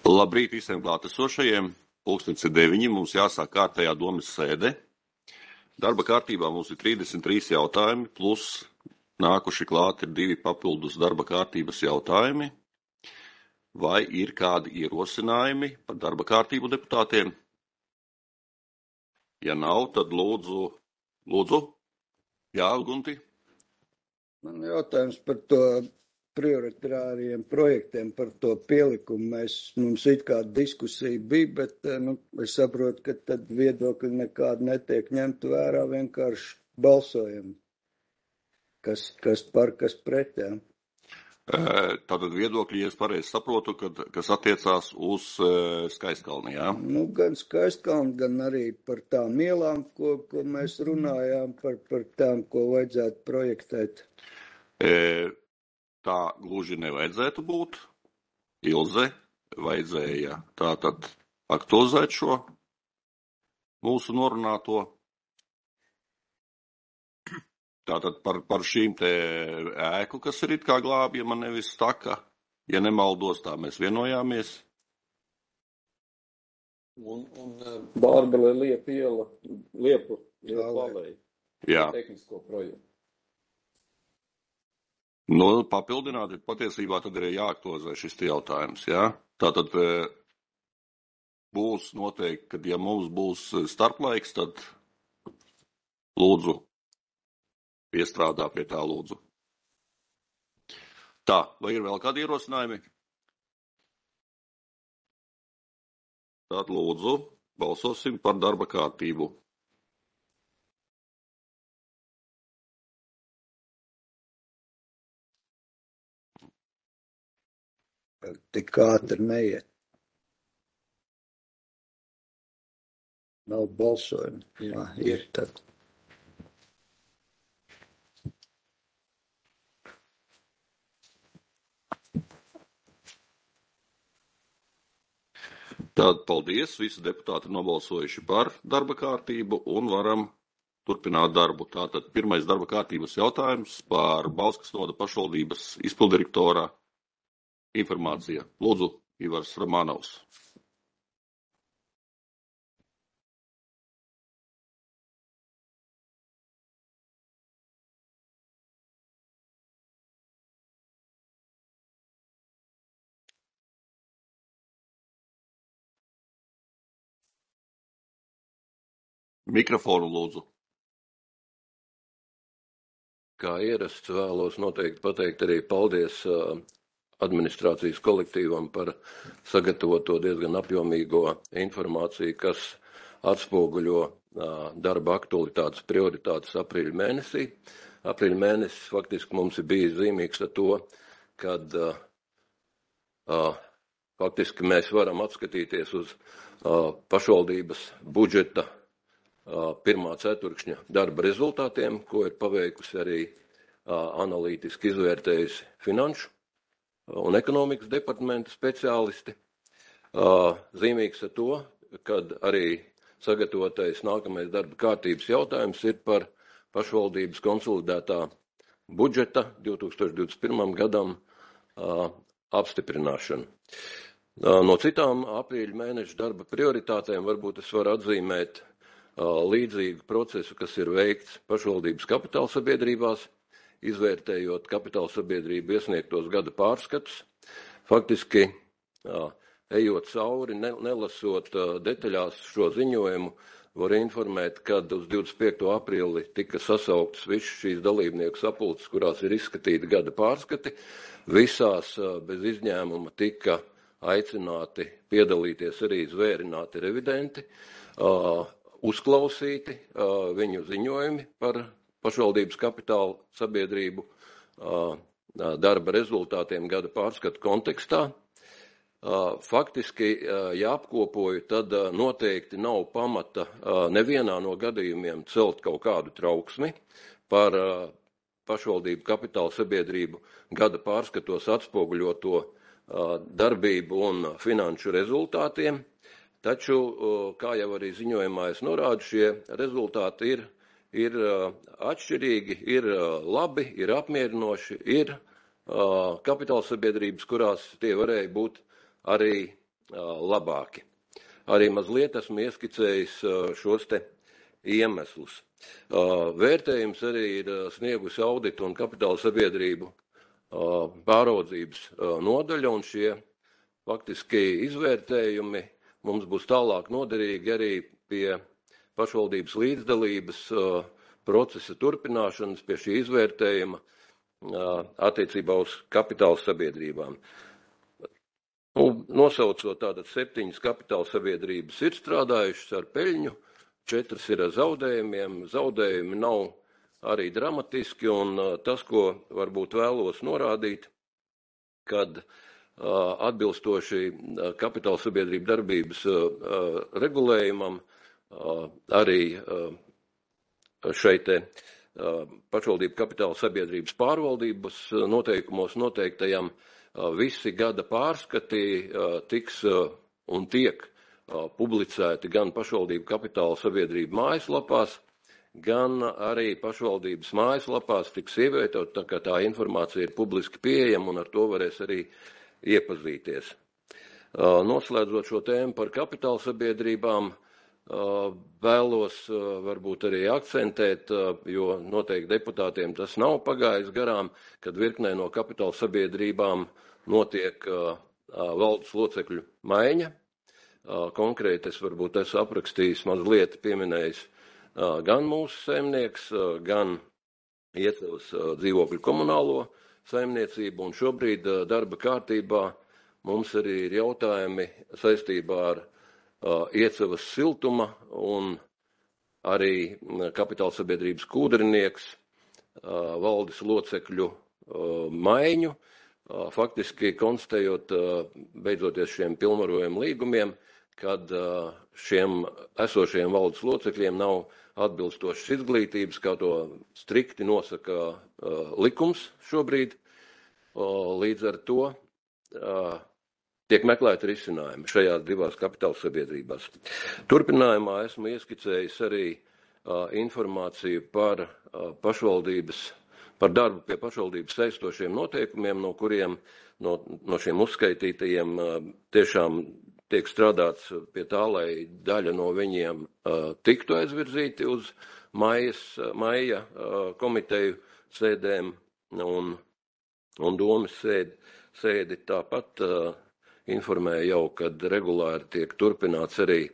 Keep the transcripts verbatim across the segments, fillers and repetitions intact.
Labrīt visiem klātesošajiem. Pulkstens ir deviņi, mums jāsāk kārtējā domas sēde. Darba kārtībā mums ir trīsdesmit trīs jautājumi, plus nākuši klāt ir divi papildus darba kārtības jautājumi. Vai ir kādi ierosinājumi par darba kārtību deputātiem? Ja nav, tad lūdzu, lūdzu. Jā, Gunti. Man jautājums par to prioritāriem projektiem, par to pielikumu. Mēs, mums it kā diskusija bija, bet nu, es saprotu, ka tad viedokļi nekādi netiek ņemt vērā, vienkārši balsojam. Kas, kas par, kas pret, jā. Tātad viedokļi, ja es pareizi saprotu, kad, kas attiecās uz uh, Skaistkalni, jā? Nu, gan Skaistkalni, gan arī par tām ielām, ko, ko mēs runājām, par, par tām, ko vajadzētu projektēt. E, tā gluži nevajadzētu būt. Ilze vajadzēja tātad aktualizēt šo mūsu norunāto. Tātad par, par šīm te ēku, kas ir it kā glābjama, nevis taka, ja nemaldos, tā mēs vienojāmies. Un, un Bārbele Liepa iela, Liepu iela palēja. Jā. Tehnisko projektu. Nu, papildināt, patiesībā tad ir jāaktualizē šis jautājums, jā. Tātad būs noteikti, kad ja mums būs starplaiks, tad lūdzu. Piestrādā pie tā lūdzu. Tā, vai ir vēl kādi ierosinājumi? Tad lūdzu, balsosim par darba kārtību. Tik ātri neiet. Nav balsojumi. Jā, ir tad. Tad paldies, visi deputāti nobalsojuši par darba kārtību un varam turpināt darbu. Tātad pirmais darba kārtības jautājums par Bauskas novada pašvaldības izpildirektora informācija. Lūdzu, Ivars Romanovs. Mikrofonu lūdzu. Kā ierasts vēlos noteikti pateikt arī paldies administrācijas kolektīvam par sagatavoto diezgan apjomīgo informāciju, kas atspoguļo darba aktualitātes prioritātes aprīļa mēnesī. Aprīļa mēnesis faktiski mums ir bijis zīmīgs ar to, kad faktiski mēs varam atskatīties uz pašvaldības budžeta pirmā ceturkšņa darba rezultātiem, ko ir paveikusi arī analītiski izvērtējusi finanšu un ekonomikas departamenta speciālisti. Zīmīgs ar to, kad arī sagatavotais nākamais darba kārtības jautājums ir par pašvaldības konsolidētā budžeta divs tūkstoši divdesmit pirmajam gadam apstiprināšanu. No citām aprīļa mēneša darba prioritātēm varbūt es varu atzīmēt līdzīgu procesu, kas ir veikts pašvaldības kapitāla sabiedrībās, izvērtējot kapitāla sabiedrību iesniegtos gada pārskatus. Faktiski, ejot cauri, nelasot detaļās šo ziņojumu, var informēt, kad uz divdesmit piekto aprīli tika sasauktas visas šīs dalībnieku sapulces, kurās ir izskatīti gada pārskati. Visās bez izņēmuma tika aicināti piedalīties arī zvērināti revidenti, uzklausīti uh, viņu ziņojumi par pašvaldības kapitāla sabiedrību uh, darba rezultātiem gada pārskatu kontekstā. Uh, faktiski, uh, ja apkopoju, tad uh, noteikti nav pamata uh, nevienā no gadījumiem celt kaut kādu trauksmi par uh, pašvaldību kapitāla sabiedrību gada pārskatos atspoguļoto uh, darbību un finanšu rezultātiem, taču, kā jau arī ziņojumā es norādu, šie rezultāti ir, ir atšķirīgi, ir labi, ir apmierinoši, ir kapitāla sabiedrības, kurās tie varēja būt arī labāki. Arī mazliet esmu ieskicējis šos te iemeslus. Vērtējums arī ir sniegusi auditu un kapitāla sabiedrību pāraudzības nodaļa, un šie faktiski izvērtējumi mums būs tālāk noderīgi arī pie pašvaldības līdzdalības procesa turpināšanas, pie šī izvērtējuma attiecībā uz kapitāla sabiedrībām. Nu, nosaucot tātad septiņas kapitāla sabiedrības ir strādājušas ar peļņu, četras ir ar zaudējumiem, zaudējumi nav arī dramatiski, un tas, ko varbūt vēlos norādīt, kad atbilstoši kapitāla sabiedrību darbības regulējumam arī šeit te pašvaldību kapitāla sabiedrības pārvaldības noteikumos noteiktajam visi gada pārskati tiks un tiek publicēti gan pašvaldību kapitāla sabiedrību mājaslapās, gan arī pašvaldības mājaslapās tiks ievietot, tā kā tā informācija ir publiski pieejama un ar to varēs arī iepazīties. Noslēdzot šo tēmu par kapitāla sabiedrībām, vēlos varbūt arī akcentēt, jo noteikti deputātiem tas nav pagājis garām, kad virknē no kapitāla sabiedrībām notiek valdes locekļu maiņa. Konkrēti es varbūt esmu aprakstījis mazliet pieminējis gan mūsu saimnieks, gan Iecavas dzīvokļu komunālo saimniecību, un šobrīd darba kārtībā mums arī ir jautājumi saistībā ar Iecavas siltuma un arī kapitāla sabiedrības kūdrinieks valdes locekļu maiņu, faktiski konstatējot beidzoties šiem pilnvarojumu līgumiem, kad šiem esošajiem valdes locekļiem nav atbilstošas izglītības, kā to strikti nosaka likums šobrīd. Līdz ar to tiek meklēti risinājumi šajās divās kapitāla sabiedrībās. Turpinājumā esmu ieskicējis arī informāciju par pašvaldības, par darbu pie pašvaldības saistošiem noteikumiem, no kuriem, no, no šiem uzskaitītajiem tiešām tiek strādāts pie tā, lai daļa no viņiem uh, tiktu aizvirzīti uz maijas, maija uh, komiteju sēdēm un, un domas sēdi. sēdi. Tāpat uh, informēja jau, kad regulāri tiek turpināts arī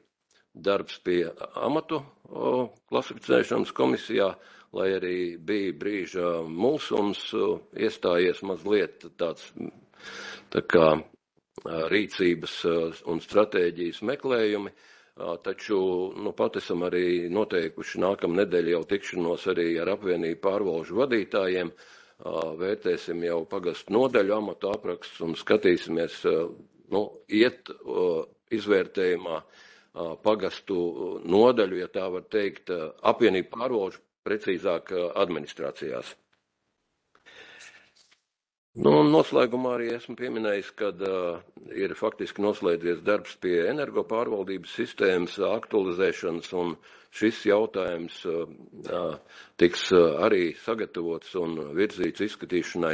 darbs pie amatu uh, klasificēšanas komisijā, lai arī bija brīža mulsums uh, iestājies mazliet tāds tā kā rīcības un stratēģijas meklējumi, taču nu, pat esam arī noteikuši nākamā nedēļa jau tikšanos arī ar apvienību pārvalžu vadītājiem, vērtēsim jau pagastu nodaļu amatu aprakstus un skatīsimies, nu, iet izvērtējumā pagastu nodaļu, ja tā var teikt, apvienību pārvalžu, precīzāk administrācijās. Nu, noslēgumā arī esmu pieminējis, kad uh, ir faktiski noslēdzies darbs pie energopārvaldības sistēmas aktualizēšanas, un šis jautājums uh, tiks uh, arī sagatavots un virzīts izskatīšanai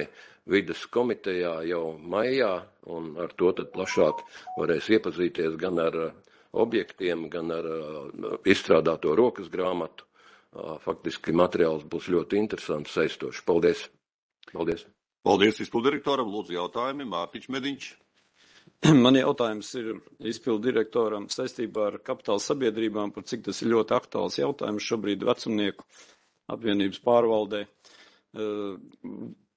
vides komitejā jau maijā, un ar to tad plašāk varēs iepazīties gan ar uh, objektiem, gan ar uh, izstrādāto rokas grāmatu. Uh, faktiski materiāls būs ļoti interesants, saistošs. Paldies! Paldies! Paldies izpildirektoram. Lūdzu jautājumi. Mārtiņš Mediņš. Man jautājums ir izpildirektoram saistībā ar kapitāla sabiedrībām, par cik tas ir ļoti aktuāls jautājums šobrīd vecumnieku apvienības pārvaldē.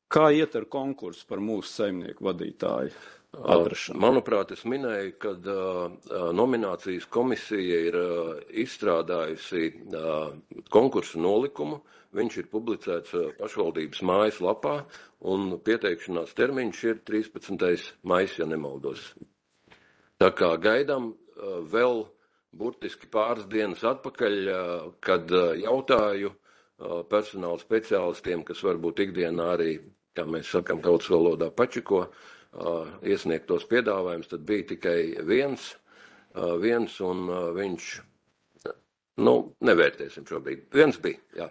Kā iet ar konkursu par mūsu saimnieku vadītāju atrašanu? Manuprāt, es minēju, ka uh, nominācijas komisija ir uh, izstrādājusi uh, konkursu nolikumu. Viņš ir publicēts uh, pašvaldības mājaslapā, un pieteikšanās termiņš ir trīspadsmitais maijs, ja nemaldos. Tā kā gaidām uh, vēl burtiski pāris dienas atpakaļ, uh, kad uh, jautāju uh, personāla speciālistiem, kas varbūt ikdienā arī, kā mēs sakam tautas valodā, pačiko uh, iesniegtos piedāvājumus, tad bija tikai viens, uh, viens un uh, viņš, nu, nevērtēsim šobrīd. Viens bija, jā.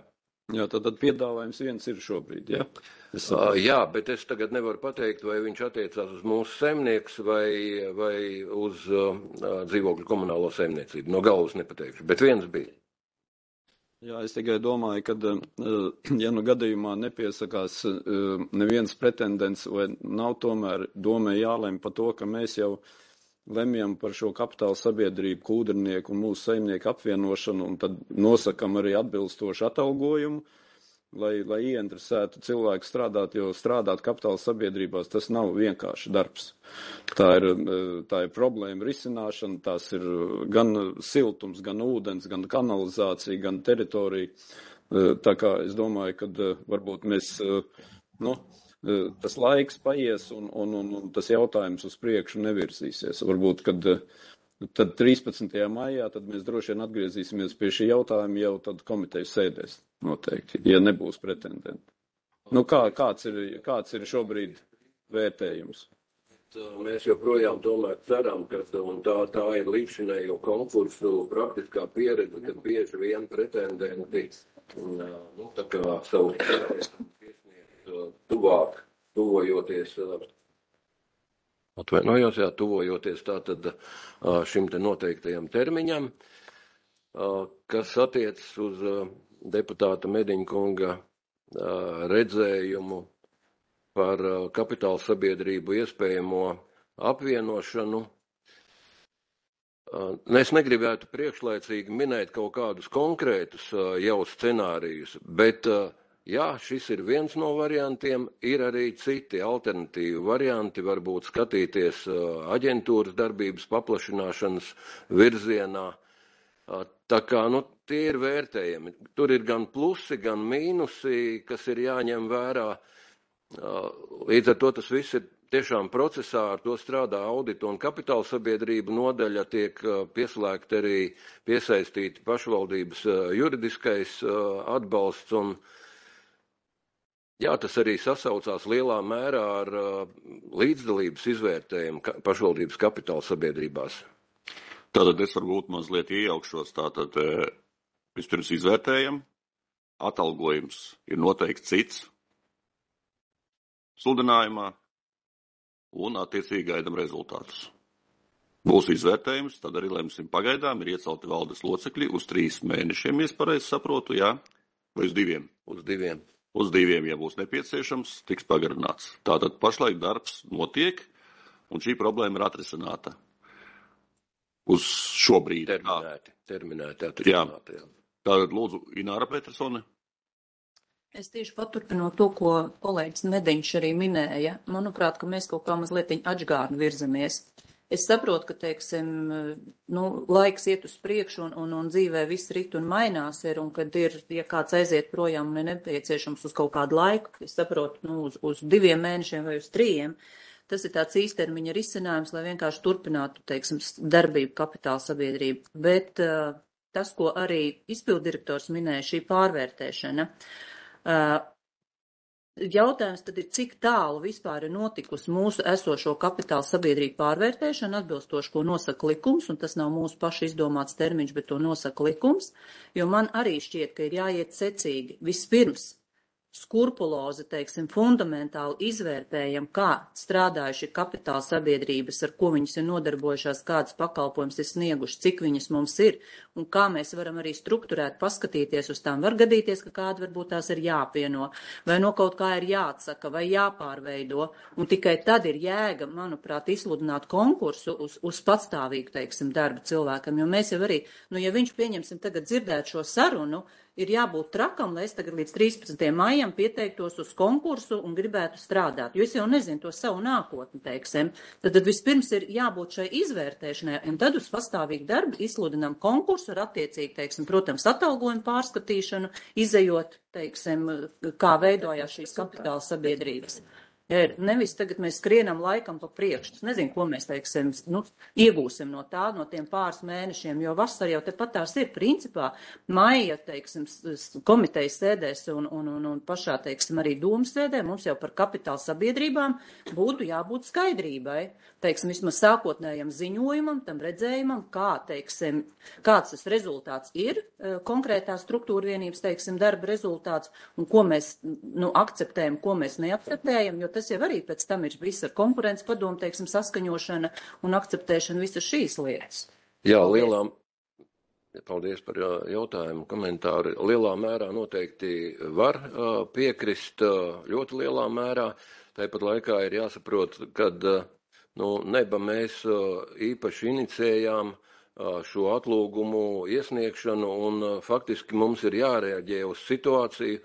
Jā, tad, tad piedāvājums viens ir šobrīd, jā? Es Uh, jā, bet es tagad nevaru pateikt, vai viņš attiecās uz mūsu saimnieks vai, vai uz uh, dzīvokļu komunālo saimniecību. No galvas nepateikšu, bet viens bija. Jā, es tikai domāju, ka, ja nu gadījumā nepiesakās neviens pretendents, vai nav tomēr domē jālem par to, ka mēs jau lemjam par šo kapitāla sabiedrību, kūdrnieku un mūsu saimnieku apvienošanu, un tad nosakam arī atbilstošu atalgojumu, lai, lai ieinteresētu cilvēku strādāt, jo strādāt kapitāla sabiedrībās tas nav vienkārši darbs. Tā ir, tā ir problēma risināšana, tās ir gan siltums, gan ūdens, gan kanalizācija, gan teritorija. Tā kā es domāju, ka varbūt mēs, nu, tas laiks paies un, un, un, un tas jautājums uz priekšu nevirzīsies. Varbūt, kad tad trīspadsmitajā maijā tad mēs droši vien atgriezīsimies pie šī jautājuma jau tad komitejas sēdēs noteikti, ja nebūs pretendenti. Nu, kā, kāds ir, kāds ir šobrīd vērtējums? Mēs joprojām tomēr ceram, ka un tā, tā ir līdzinējo konkursu praktiskā pieredze, ka bieži vien pretendenti nu, tā kā savu tuvāk, tuvojoties, atvainojos, jā, tuvojoties tātad šim te noteiktajam termiņam, kas attiecas uz deputāta Mediņkunga redzējumu par kapitāla sabiedrību iespējamo apvienošanu. Es negribētu priekšlaicīgi minēt kaut kādus konkrētus jau scenārijus, bet jā, šis ir viens no variantiem, ir arī citi alternatīvi varianti, varbūt skatīties aģentūras darbības paplašināšanas virzienā. Tā kā, nu, tie ir vērtējami. Tur ir gan plusi, gan mīnusi, kas ir jāņem vērā. Līdz ar to tas viss ir tiešām procesā, ar to strādā audita un kapitāla sabiedrība nodaļa, tiek pieslēgta arī piesaistīti pašvaldības juridiskais atbalsts un jā, tas arī sasaucās lielā mērā ar līdzdalības izvērtējumu pašvaldības kapitāla sabiedrībās. Tātad es varbūt mazliet iejaukšos, tātad vispirms izvērtējam, atalgojums ir noteikti cits sludinājumā un attiecīgi gaidam rezultātus. Būs izvērtējums, tad arī lemsim pagaidām, ir iecelti valdes locekļi uz trīs mēnešiem, ja es pareizi saprotu, jā, vai uz diviem? Uz diviem. Uz diviem, ja būs nepieciešams, tiks pagarināts. Tātad pašlaik darbs notiek, un šī problēma ir atrisināta. Uz šobrīd. Terminēti, terminēti atrisināti. Jā. Tātad lūdzu, Ināra Petersone. Es tieši paturpinot to, ko kolēģis Mediņš arī minēja. Manuprāt, ka mēs kaut kā mazliet atžgārni virzamies. Es saprotu, ka, teiksim, nu, laiks iet uz priekšu un, un, un dzīvē viss rit un mainās ir, un kad ir, ja kāds aiziet projām un ir nepieciešams uz kaut kādu laiku, es saprotu, nu, uz, uz diviem mēnešiem vai uz trījiem, tas ir tāds īstermiņa risinājums, lai vienkārši turpinātu, teiksim, darbību kapitāla sabiedrību. Bet uh, tas, ko arī izpildirektors minēja, šī pārvērtēšana, uh, jautājums tad ir, cik tālu vispār ir notikusi mūsu esošo kapitāla sabiedrību pārvērtēšana, atbilstoši, ko nosaka likums, un tas nav mūsu paši izdomāts termiņš, bet to nosaka likums, jo man arī šķiet, ka ir jāiet secīgi. Vispirms skurpulozi, teiksim, fundamentāli izvērtējam, kā strādājuši kapitāla sabiedrības, ar ko viņas ir nodarbojušās, kādas pakalpojumus ir snieguši, cik viņas mums ir, un kā mēs varam arī strukturēt, paskatīties uz tām. Var gadīties, ka kāda varbūt tās ir jāpieno, vai no kaut kā ir jāatsaka, vai jāpārveido, un tikai tad ir jēga, manuprāt, izsludināt konkursu uz, uz patstāvīgu, teiksim, darbu cilvēkam, jo mēs jau arī, nu, ja viņš pieņemsim tagad dzirdēt šo sarunu, ir jābūt trakam, lai es tagad līdz trīspadsmitajam maijam pieteiktos uz konkursu un gribētu strādāt, jo es jau nezinu to savu nākotni, teiksim. Tad, tad vispirms ir jābūt šai izvērtēšanai, un tad uz pastāvīgu darbu izsludinām konkursu ar attiecīgi, teiksim, protams, atalgojumu pārskatīšanu, izejot, teiksim, kā veidojās šīs kapitāla sabiedrības. Ja ir nevis tagad mēs skrienam laikam pa priekšu. Es nezinu, ko mēs, teiksim, nu, iegūsim no tā, no tiem pāris mēnešiem, jo vasar jau tepat tās ir principā. Maija, teiksim, komitejas sēdēs un, un, un, un pašā, teiksim, arī dūmas sēdē mums jau par kapitāla sabiedrībām būtu jābūt skaidrībai. Teiksim, vismaz sākotnējam ziņojumam, tam redzējumam, kā, teiksim, kāds tas rezultāts ir, konkrētā struktūra vienības, teiksim, darba rezultāts, un ko mēs, nu, akceptējam, ko mēs neakceptējam, jo tas jau arī pēc tam ir viss ar konkurences padomu, teiksim, saskaņošana un akceptēšana visas šīs lietas. Jā, lielā, paldies par jautājumu, komentāru. Lielā mērā noteikti var piekrist, ļoti lielā mērā. Tāpat laikā ir jāsaprot, kad nu, neba mēs īpaši inicējām šo atlūgumu iesniegšanu un faktiski mums ir jārēģē uz situāciju.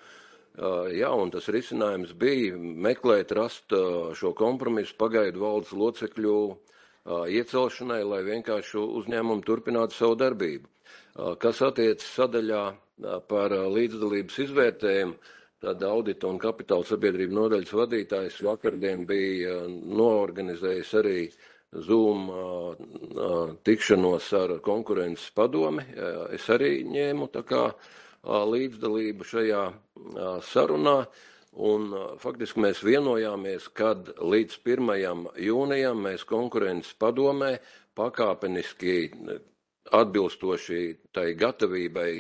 Jā, un tas risinājums bija meklēt, rast šo kompromisu pagaidu valdes locekļu iecelšanai, lai vienkārši uzņēmumu turpinātu savu darbību. Kas attiecas sadaļā par līdzdalības izvērtējumu, tad audita un kapitāla sabiedrību nodaļas vadītājs vakardien bija noorganizējis arī Zoom tikšanos ar konkurences padomi. Es arī ņēmu tā kā līdzdalību šajā sarunā, un faktiski mēs vienojāmies, kad līdz pirmajam jūnijam mēs konkurences padomē pakāpeniski atbilstoši tai gatavībai,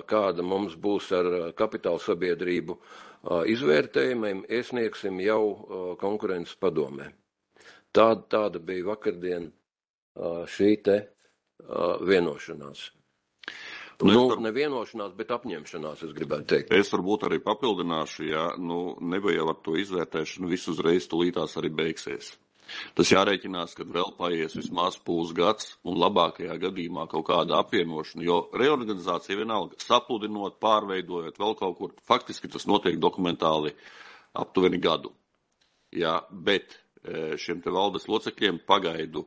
kāda mums būs ar kapitāla sabiedrību izvērtējumiem, iesniegsim jau konkurences padomē. Tāda, tāda bija vakardien šī te vienošanās. Nu, nu var... nevienošanās, bet apņemšanās, es gribētu teikt. Es varbūt arī papildināšu, ja nu, nebija ar to izvērtēšanu, viss uzreiz tulītās arī beigsies. Tas jārēķinās, kad vēl paies vismaz pusgads un labākajā gadījumā kaut kāda apvienošana, jo reorganizācija vienalga sapludinot, pārveidojot vēl kaut kur, faktiski tas notiek dokumentāli aptuveni gadu. Jā, bet šiem te valdes locekļiem pagaidu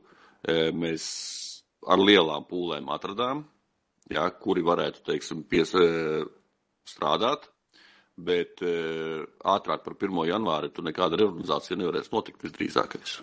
mēs ar lielām pūlēm atradām, jā, kuri varētu, teiksim, pies, strādāt, bet ātrāk par pirmo janvāri tu nekāda reorganizācija nevarēs notikt visdrīzākais.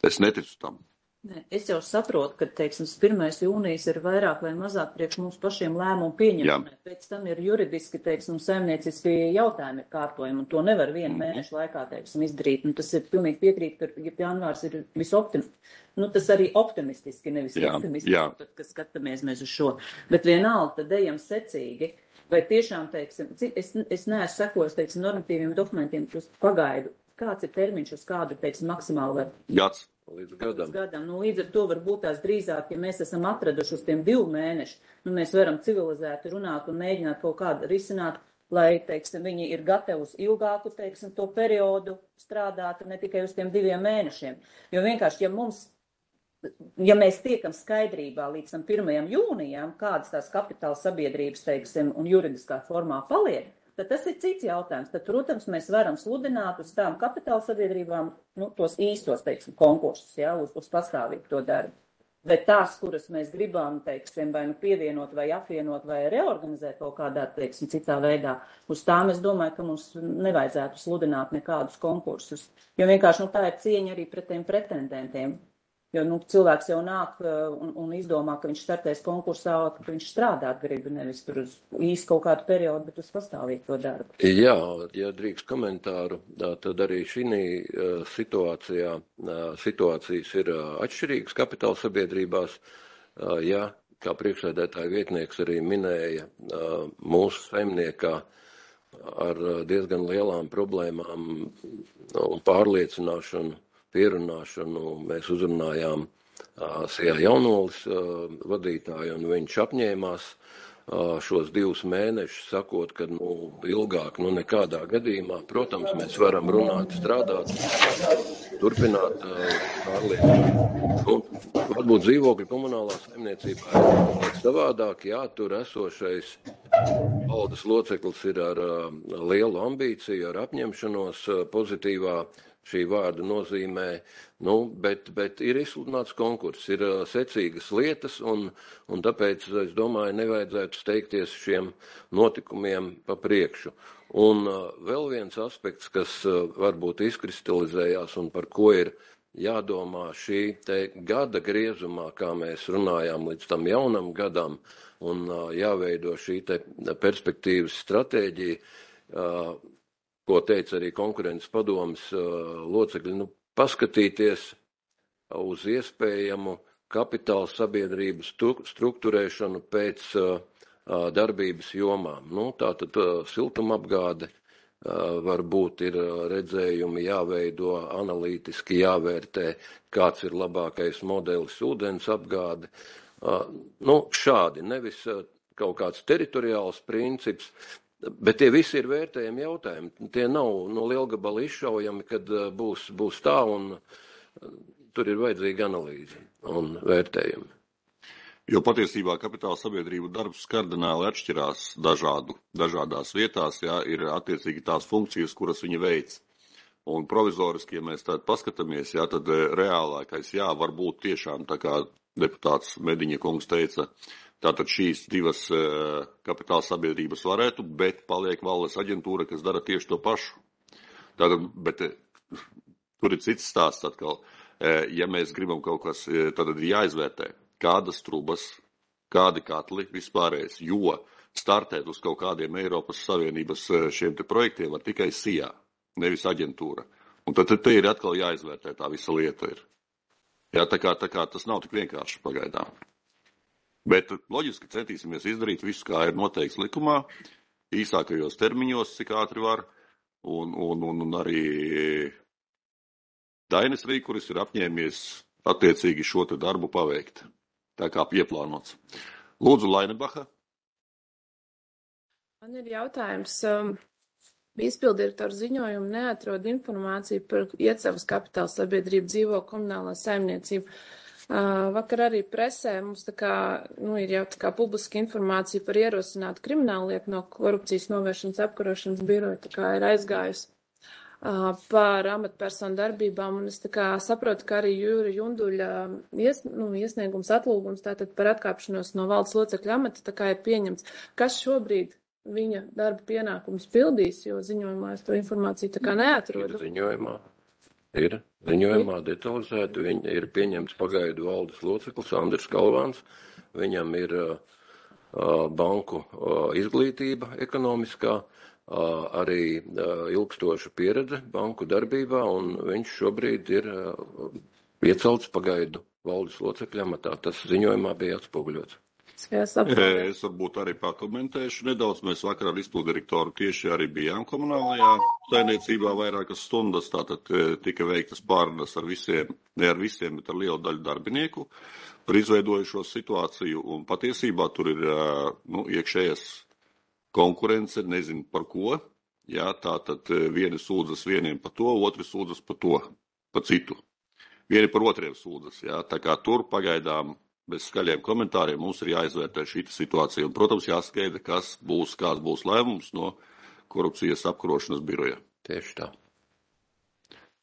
Es neticu tam. Ne, es jau saprotu, ka, teiksim, pirmais jūnijas ir vairāk vai mazāk priekš mums pašiem lēmumu pieņemšanai. Pēc tam ir juridiski, teiksim, saimnieciski jautājumi ir kārtojumi, un to nevar vienu mēnešu laikā, teiksim, izdarīt. Nu, tas ir pilnīgi piekrīt, ka ja janvārs ir visoptimistiski. Nu, tas arī optimistiski, nevis jā, optimistiski, jā. Tad, kad skatāmies mēs uz šo. Bet vienalga, tad ejam secīgi. Vai tiešām, teiksim, es, es neesmu sekojis, teiksim, normatīviem dokumentiem, uz pagaidu. Kāds ir termiņš, uz kādu, teiksim, maksimāli var? Gads. Līdz gadam. Līdz gadam. Nu, līdz ar to varbūt tās drīzāk, ja mēs esam atraduši uz tiem divu mēnešu, nu, mēs varam civilizēti runāt un mēģināt kaut kādu risināt, lai, teiksim, viņi ir gatavi uz ilgāku, teiksim, to periodu strādāt, ne tikai uz tiem diviem mēnešiem. Jo vienkārši, ja mums, ja mēs tiekam skaidrībā līdz tam pirmajam jūnijam, kādas tās kapitāla sabiedrības, teiksim, un juridiskā formā paliek, tad tas ir cits jautājums. Tad, protams, mēs varam sludināt uz tām kapitāla sabiedrībām, nu, tos īstos, teiksim, konkursus, jā, uz, uz pastāvīgu to darbu. Bet tās, kuras mēs gribam, teiksim, vai nu pievienot, vai apvienot, vai reorganizēt kaut kādā, teiksim, citā veidā, uz tām es domāju, ka mums nevajadzētu sludināt nekādus konkursus. Jo vienkārši, nu, tā ir cieņa arī pret tiem pretendentiem. Jo, nu, cilvēks jau nāk un, un izdomā, ka viņš startēs konkursā, ka viņš strādāt grib, nevis tur uz īsti kaut kādu periodu, bet uz pastāvīgu to darbu. Jā, ja drīkst komentāru, tad arī šī situācijā, situācijas ir atšķirīgas kapitāla sabiedrībās. Ja, kā priekšsēdētāja vietnieks arī minēja, mūsu saimniekā ar diezgan lielām problēmām un pārliecināšanu, pierunāšanu mēs uzrunājām Sijā Jaunolis vadītāju, un viņš apņēmās šos divus mēnešus, sakot, ka nu, ilgāk, nu nekādā gadījumā, protams, mēs varam runāt, strādāt, turpināt pārliecināt. Nu, varbūt dzīvokļu komunālā saimniecībā ir savādāk, jā, tur esošais valdes loceklis ir ar lielu ambīciju, ar apņemšanos pozitīvā šī vārda nozīmē, nu, bet, bet ir izsludināts konkurss, ir uh, secīgas lietas, un, un tāpēc, es domāju, nevajadzētu steigties šiem notikumiem pa priekšu. Un uh, vēl viens aspekts, kas uh, varbūt izkristalizējās un par ko ir jādomā šī te gada griezumā, kā mēs runājām līdz tam jaunam gadam, un uh, jāveido šī te perspektīvas stratēģija, uh, ko teica arī konkurences padomes uh, locekļi, nu, paskatīties uz iespējamu kapitāla sabiedrību strukturēšanu pēc uh, darbības jomām. Nu, tātad uh, siltumapgāde, uh, varbūt ir redzējumi jāveido, analītiski jāvērtē, kāds ir labākais modelis ūdens apgāde. Uh, nu, šādi, nevis uh, kaut kāds teritoriāls princips, bet tie visi ir vērtējami jautājumi. Tie nav no lielgabala izšaujami, kad uh, būs, būs tā, un uh, tur ir vajadzīga analīze un vērtējumi. Jo patiesībā kapitāla sabiedrību darbs kardināli atšķirās dažādu, dažādās vietās, jā, ir attiecīgi tās funkcijas, kuras viņi veic. Un provizoriski, ja mēs tādu paskatāmies, jā, tad reālākais, jā, varbūt tiešām, tā kā deputāts Mediņa kungs teica, tātad šīs divas uh, kapitāla sabiedrības varētu, bet paliek valdes aģentūra, kas dara tieši to pašu. Tātad, bet uh, tur ir cits stāsts atkal. Uh, ja mēs gribam kaut kas, uh, tad ir jāizvērtē, kādas trubas, kādi katli vispārējais, jo startēt uz kaut kādiem Eiropas Savienības šiem te projektiem var tikai S I A, nevis aģentūra. Un tad, tad te ir atkal jāizvērtē tā visa lieta ir. Jā, tā kā, tā kā tas nav tik vienkārši pagaidām. Bet loģiski centīsimies izdarīt visu, kā ir noteikts likumā, īsākajos termiņos, cik ātri var, un, un, un, un arī Dainis Rīkuris ir apņēmies attiecīgi šo te darbu paveikt. Tā kā pieplānots. Lūdzu, Lainebacha. Man ir jautājums. Izpildirektora ziņojumu neatrod informāciju par Iecavas kapitāla sabiedrību dzīvo komunālā saimniecību. Vakar arī presē mums tā kā, nu, ir jau tā kā publiska informācija par ierosinātu kriminālu lietu no korupcijas novēršanas apkarošanas biroja, tā kā ir aizgājusi par amatpersonu darbībām, un es tā kā saprotu, ka arī Jūra Junduļa ies, nu, iesniegums atlūgums tātad par atkāpšanos no valdes locekļa amata tā kā ir pieņemts. Kas šobrīd viņa darba pienākums pildīs, jo ziņojumā es to informāciju tā kā neatrodu? Ir ziņojumā. Ir ziņojumā detalizēti. Viņa ir pieņemts pagaidu valdes loceklis Andris Kalvāns. Viņam ir uh, banku uh, izglītība ekonomiskā, Uh, arī uh, ilgstoša pieredze banku darbībā, un viņš šobrīd ir uh, iecelts pagaidu valdes locekļa amatā. Tas ziņojumā bija atspoguļots. Es varbūt arī pakomentēšu nedaudz. Mēs vakar ar izpildirektoru tieši arī bijām komunālajā saimniecībā vairākas stundas, tātad tika veiktas pārunas ar visiem, ne ar visiem, bet ar lielu daļu darbinieku par izveidojušo situāciju, un patiesībā tur ir uh, nu, iekšējas konkurence, nezinu par ko, jā, tātad vieni sūdzas vieniem par to, otri sūdzas par to, par citu. Vieni par otriem sūdzas, jā, tā kā tur pagaidām bez skaļiem komentāriem mums ir jāizvērtē šī situācija, un, protams, jāskaidra, kas būs, kāds būs lēmums no korupcijas apkarošanas biroja. Tieši tā.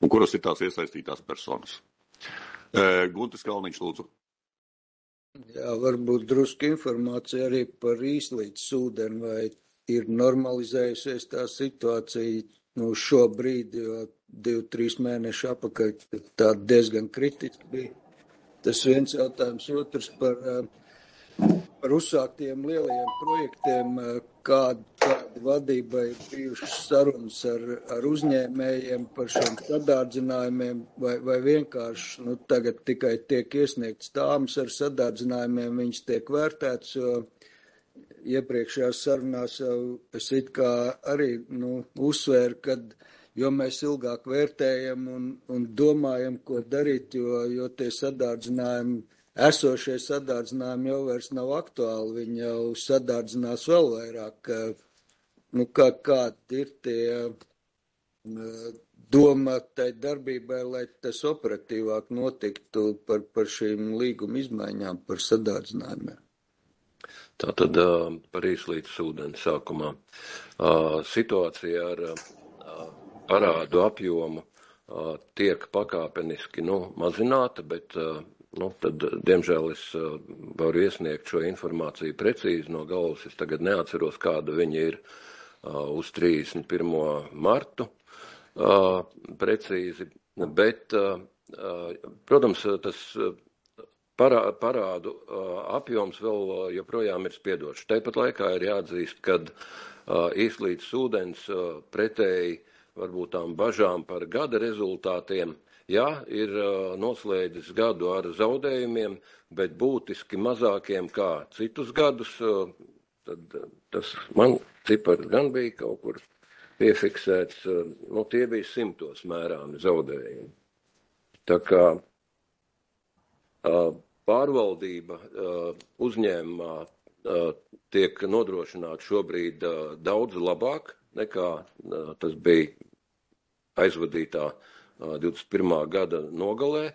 Un kuras ir tās iesaistītās personas. E, Guntis Kalniņš, lūdzu. Jā, varbūt drusku informācija arī par īslīdz ūdeni, vai ir normalizējusies tā situācija, nu, šobrīd, jo divi, trīs mēneši apakaļ tā diezgan kritiski bija. Tas viens jautājums, otrs par, par uzsāktiem lielajiem projektiem, kāda, kāda vadība ir bijušas sarunas ar, ar uzņēmējiem par šiem sadārdzinājumiem, vai, vai vienkārši, nu, tagad tikai tiek iesniegts tāmas ar sadārdzinājumiem, viņas tiek vērtēts, jo iepriekšējās sarunās jau es it kā arī, nu, uzsvēru, kad jo mēs ilgāk vērtējam un, un domājam, ko darīt, jo, jo tie sadārdzinājumi, esošie sadārdzinājumi jau vairs nav aktuāli, viņi jau sadārdzinās vēl vairāk. Nu, kā, kādi ir tie doma tai darbībai, lai tas operatīvāk notiktu par, par šīm līguma izmaiņām, par sadārdzinājumiem? Tātad par īslīdz ūdeni sākumā. Situācija ar parādu apjomu tiek pakāpeniski nu, mazināta, bet nu, tad, diemžēl, es varu iesniegt šo informāciju precīzi no galvas. Es tagad neatceros, kāda viņa ir uz trīsdesmit pirmo martu precīzi, bet, protams, tas parā, parādu apjoms vēl joprojām ir spiedošs. Tāpat laikā ir jāatzīst, kad izlīdz ūdens pretēji varbūt tām bažām par gada rezultātiem, jā, ir noslēdzis gadu ar zaudējumiem, bet būtiski mazākiem kā citus gadus, tad tas man cipars gan bija kaut kur piefiksēts, nu tie bija simtos mērāmi zaudējumi. Tā kā pārvaldība uzņēmumā tiek nodrošināta šobrīd daudz labāk, nekā tas bija aizvadītā divdesmit pirmā gada nogalē.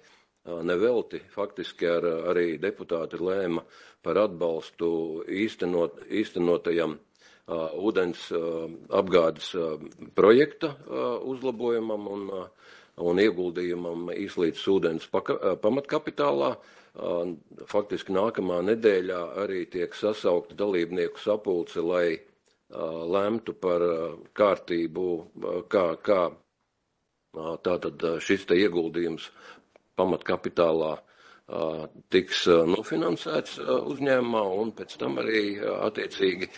Nevelti faktiski ar, arī deputāti lēma par atbalstu īstenot, īstenotajam uh, ūdens uh, apgādes uh, projekta uh, uzlabojumam un, uh, un ieguldījumam īslīdz ūdens paka, uh, pamatkapitālā. Uh, faktiski nākamā nedēļā arī tiek sasaukta dalībnieku sapulce, lai lemtu par kārtību, kā, kā tātad šis te ieguldījums pamatkapitālā tiks nofinansēts uzņēmumā un pēc tam arī attiecīgi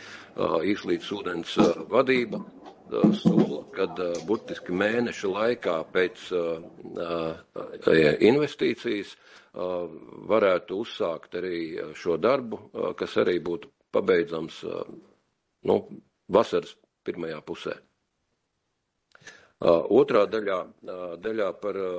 īslīdz ūdens vadība sola, kad burtiski mēneša laikā pēc investīcijas varētu uzsākt arī šo darbu, kas arī būtu pabeidzams nu, vasaras pirmajā pusē. Uh, otrā daļā, uh, daļā par uh,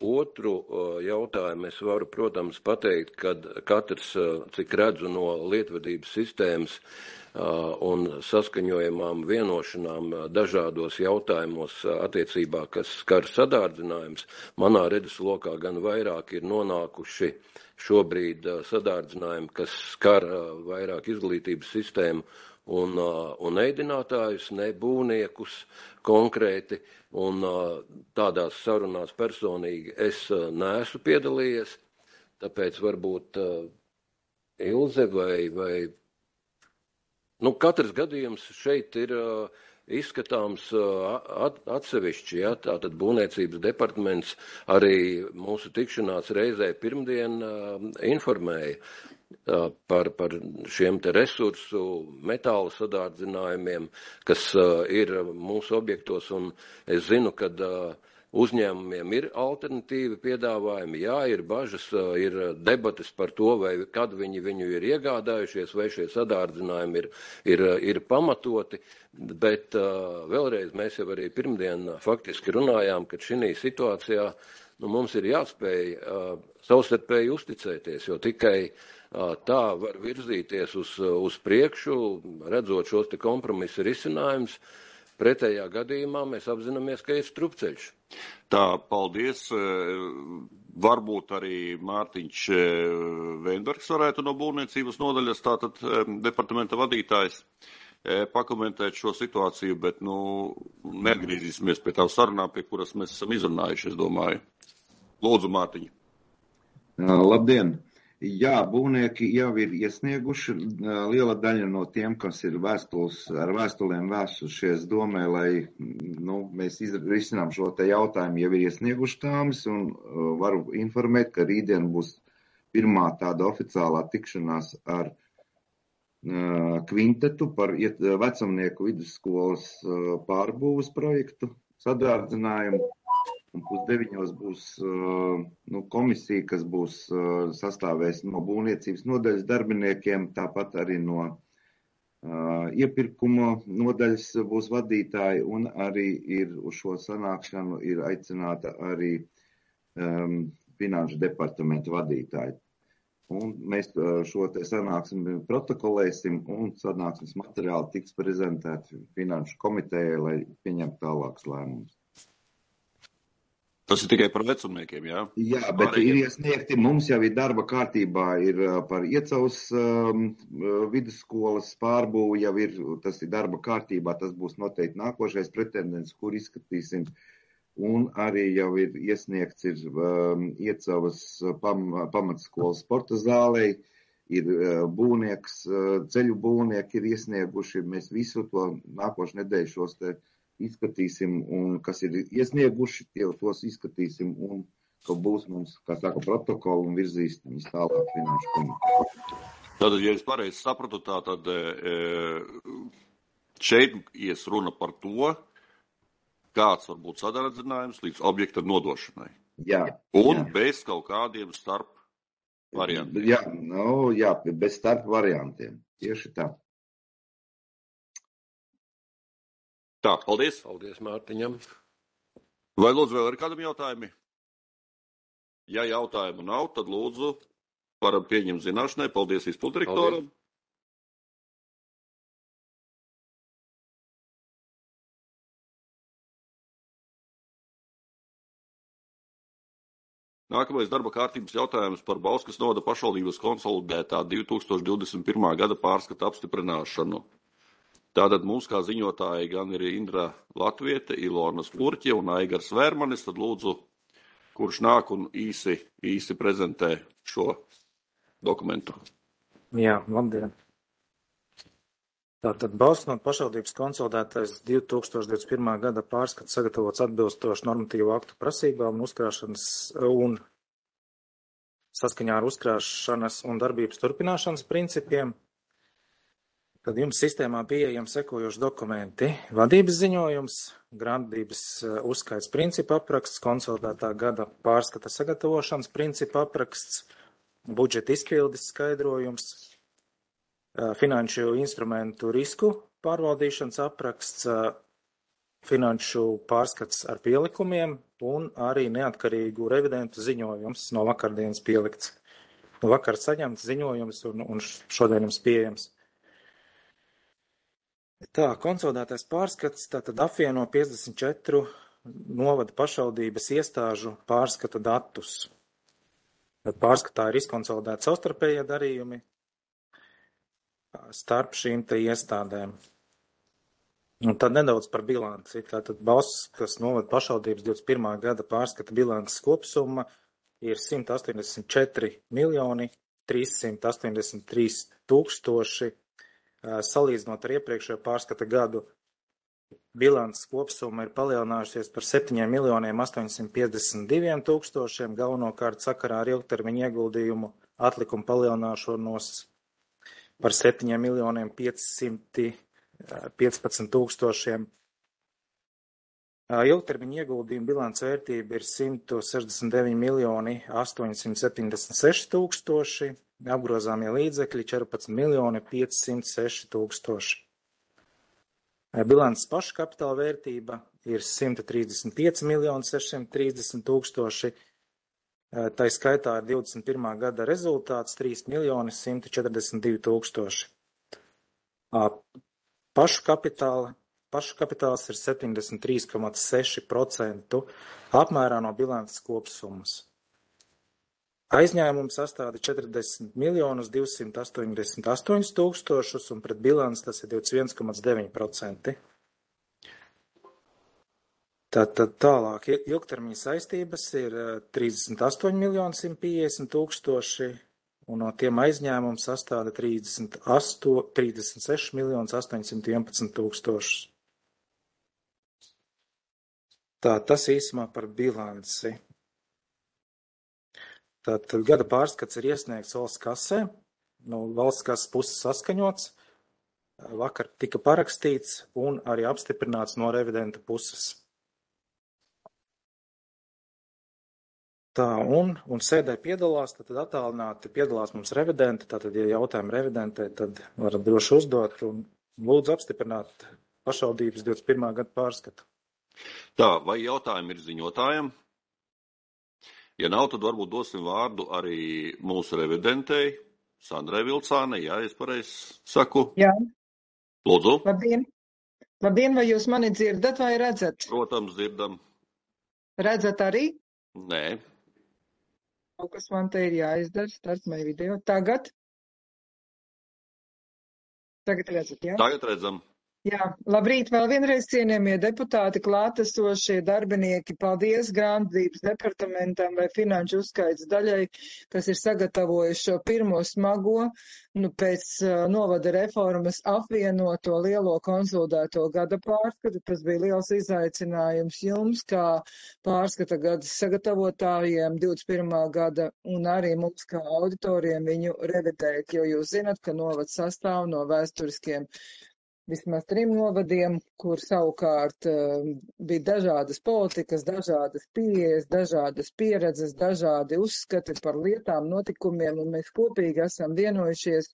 otru uh, jautājumu es varu, protams, pateikt, kad katrs, uh, cik redzu no lietvedības sistēmas uh, un saskaņojamām vienošanām uh, dažādos jautājumos uh, attiecībā, kas skar sadārdzinājums, manā redzeslokā gan vairāk ir nonākuši šobrīd uh, sadārdzinājumi, kas skar uh, vairāk izglītības sistēmu un, un ēdinātājus, ne būvniekus konkrēti, un tādās sarunās personīgi es neesmu piedalījies, tāpēc varbūt Ilze vai, vai nu, katrs gadījums šeit ir izskatāms at, atsevišķi, ja, tātad būvniecības departaments arī mūsu tikšanās reizē pirmdien informēja par, par šiem te resursu metāla sadārdzinājumiem, kas uh, ir mūsu objektos, un es zinu, ka uh, uzņēmumiem ir alternatīvi piedāvājumi, jā, ir bažas, uh, ir debates par to, vai kad viņi viņu ir iegādājušies, vai šie sadārdzinājumi ir, ir, ir pamatoti, bet uh, vēlreiz mēs jau arī pirmdien faktiski runājām, ka šī situācijā nu, mums ir jāspēj uh, savstarpēji uzticēties, jo tikai tā var virzīties uz, uz priekšu, redzot šos te kompromisa risinājumus. Pretējā gadījumā mēs apzināmies, ka ir strupceļš. Tā, paldies. Varbūt arī Mārtiņš Veinbergs varētu no būvniecības nodaļas, tātad departamenta vadītājs, pakomentēt šo situāciju, bet, nu, neatgriezīsimies pie tā sarunā, pie kuras mēs esam izrunājuši, es domāju. Lūdzu, Mārtiņ. Labdien! Jā, būvnieki jau ir iesnieguši, liela daļa no tiem, kas ir vēstules, ar vēstulēm vēstušies domē, lai nu, mēs risinām šo te jautājumu, jau ir iesnieguši tāmas, un uh, varu informēt, ka rītdien būs pirmā tāda oficiālā tikšanās ar uh, kvintetu par iet, vecumnieku vidusskolas uh, pārbūves projektu sadārdzinājumu. Un pusdeviņos būs uh, nu, komisija, kas būs uh, sastāvēs no būvniecības nodaļas darbiniekiem, tāpat arī no uh, iepirkuma nodaļas būs vadītāji, un arī ir uz šo sanākšanu ir aicināta arī um, finanšu departamenta vadītāji. Un mēs uh, šo te sanāksmi protokolēsim, un sanāksmes materiāli tiks prezentēti finanšu komitejai, lai pieņemtu tālākus lēmumus. Tas ir tikai par vecumniekiem, jā? Jā, bet Pārējiem. Ir iesniegti, mums jau ir darba kārtībā, ir par Iecavas um, vidusskolas pārbūvu, jau ir, tas ir darba kārtībā, tas būs noteikti nākošais pretendents, kur izskatīsim un arī jau ir iesniegts ir um, Iecavas pam, pamatskolas sporta zālei, ir uh, būvnieks, uh, ceļu būvnieki ir iesnieguši, mēs visu to nākošu nedēļu šos te izskatīsim, un kas ir iesnieguši, tie tos izskatīsim, un ka būs mums, kā saka, protokoli un virzīs viņus tālāk finanšu komiteju. Tātad, ja es pareizi sapratu, tā tad šeit ies runa par to, kāds var būt sadarzinājums līdz objekta nodošanai. Jā. Un jā. bez kaut kādiem starp variantiem. Jā, nu, jā, bez starp variantiem. Tieši tā. Tā, paldies. Paldies Mārtiņam. Vai lūdzu vēl ir kādam jautājumi? Ja jautājumu nav, tad lūdzu varam pieņemt zināšanai. Paldies izpildirektoram. Nākamais darba kārtības jautājums par Bauskas novada pašvaldības konsolidētā divi tūkstoši divdesmit pirmā gada pārskata apstiprināšanu. Tātad mums kā ziņotāji gan ir Indra Latviete, Ilona Spurķe un Aigars Vērmanis, tad lūdzu, kurš nāk un īsi, īsi prezentē šo dokumentu. Jā, labdien. Tātad Bauskas pašvaldības konsolidētais divi tūkstoši divdesmit pirmā gada pārskats sagatavots atbilstoši normatīvu aktu prasībām un uzkrāšanas un saskaņā ar uzkrāšanas un darbības turpināšanas principiem. Tad jums sistēmā pieejami sekojoši dokumenti: vadības ziņojums, grāmatvedības uzskaits principu apraksts, konsolidētā gada pārskata sagatavošanas principu apraksts, budžeta izpildes skaidrojums, finanšu instrumentu risku pārvaldīšanas apraksts, finanšu pārskats ar pielikumiem un arī neatkarīgu revidentu ziņojums no vakardienas pielikts. No vakar saņemts ziņojums un, un šodien jums pieejams. Tā, konsolidētais pārskats tātad apvieno piecdesmit četru novada pašvaldības iestāžu pārskata datus. Tad pārskatā ir izkonsolidēti savstarpējie darījumi starp šīm te iestādēm. Un tad nedaudz par bilanci. Tātad Bauskas novada pašvaldības divdesmit pirmā gada pārskata bilances kopsumma ir simt astoņdesmit četri miljoni trīssimt astoņdesmit trīs tūkstoši. Salīdzinot ar iepriekšējo pārskata gadu, bilances kopsumma ir palielinājusies par septiņiem miljoniem astoņsimt piecdesmit diviem tūkstošiem, galvenokārt sakarā ar ilgtermiņa ieguldījumu atlikumu palielināšanos par septiņiem miljoniem piecsimt piecpadsmit tūkstošiem. Ilgtermiņa ieguldījuma bilances vērtība ir simt sešdesmit deviņi miljoni astoņsimt septiņdesmit seši tūkstoši. Apgrozāmie līdzekļi četrpadsmit miljoni piecsimt seši tūkstoši. Bilances paša kapitāla vērtība ir simt trīsdesmit pieci miljoni sešsimt trīsdesmit tūkstoši. Tā skaitā ir divdesmit pirmā gada rezultāts trīs miljoni simt četrdesmit divi tūkstoši. Pašu kapitāla, pašu kapitāls ir septiņdesmit trīs komats seši procenti apmērā no bilances kopsummas. Aizņēmums sastāda četrdesmit miljonus divsimt astoņdesmit astoņus tūkstošus un pret bilanci tas ir divdesmit viens komats deviņi procenti. Tātad tālāk ilgtermiņa saistības ir trīsdesmit astoņi miljoni simt piecdesmit tūkstoši un no tiem aizņēmums sastāda trīsdesmit seši miljoni astoņsimt vienpadsmit tūkstošus. Tā, tas īsumā par bilanci. Tātad gada pārskats ir iesniegts valsts kasē, no valsts kases puses saskaņots, vakar tika parakstīts un arī apstiprināts no revidenta puses. Tā, un, un sēdē piedalās, tad attālināti piedalās mums revidenti, tātad, ja jautājumi revidentē, tad varat droši uzdot un lūdzu apstiprināt pašvaldības divdesmit pirmā gada pārskatu. Tā, vai jautājumi ir ziņotājiem? Ja nav, tad varbūt dosim vārdu arī mūsu revidentei, Sandrai Vilcānei, jā, es pareizi saku. Jā. Lūdzu. Labdien. Labdien, vai jūs mani dzirdat vai redzat? Protams, dzirdam. Redzat arī? Nē. Kaut kas man te ir jāizdara, start my video. Tagad? Tagad redzat, jā? Tagad redzam. Jā, labrīt, vēl vienreiz cienījamie deputāti, klātesošie darbinieki. Paldies grāmatvedības departamentam vai finanšu uzskaits daļai, kas ir sagatavojuši šo pirmo smago, nu, pēc uh, novada reformas apvienoto lielo konsolidēto gada pārskatu. Tas bija liels izaicinājums jums, kā pārskata gada sagatavotājiem divdesmit pirmā gada un arī mums kā auditoriem viņu revidēt, jo jūs zinat, ka novads sastāv no vēsturiskiem vismaz trim novadiem, kur savukārt uh, bija dažādas politikas, dažādas pieejas, dažādas pieredzes, dažādi uzskati par lietām, notikumiem, un mēs kopīgi esam vienojušies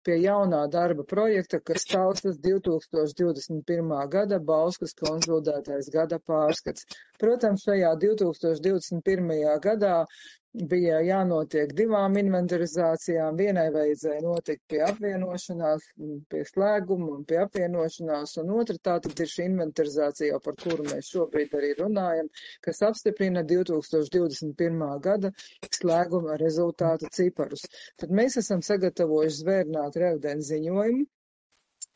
pie jaunā darba projekta, kas saucas divi tūkstoši divdesmit pirmā gada Bauskas konsolidētais gada pārskats. Protams, šajā divi tūkstoši divdesmit pirmajā gadā bija jānotiek divām inventarizācijām. Vienai vajadzēja notikt pie apvienošanās, pie slēguma un pie apvienošanās, un otra tātad ir šī inventarizācija, par kuru mēs šobrīd arī runājam, kas apstiprina divi tūkstoši divdesmit pirmā gada slēguma rezultātu ciparus. Tad mēs esam sagatavojuši zvērnātu revidents ziņojumu,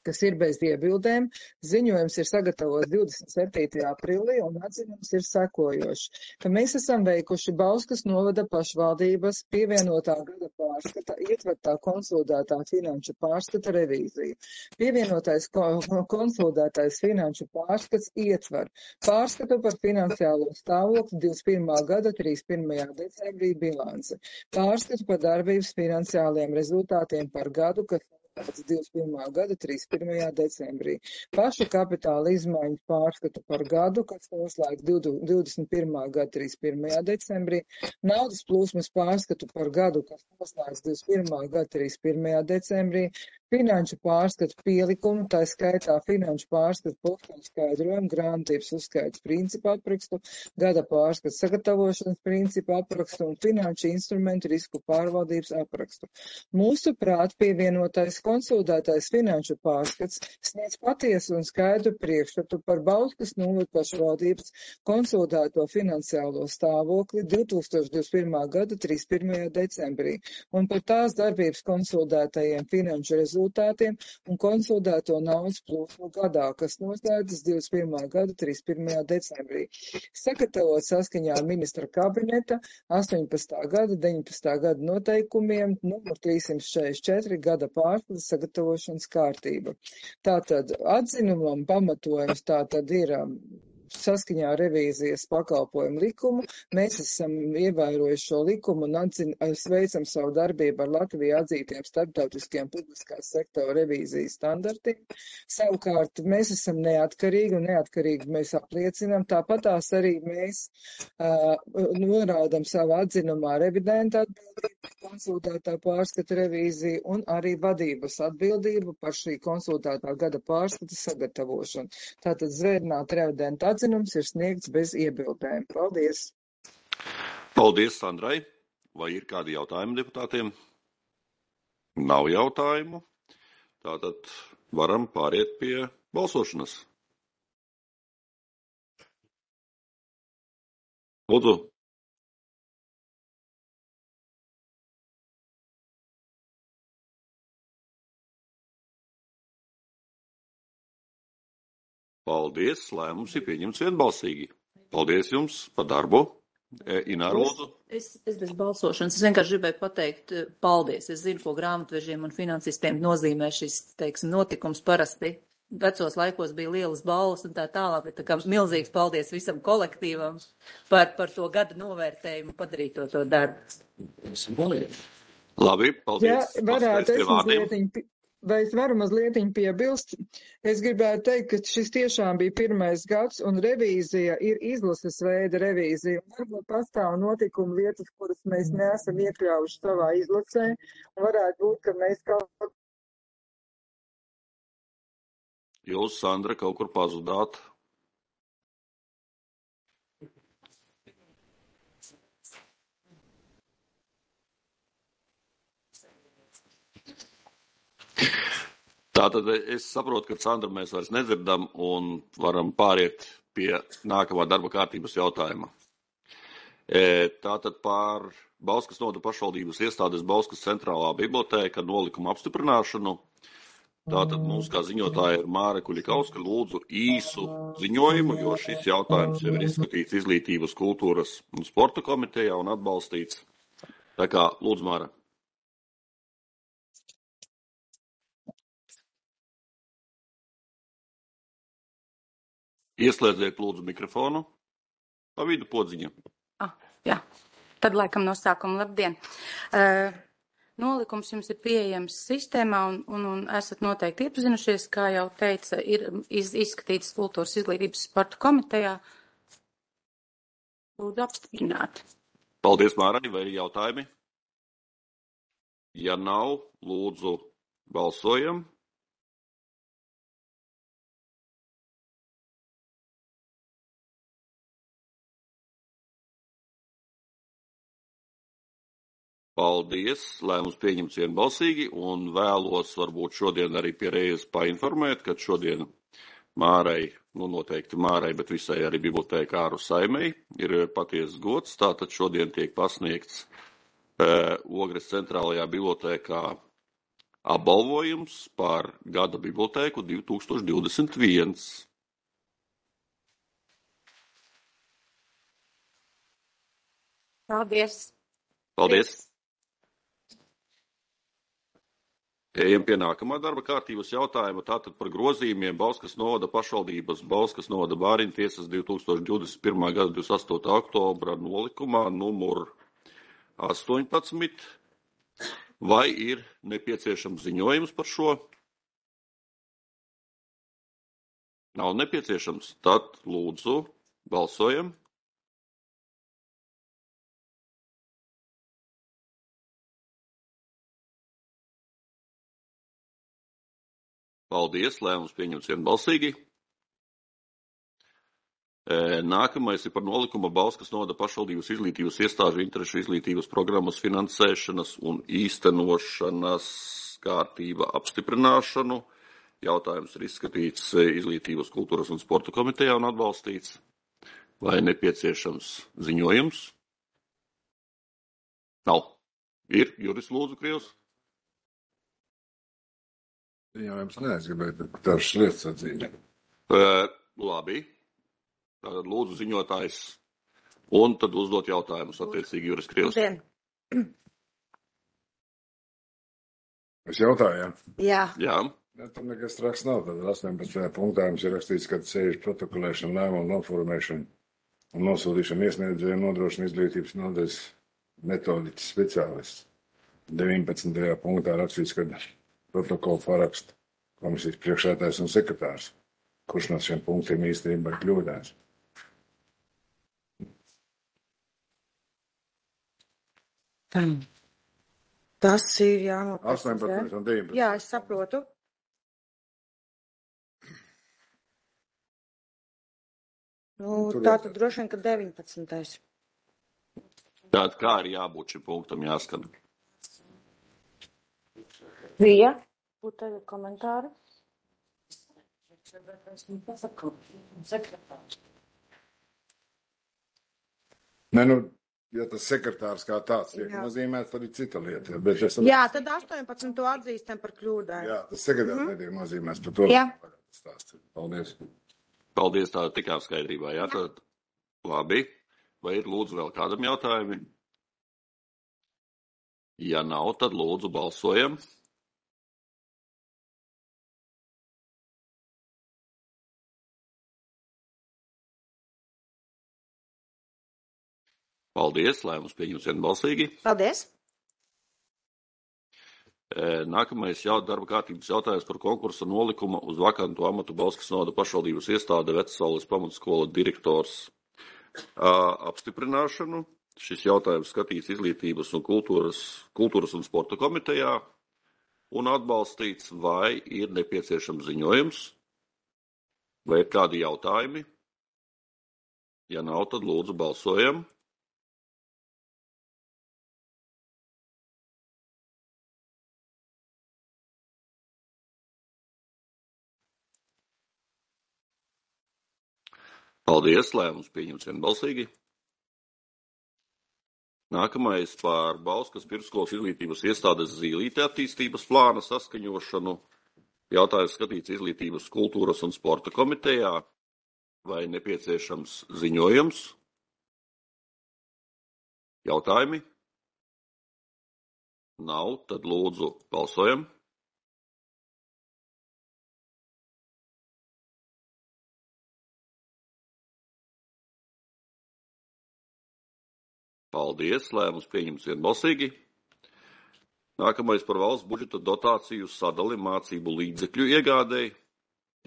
kas ir bez iebildēm. Ziņojums ir sagatavots divdesmit septītajā aprīlī un atzinums ir sekojošs, ka mēs esam veikuši Bauskas novada pašvaldības pievienotā gada pārskata, ietvertā konsolidētā finanšu pārskata revīziju. Pievienotais konsolidētais finanšu pārskats ietver pārskatu par finansiālo stāvokli divdesmit pirmā gada trīsdesmit pirmajā decembrī bilanci, pārskatu par darbības finansiāliem rezultātiem par gadu, kas divdesmit pirmā gada trīsdesmit pirmajā decembrī. Pašu kapitāla izmaiņu pārskatu par gadu, kas noslēgts divdesmit pirmā gada trīsdesmit pirmajā decembrī. Naudas plūsmas pārskatu par gadu, kas noslēgts divdesmit pirmā gada trīsdesmit pirmajā decembrī. Finanšu pārskatu pielikumu, tā skaitā finanšu pārskatu posteņu skaidrojumu, grāmatības uzskaits principu aprakstu, gada pārskatu sagatavošanas principu aprakstu un finanšu instrumentu risku pārvaldības aprakstu. Mūsu prāt pievienotais konsolidētais finanšu pārskats sniedz patiesu un skaidru priekšstatu par Bauskas novada pašvaldības konsolidēto finansiālo stāvokli divi tūkstoši divdesmit pirmā gada trīsdesmit pirmajā decembrī un par tās darbības konsolidētajiem finanšu rezultātiem un konsolidēto naudas plūsmu gadā, kas noslēdzas divdesmit pirmā gada trīsdesmit pirmajā decembrī. Sagatavot saskaņā ar ministra kabineta astoņpadsmitā gada deviņpadsmitā gada noteikumiem numur trīssimt četrdesmit četri gada pārskata sagatavošanas kārtība. Tātad atzinumam pamatojums tātad ir saskaņā ar revīzijas pakalpojumu likumu. Mēs esam ievērojuši šo likumu un atzin, sveicam savu darbību ar Latviju atzītiem starptautiskiem publiskās sektora revīzijas standartiem. Savukārt mēs esam neatkarīgi un neatkarīgi mēs apliecinām. Tāpatās arī mēs uh, norādam savu atzinumā revidenta atbildību, konsultētā pārskata revīziju un arī vadības atbildību par šī konsultētā gada pārskata sagatavošanu. Tātad zvērnāt revidenta atzinums ir sniegts bez iebildēm. Paldies! Paldies, Sandrai! Vai ir kādi jautājumi deputātiem? Nav jautājumu. Tātad varam pāriet pie balsošanas. Lūdzu. Paldies, lēmums ir pieņemts vienbalsīgi. Paldies jums par darbu. Ināra, lūdzu. Es, es bez balsošanas, es vienkārši gribēju pateikt paldies. Es zinu, ko grāmatvežiem un finansistiem nozīmē šis, teiksim, notikums parasti. Vecos laikos bija lielas balvas un tā tālāk, bet tā kā milzīgs paldies visam kolektīvam par, par to gada novērtējumu padarīto to darbu. Labi, paldies. Ja, varētu es mazlietiņ, vai es varu mazlietiņ piebilst? Es gribētu teikt, ka šis tiešām bija pirmais gads un revīzija ir izlases veida revīzija. Un varbūt pastāv notikuma vietas, kuras mēs neesam iekļaujuši savā izlasē. Un varētu būt, ka mēs kaut Jūs, Sandra, kaut kur pazudāt. Tātad es saprotu, ka Sandra mēs vairs nedzirdam un varam pāriet pie nākamā darba kārtības jautājuma. Tātad par Bauskas novada pašvaldības iestādes Bauskas centrālā bibliotēka nolikumu apstiprināšanu. Tātad mums kā ziņotāja ir Māra Kuļikauska, lūdzu īsu ziņojumu, jo šis jautājums jau ir izskatīts Izglītības, kultūras un sporta komitejā un atbalstīts. Tā kā, lūdzu, Māra. Ieslēdziet, lūdzu, mikrofonu. Pa vidu podziņa. Ah, jā, tad laikam no sākuma labdien. Uh, Nolikums jums ir pieejams sistēmā un, un, un esat noteikti iepazinušies, kā jau teica, ir iz, izskatīts kultūras izglītības sporta komitejā. Lūdzu apstiprināt. Paldies, Mārai, vai ir jautājumi? Ja nav, lūdzu balsojam. Paldies, lēmums pieņemts vienbalsīgi un vēlos varbūt šodien arī pie reizes painformēt, ka šodien Mārai, nu noteikti Mārai, bet visai arī bibliotēkāru saimei ir patiesas gods. Tātad šodien tiek pasniegts e, Ogres centrālajā bibliotēkā apbalvojums par gada bibliotēku divi tūkstoši divdesmit viens. Paldies. Paldies. Ejam pie nākamā darba kārtības jautājuma, tātad par grozījumiem Bauskas novada pašvaldības Bauskas novada bāriņu tiesas divi tūkstoši divdesmit pirmā gada divdesmit astotā oktobra nolikumā numur astoņpadsmit. Vai ir nepieciešams ziņojums par šo? Nav nepieciešams, tad lūdzu balsojam. Paldies, lēmums pieņemts vienbalsīgi. Nākamais ir par nolikumu Bauskas novada pašvaldības izglītības iestāžu interešu izglītības programmas finansēšanas un īstenošanas kārtība apstiprināšanu. Jautājums ir izskatīts Izglītības, kultūras un sporta komitejā un atbalstīts. Vai nepieciešams ziņojums? Nav. Ir, Juris lūdzu, Krievs. Ziņojums nē, es gribēju dažas lietas atzīmēt. Uh, labi. Tātad lūdzu ziņotājs un tad uzdot jautājumus attiecīgi Juris Krievs. Es jautāju, jā? Jā. Jā. Ja, tam nekas traks nav. Tad astoņpadsmitajā punktā mums ir rakstīts, ka sēžu protokolēšana, lēmumu noformēšana un nosūtīšana iesniedzējiem nodrošina izglītības nodaļas metodiķis speciālists. deviņpadsmitajā punktā rakstīts, ka protokolu paraksta komisijas priekšsēdētājs un sekretārs, kurš no šiem punktiem īstenībā ir kļūdājis. Tas ir jānoprecizē. astoņpadsmit un deviņpadsmit. Jā, es saprotu. Nu, tā tad droši vien, ka deviņpadsmitais. Tātad kā ir jābūt šim punktam jāskan? Vija, būtu tagad komentāri. Nē, nu, ja tas sekretārs kā tāds tiek nozīmēts, tad ir cita lieta. Bet es... Jā, tad astoņpadsmit atzīstam par kļūdāju. Jā, tas sekretārs mm -hmm. netiek nozīmēts par to. Jā. Paldies. Paldies, tā tikām skaidrībā. Jā, tad labi. Vai ir lūdzu vēl kādam jautājumam? Ja nav, tad lūdzu balsojam. Paldies, lēmums pieņems vienbalsīgi. Paldies. Nākamais jau darba kārtības jautājums par konkursa nolikumu uz vakantu amatu Bauskas novada pašvaldības iestāde Vecasaules pamatskola direktors apstiprināšanu. Šis jautājums skatīts Izglītības un kultūras, kultūras un sporta komitejā un atbalstīts, vai ir nepieciešams ziņojums, vai ir kādi jautājumi. Ja nav, tad lūdzu balsojam. Paldies, lēmums pieņemts vienbalsīgi. Nākamais par Bauskas pirmsskolas izglītības iestādes Zīlīte attīstības plāna saskaņošanu. Jautājums skatīts Izglītības, kultūras un sporta komitejā. Vai nepieciešams ziņojums? Jautājumi? Nav, tad lūdzu balsojam. Paldies, lēmums pieņemts vienbalsīgi. Nākamais par valsts budžeta dotāciju sadali mācību līdzekļu iegādēji.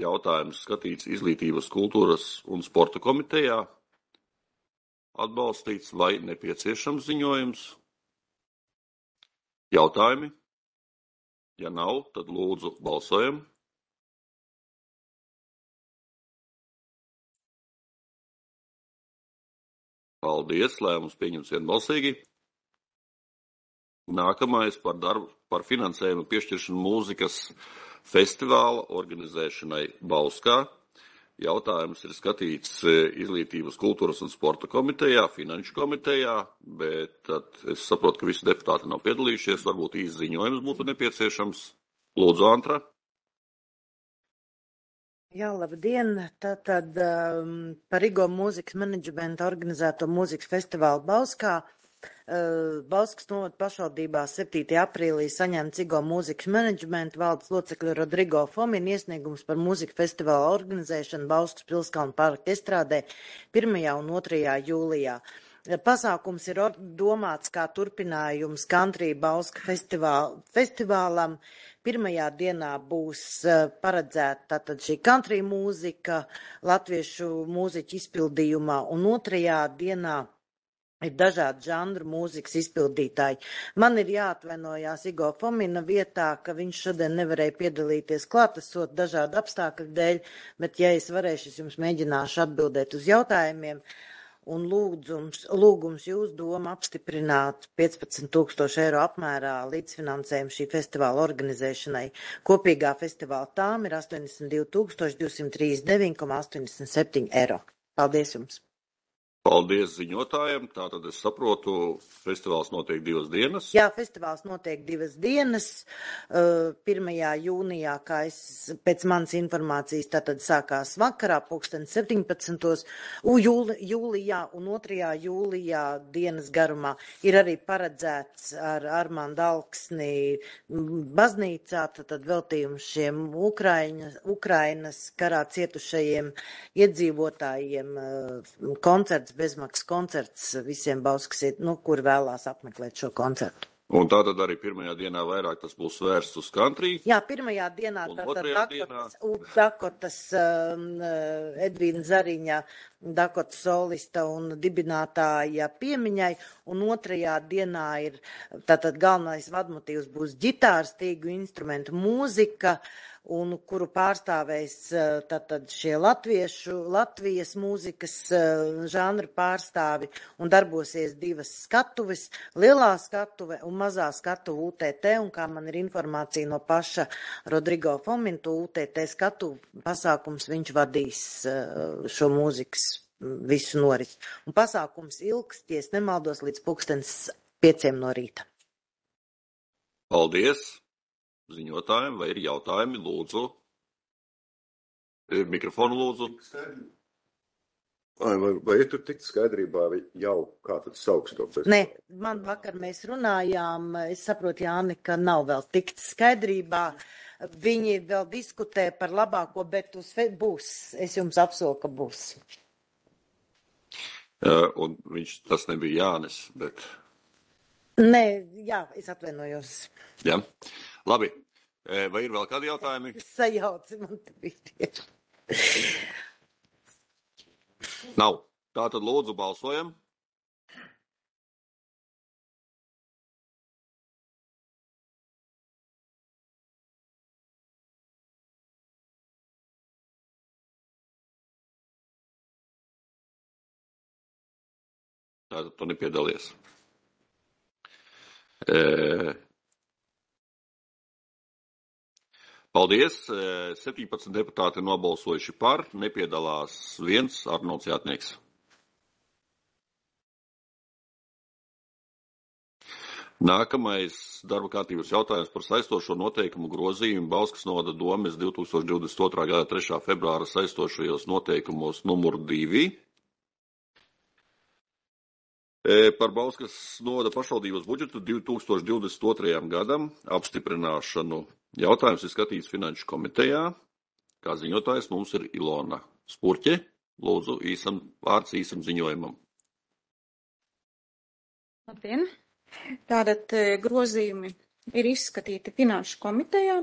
Jautājums skatīts Izglītības, kultūras un sporta komitejā. Atbalstīts vai nepieciešams ziņojums? Jautājumi? Ja nav, tad lūdzu balsojam. Paldies, lēmums pieņemts vienbalsīgi. Nākamais par darbu par finansējumu piešķiršanu mūzikas festivāla organizēšanai Bauskā. Jautājums ir skatīts Izglītības, kultūras un sporta komitejā, finanšu komitejā, bet tad es saprotu, ka visi deputāti nav piedalījušies, varbūt īsts ziņojums būtu nepieciešams. Lūdzu, Antra. Jā, labdien! Tātad um, par Igo mūzikas menedžmenta organizēto mūzikas festivālu Bauskā. Uh, Bauskas novada pašvaldībā septītajā aprīlī saņemts Igo mūzikas menedžmenta valdes locekļu Rodrigo Fomina iesniegums par mūzikas festivālu organizēšanu Bauskas Pilskalnu parka estrādē pirmajā un otrajā jūlijā. Pasākums ir domāts kā turpinājums Country Bauska festivāl, festivālam. Pirmajā dienā būs paredzēta tātad šī country mūzika latviešu mūziķu izpildījumā, un otrajā dienā ir dažādi žanru mūzikas izpildītāji. Man ir jāatvainojās Igo Fomina vietā, ka viņš šodien nevarēja piedalīties klātesot dažādu apstākļu dēļ, bet ja es varēšu, es jums mēģināšu atbildēt uz jautājumiem. Un lūdzums, lūgums jūs doma apstiprināt piecpadsmit tūkstoši eiro apmērā līdzfinansējumu šī festivāla organizēšanai. Kopīgā festivāla tām ir astoņdesmit divi tūkstoši divsimt trīsdesmit deviņi komats astoņdesmit septiņi eiro. Paldies jums! Paldies ziņotājiem. Tātad es saprotu, festivāls notiek divas dienas. Jā, festivāls notiek divas dienas. pirmajā jūnijā, kā es pēc manas informācijas, tātad sākās vakarā, pulksten septiņpadsmitos jūli, jūlijā un otrajā jūlijā dienas garumā ir arī paredzēts ar Armandu Alksni baznīcā, tātad veltījums šiem Ukraiņas, Ukrainas karā cietušajiem iedzīvotājiem koncerts, bezmaksas koncerts visiem Bauskas, nu, kur vēlās apmeklēt šo koncertu. Un tātad arī pirmajā dienā vairāk tas būs vērsts uz country? Jā, pirmajā dienā tātad Dakotas, Dakotas um, Edvīna Zariņa, Dakotas solista un dibinātāja piemiņai, un otrajā dienā ir tātad galvenais vadmotīvs būs ģitāras, tīgu instrumentu mūzika, un kuru pārstāvēs tātad šie latviešu, Latvijas mūzikas žanra pārstāvi, un darbosies divas skatuves, lielā skatuve un mazā skatuve U T T, un kā man ir informācija no paša Rodrigo Fomina, U T T skatu pasākums viņš vadīs šo mūzikas visu norit. Un pasākums ilgs, ja es nemaldos, līdz pulkstens pieciem no rīta. Paldies! Ziņotājiem, vai ir jautājumi, lūdzu. Mikrofonu lūdzu. Vai, vai, vai ir tur tikt skaidrībā, vai jau kā tad sauks to festivālu? Nē, man vakar mēs runājām, es saprotu, Jāni, ka nav vēl tikt skaidrībā. Viņi vēl diskutē par labāko, bet uz fe... būs. Es jums apsolu, ka būs. Uh, un viņš, tas nebija Jānis, bet... Nē, jā, es atvainojos. Jā. Labi. Vai ir vēl kādi jautājumi? Sajauci man te bija. Nav. Tātad lūdzu balsojam. Tātad tu nepiedalies. E... Paldies. septiņpadsmit deputāti nobalsojuši par, nepiedalās viens Arnolds Jātnieks. Nākamais darba kārtības jautājums par saistošo noteikumu grozījumu Bauskas novada domes divi tūkstoši divdesmit otrā gada trešā februāra saistošajos noteikumos numur divi. Par Bauskas novada pašvaldības budžetu divi tūkstoši divdesmit otrajam gadam apstiprināšanu. Jautājums ir skatīts Finanšu komitejā. Kā ziņotājs mums ir Ilona Spurķe. Lūdzu, īsam vārds īsam ziņojumam. Labdien! Tātad grozījumi ir izskatīti Finanšu komitejā,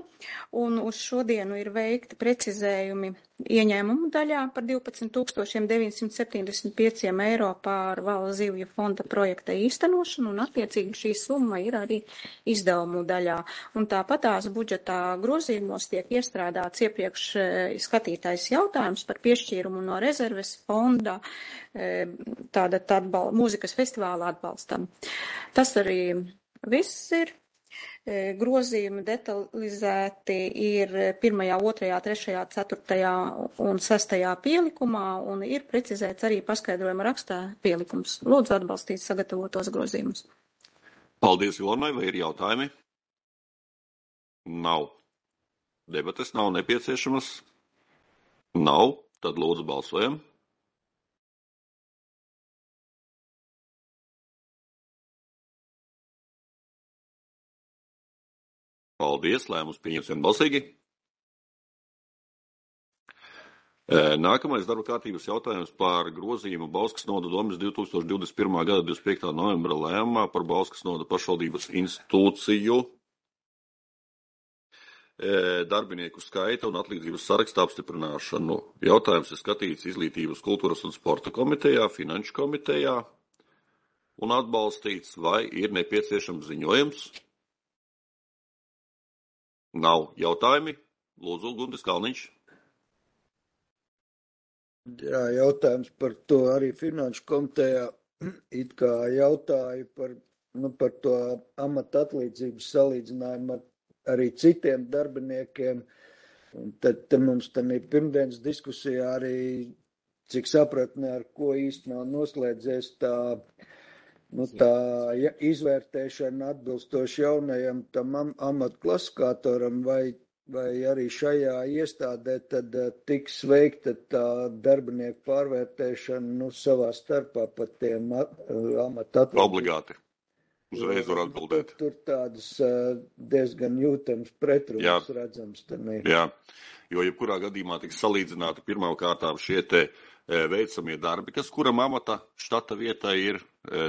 un uz šodienu ir veikti precizējumi ieņēmumu daļā par divpadsmit tūkstoši deviņsimt septiņdesmit pieci eiro pār Vala zivju fonda projekta īstenošanu, un attiecīgi šī summa ir arī izdevumu daļā. Un tāpat tās budžetā grozījumos tiek iestrādāts iepriekš skatītais jautājums par piešķīrumu no rezerves fonda tāda atbal, mūzikas festivāla atbalstam. Tas arī viss ir. Grozījumi detalizēti ir pirmajā, otrajā, trešajā, ceturtajā un sestajā pielikumā, un ir precizēts arī paskaidrojuma rakstā pielikums. Lūdzu atbalstīt sagatavotos grozījumus. Paldies, Ilonai, vai ir jautājumi? Nav. Debates nav nepieciešamas? Nav. Tad lūdzu balsojam. Paldies, lēmums pieņems vienbalsīgi. Nākamais darba kārtības jautājums par grozījumu Bauskas novada domes divi tūkstoši divdesmit pirmā gada divdesmit piektā novembra lēmumā par Bauskas novada pašvaldības institūciju darbinieku skaita un atlīdzības saraksta apstiprināšanu. Jautājums ir skatīts Izglītības, kultūras un sporta komitejā, Finanšu komitejā un atbalstīts, vai ir nepieciešams ziņojums. Nav jautājumi. Lūdzu, Guntis Kalniņš. Jā, jautājums par to arī Finanšu komitejā it kā jautāju par, nu, par to amata atlīdzības salīdzinājumu ar arī citiem darbiniekiem. Un tad te mums tam ir pirmdienas diskusijā arī, cik sapratnē, ar ko īsti nav noslēdzies tā Nu, tā ja, izvērtēšana atbilstoši jaunajam tam am, amatu klasifikatoram, vai, vai arī šajā iestādē tad uh, tiks veikta tā darbinieku pārvērtēšana nu, savā starpā par tiem uh, amatu atlīdzības. Obligāti. Uzreiz var atbildēt. Tur, tur tādas uh, diezgan jūtams pretrunas redzams. Tanī. Jā, jo jebkurā gadījumā tiks salīdzināti pirmām kārtām šie te veicamie darbi, kas kuram amata štata vietā ir,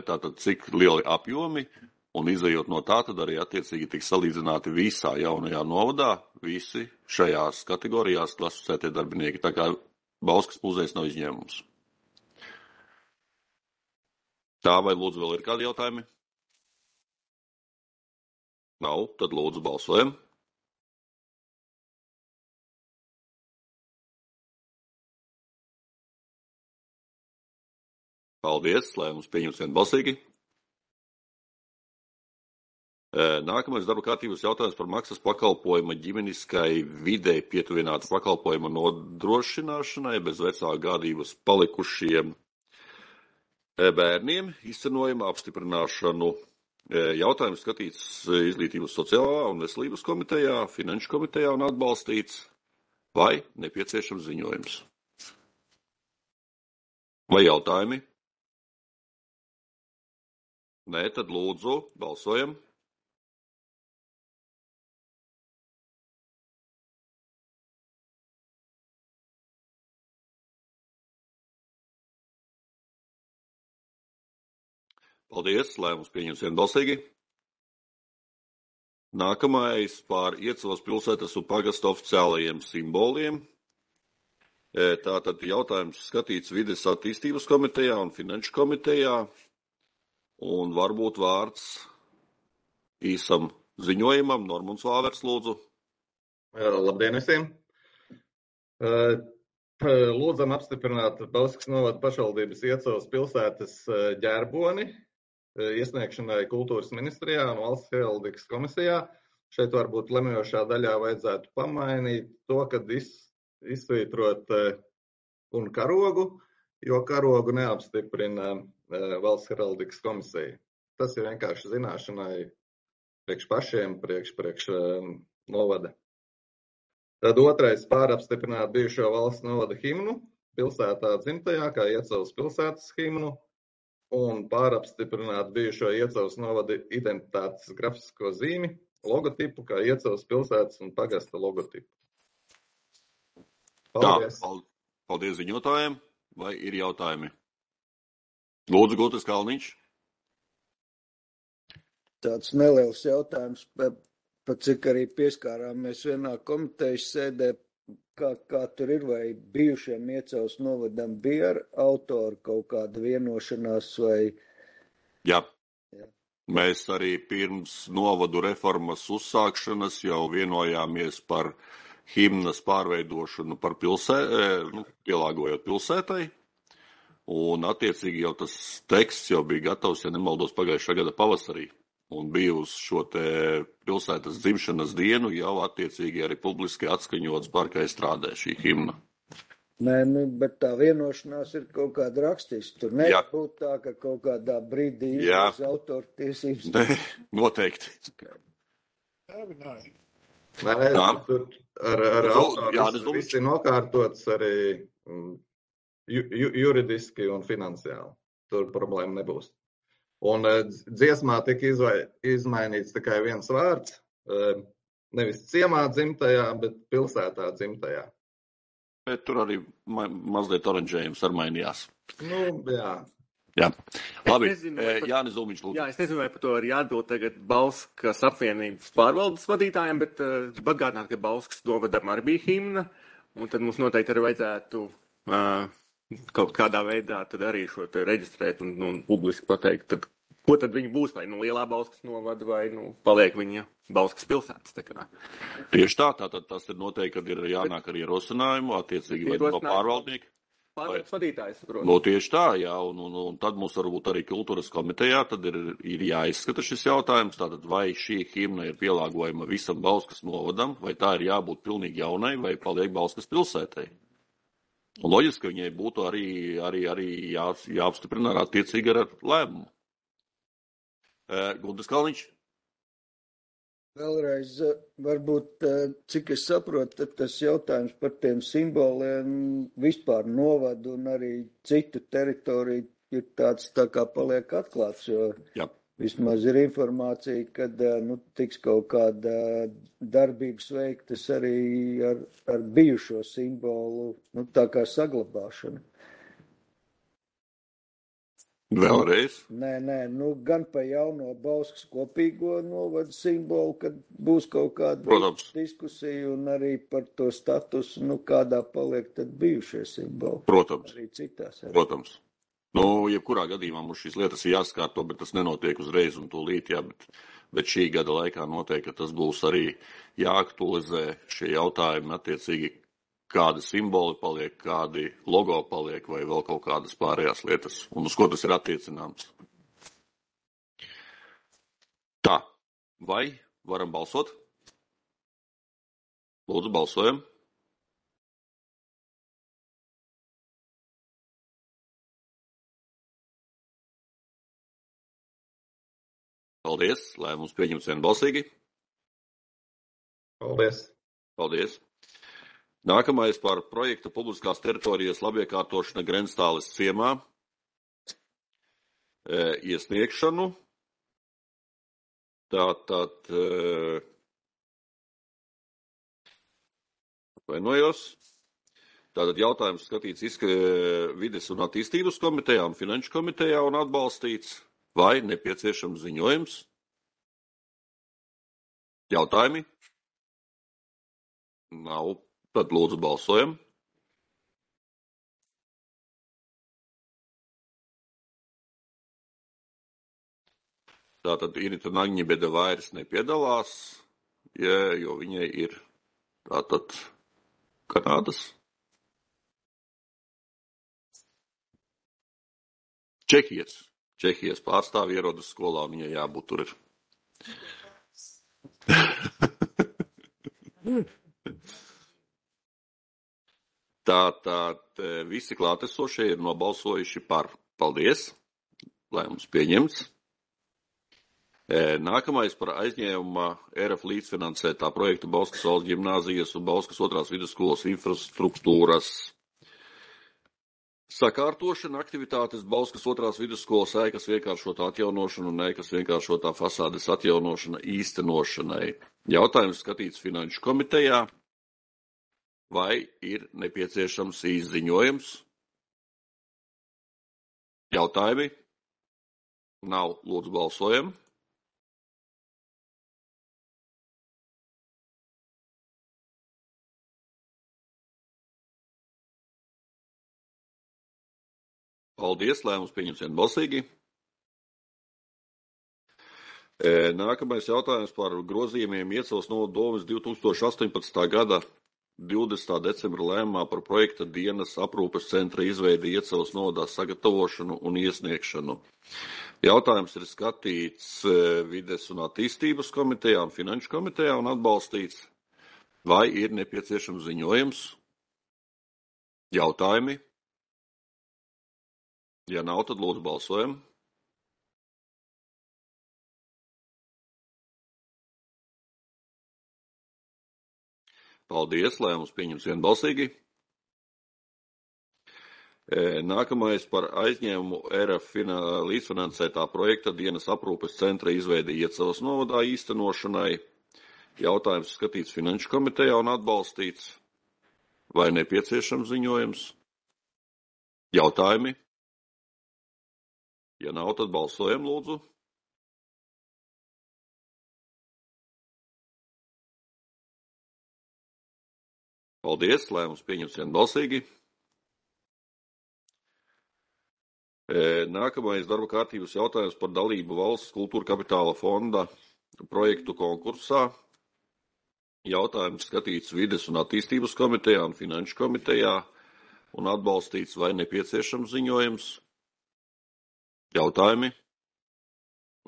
tātad cik lieli apjomi, un izējot no tā, tad arī attiecīgi tiks salīdzināti visā jaunajā novadā, visi šajās kategorijās klasificētie darbinieki, tā kā Bauskas muzejs nav izņēmums. Tā, vai lūdzu vēl ir kādi jautājumi? Nav, tad lūdzu balsojam. Paldies, lēmums pieņems vienbalsīgi. Nākamais darba kārtības jautājums par maksas pakalpojuma ģimeniskai videi pietuvinātu pakalpojuma nodrošināšanai bez vecāku gādības palikušiem bērniem izcenojuma apstiprināšanu. Jautājums skatīts Izglītības sociālā un veselības komitejā, Finanšu komitejā un atbalstīts, vai nepieciešams ziņojums. Vai jautājumi? Nē, tad lūdzu, balsojam. Paldies, lēmums pieņems vienbalsīgi. Nākamais par Iecavas pilsētas un pagasta oficiālajiem simboliem. Tātad jautājums skatīts Vides attīstības komitejā un Finanšu komitejā. Un varbūt vārds īsam ziņojumam. Normunds Vāvers, lūdzu. Labdien visiem! Lūdzam apstiprināt Bauskas novada pašvaldības Iecavas pilsētas ģerboni iesniegšanai kultūras ministrijā un valsts heraldikas komisijā. Šeit varbūt lemjošā daļā vajadzētu pamainīt to, kad iz, izsvītrot un karogu, jo karogu neapstiprina valsts heraldikas komisija. tas ir vienkārši zināšanai priekš pašiem, priekš, priekš novada. Tad otrais pārapstiprināt bijušo valsts novada himnu pilsētā dzimtajā, kā Iecavas pilsētas himnu, un pārapstiprināt bijušo Iecavas novada identitātes grafisko zīmi, logotipu, kā Iecavas pilsētas un pagasta logotipu. Paldies. Tā, paldies ziņotājiem. Vai ir jautājumi? Lūdzu, Gultis Kalniņš. Tāds neliels jautājums, pat cik arī pieskārāmies vienā komitejas sēdē, kā, kā tur ir, vai bijušiem Iecavas novadam bija ar autoru kaut kāda vienošanās vai... Jā. Jā. Mēs arī pirms novadu reformas uzsākšanas jau vienojāmies par himnas pārveidošanu par pilsē, nu, pielāgojot pilsētai, un attiecīgi jau tas teksts jau bija gatavs, ja nemaldos, pagājušā gada pavasarī, un bija uz šo te pilsētas dzimšanas dienu jau attiecīgi arī publiski atskaņots Barkaizstrādē šī himna. Nē, nu, bet tā vienošanās ir kaut kāda rakstīsta. Tur nevar būt tā, ka kaut kādā brīdī izvēlas autortiesības. Nē, noteikti. Nē, tur ar, ar autoru viss ir nokārtots arī ju, ju, juridiski un finansiāli. Tur problēma nebūs. Un dziesmā tika izvai, izmainīts tikai viens vārds, nevis ciemā dzimtajā, bet pilsētā dzimtajā. Bet tur arī ma mazliet oranžējums ar mainījās. Nu, jā. Jā. Labi, nezinu, par... Jānis Zulmiņš, lūdzu. Jā, es nezinu, vai par to arī atbild tagad Bauskas apvienības pārvaldes vadītājiem, bet uh, atgādināt, ka Bauskas novadam arī bija himna, un tad mums noteikti arī vajadzētu uh, kaut kādā veidā tad arī šo te reģistrēt un, un publiski pateikt, tad, ko tad viņi būs, vai nu lielā Bauskas novada, vai nu paliek viņa Bauskas pilsētas. Tā kā. Tieši tā, tātad tas ir noteikti, kad ir jānāk ar ierosinājumu, attiecīgi vai no pārvaldnieka. Pārvaldes vadītājs, protams. No tieši tā, jā, un, un, un tad mums varbūt arī kultūras komitejā tad ir, ir jāizskata šis jautājums, tātad vai šī himna ir pielāgojama visam Bauskas novadam, vai tā ir jābūt pilnīgi jaunai, vai paliek Bauskas pilsētai. Un loģiski, ka viņai būtu arī, arī, arī jā, jāapstiprina ar attiecīgi ar lēmumu. E, Gultis Kalniņš. Vēlreiz, varbūt, cik es saprotu, tad tas jautājums par tiem simboliem vispār novadu un arī citu teritoriju ir tāds tā kā paliek atklāts, jo Jā. Vismaz ir informācija, kad nu, tiks kaut kāda darbības veiktas arī ar, ar bijušo simbolu, nu, tā kā saglabāšana. Vēlreiz? Nē, nē, nu gan pa jauno Bauskas kopīgo novadu simbolu, kad būs kaut kāda Protams. diskusija un arī par to statusu, nu kādā paliek tad bijušie simboli. Protams. Arī citās. Arī. Protams. Nu, jebkurā gadījumā mums šīs lietas ir jāskārto, bet tas nenotiek uzreiz un tūlīt, jā, bet, bet šī gada laikā noteikti, ka tas būs arī jāaktualizē šie jautājumi attiecīgi, kādi simboli paliek, kādi logo paliek vai vēl kaut kādas pārējās lietas, un uz ko tas ir attiecināms. Tā, vai varam balsot? Lūdzu, balsojam. Paldies, lēmums pieņemts vienbalsīgi. Paldies. Paldies. Nākamais par projektu publiskās teritorijas labiekārtošana Grenstāles ciemā e, iesniegšanu. Tātad, e, atvainojos. Tātad jautājums skatīts izska, vides un attīstības komitejā un finanšu komitejā un atbalstīts. Vai nepieciešams ziņojums? Jautājumi? Nav. Tad lūdzu balsojam. Tātad Irita Nagņibede vairs nepiedalās, ja, jo viņai ir tātad Kanādas. Čehijas. Čehijas pārstāvi ierodas skolā, un viņai jābūt tur ir. Tātad visi klātesošie ir nobalsojuši par. Paldies, lēmums pieņemts. Nākamais par aizņēmuma E R F līdzfinansētā projekta Bauskas valsts ģimnāzijas un Bauskas otrās vidusskolas infrastruktūras sakārtošana, aktivitātes Bauskas otrās vidusskolas ēkas vienkāršotā atjaunošana un ēkas vienkāršotā fasādes atjaunošana īstenošanai. Jautājums skatīts Finanšu komitejā. Vai ir nepieciešams izziņojums? Jautājumi? Nav. Lūdzu, balsojam. Paldies, lēmums pieņems vienbalsīgi. Nākamais jautājums par grozījumiem Iecavas novada domes divi tūkstoši astoņpadsmitā gada divdesmitā decembra lēmumā par projekta dienas aprūpes centra izveidi Iecavas novadā sagatavošanu un iesniegšanu. Jautājums ir skatīts Vides un attīstības komitejā un Finanšu komitejā un atbalstīts. Vai ir nepieciešams ziņojums? Jautājumi? Ja nav, tad lūdzu balsojam. Paldies, lēmums pieņems vienbalsīgi. Nākamais par aizņēmumu E R F līdzfinansētā projekta dienas aprūpes centra izveidi Iecavas novadā īstenošanai. Jautājums skatīts Finanšu komitejā un atbalstīts. Vai nepieciešams ziņojums? Jautājumi? Ja nav, tad balsojam, lūdzu. Paldies, lēmums pieņems vienbalsīgi. Nākamais darba kārtības jautājums par dalību valsts kultūra kapitāla fonda projektu konkursā. Jautājums skatīts Vides un attīstības komitejā un Finanšu komitejā un atbalstīts. Vai nepieciešams ziņojums? Jautājumi?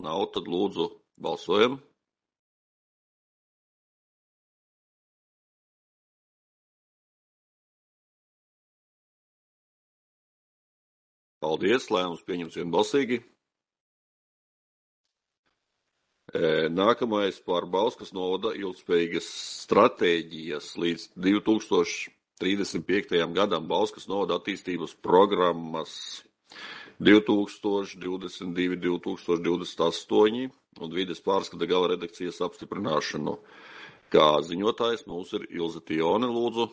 Nav, tad lūdzu balsojam. Paldies, lēmums pieņems vienbalsīgi. Nākamais par Bauskas novada ilgspējīgas stratēģijas līdz divi tūkstoši trīsdesmit piektajam gadam Bauskas novada attīstības programmas divi tūkstoši divdesmit divi līdz divi tūkstoši divdesmit astoņi un vides pārskata gala redakcijas apstiprināšanu. Kā ziņotājs mums ir Ilze Tione, lūdzu.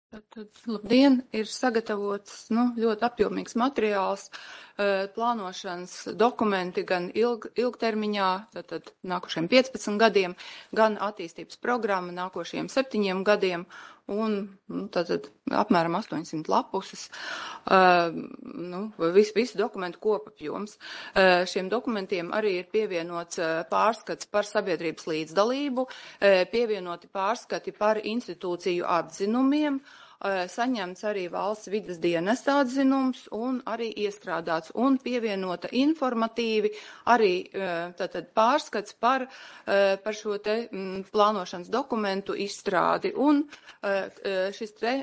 Tad, labdien, ir sagatavots nu, ļoti apjomīgs materiāls, plānošanas dokumenti gan ilg, ilgtermiņā, tad nākošiem piecpadsmit gadiem, gan attīstības programma nākošiem septiņiem gadiem un nu, tad apmēram astoņsimt lapuses, nu, visu, visu dokumentu kopapjoms. Šiem dokumentiem arī ir pievienots pārskats par sabiedrības līdzdalību, pievienoti pārskati par institūciju atzinumiem, saņemts arī valsts vides dienesta atzinums un arī iestrādāts un pievienota informatīvi arī tātad pārskats par, par šo te plānošanas dokumentu izstrādi. Un šis te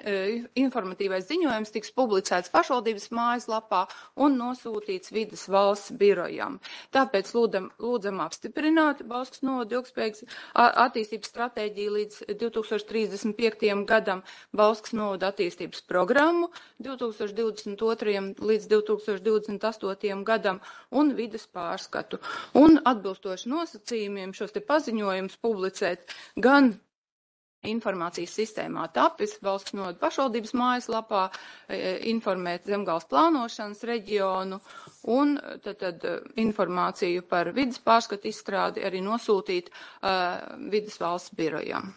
informatīvais ziņojums tiks publicēts pašvaldības mājaslapā un nosūtīts vides valsts birojam. Tāpēc lūdam, lūdzam apstiprināt Bauskas novada ilgspējīgas attīstības stratēģiju līdz divi tūkstoši trīsdesmit piektajam gadam, Bauskas novada attīstības programmu divi tūkstoši divdesmit otrajam līdz divi tūkstoši divdesmit astotajam gadam un vides pārskatu. Un atbilstoši nosacījumiem šos te paziņojumus publicēt gan informācijas sistēmā tapis, valsts novada pašvaldības mājaslapā, informēt Zemgales plānošanas reģionu un tad, tad informāciju par vides pārskatu izstrādi arī nosūtīt uh, vides valsts birojam.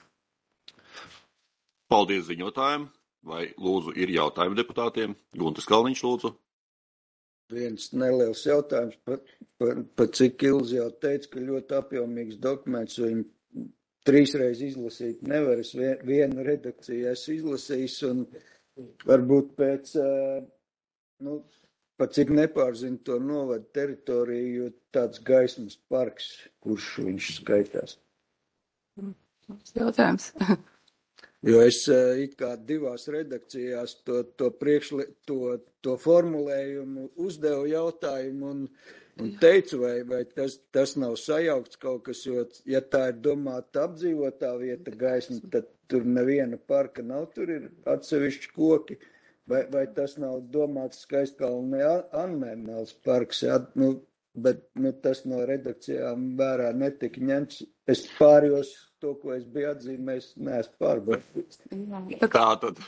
Paldies ziņotājiem. Vai lūdzu ir jautājumi deputātiem? Guntis Kalniņš, lūdzu. Viens neliels jautājums, par, par, par cik Ilze jau teica, ka ļoti apjomīgs dokuments, viņu trīsreiz izlasīt nevar. Es vien, vienu redakciju esmu izlasījis un varbūt pēc, nu, pat cik nepārzinu to novadu teritoriju, jo tāds gaismas parks, kurš viņš skaitās. Jautājums. Jo es eh, it kā divās redakcijās to, to, priekšli, to, to formulējumu uzdevu jautājumu un, un teicu, vai, vai tas, tas nav sajaukts kaut kas, jo, ja tā ir domāta apdzīvotā vieta gaisma, tad tur neviena parka nav, tur ir atsevišķi koki. Vai, vai tas nav domāts Skaistkalnē Anmēmēls parks, jā, nu, bet nu, tas no redakcijām vērā netika ņemts. Es pārjos to, ko es biju atzīmējis, neesmu pārbaudījis. Tā tad,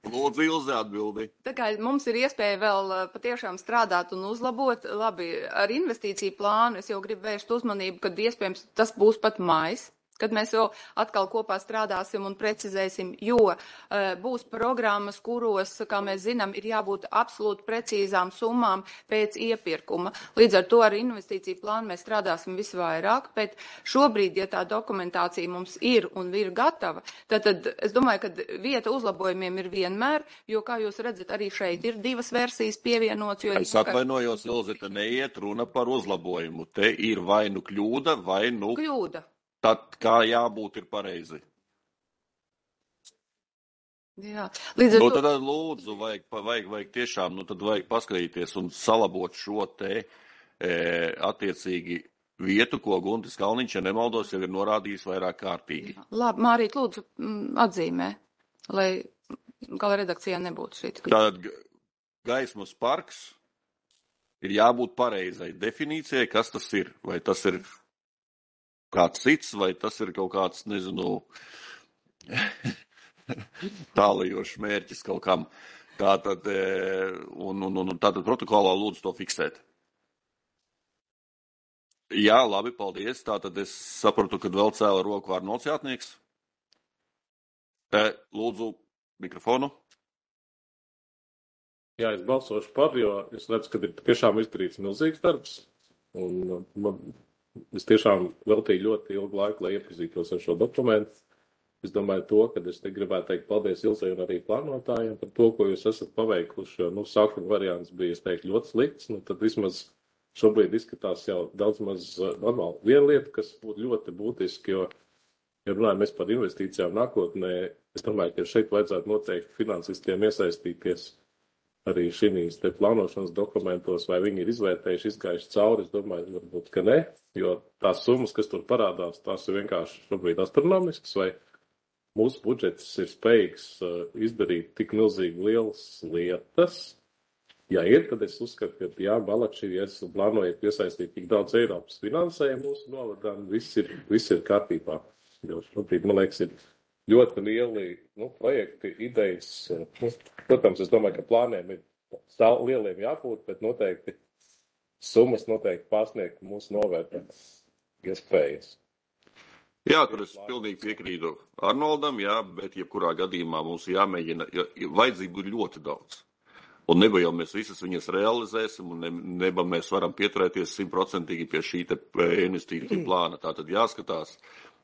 lūdzu, Ilze atbildi. Tā kā mums ir iespēja vēl patiešām strādāt un uzlabot, labi, ar investīciju plānu es jau gribu vērst uzmanību, kad iespējams tas būs pat mājas, kad mēs jau atkal kopā strādāsim un precizēsim, jo uh, būs programmas, kuros, kā mēs zinām, ir jābūt absolūti precīzām summām pēc iepirkuma. Līdz ar to ar investīciju plānu mēs strādāsim visvairāk, bet šobrīd, ja tā dokumentācija mums ir un ir gatava, tad, tad es domāju, ka vieta uzlabojumiem ir vienmēr, jo, kā jūs redzat, arī šeit ir divas versijas pievienots. Jo es atvainojos, Ilze, te neiet runa par uzlabojumu. Te ir vai nu kļūda, vai nu... Kļūda. Tad kā jābūt ir pareizi. Jā, līdz ar nu, to... tad lūdzu, vajag, vajag, vajag tiešām, nu tad vajag paskatīties un salabot šo te e, attiecīgi vietu, ko Guntis Kalniņš, ja nemaldos, jau ir norādījis vairāk kārtīgi. Labi, Mārīt, lūdzu atzīmē, lai gala redakcijā nebūtu šī. Tātad gaismas parks ir jābūt pareizai definīcijai, kas tas ir. Vai tas ir kāds cits, vai tas ir kaut kāds, nezinu, tālajošs mērķis kaut kam. Tātad, un, un, un tātad protokolā lūdzu to fiksēt. Jā, labi, paldies. Tātad es sapratu, ka vēl cēla roku Arnolds Jātnieks. Lūdzu, mikrofonu. Jā, es balsošu par, jo es redzu, ka ir tiešām izdarīts milzīgs darbs. Un man es tiešām veltīju ļoti ilgu laiku, lai iepazītos ar šo dokumentu. Es domāju to, ka es te gribētu teikt paldies Ilzei un arī plānotājiem par to, ko jūs esat paveikuši, jo, nu, sākuma variants bija, es teiktu, ļoti slikts, nu, tad vismaz šobrīd izskatās jau daudz maz normāli. Viena lieta, kas būtu ļoti būtiski, jo, ja runājam mēs par investīcijām nākotnē, es domāju, ka šeit vajadzētu noteikti finansistiem iesaistīties arī šīs te plānošanas dokumentos, vai viņi ir izvērtējuši, izgājuši cauri, es domāju, varbūt, ka ne, jo tās summas, kas tur parādās, tās ir vienkārši šobrīd astronomiskas, vai mūsu budžets ir spējīgs uh, izdarīt tik milzīgi lielas lietas. Ja ir, tad es uzskatu, ka jā, Balakši, ja esmu plānojot piesaistīt tik daudz Eiropas finansējumu mūsu novadām, viss ir, viss ir kārtībā. Jo šobrīd, man liekas, ir ļoti lieli nu, projekti, idejas. Nu, protams, es domāju, ka plāniem ir stāv lieliem jābūt, bet noteikti summas noteikti pārsniegt mūsu novērtētas iespējas. Jā, tur es pilnīgi piekrītu Arnoldam, jā, bet jebkurā gadījumā mums jāmēģina, jo vajadzību ir ļoti daudz. Un neba jau mēs visas viņas realizēsim, un ne, neba mēs varam pieturēties simtprocentīgi pie šī te investīciju plāna. Tātad jāskatās,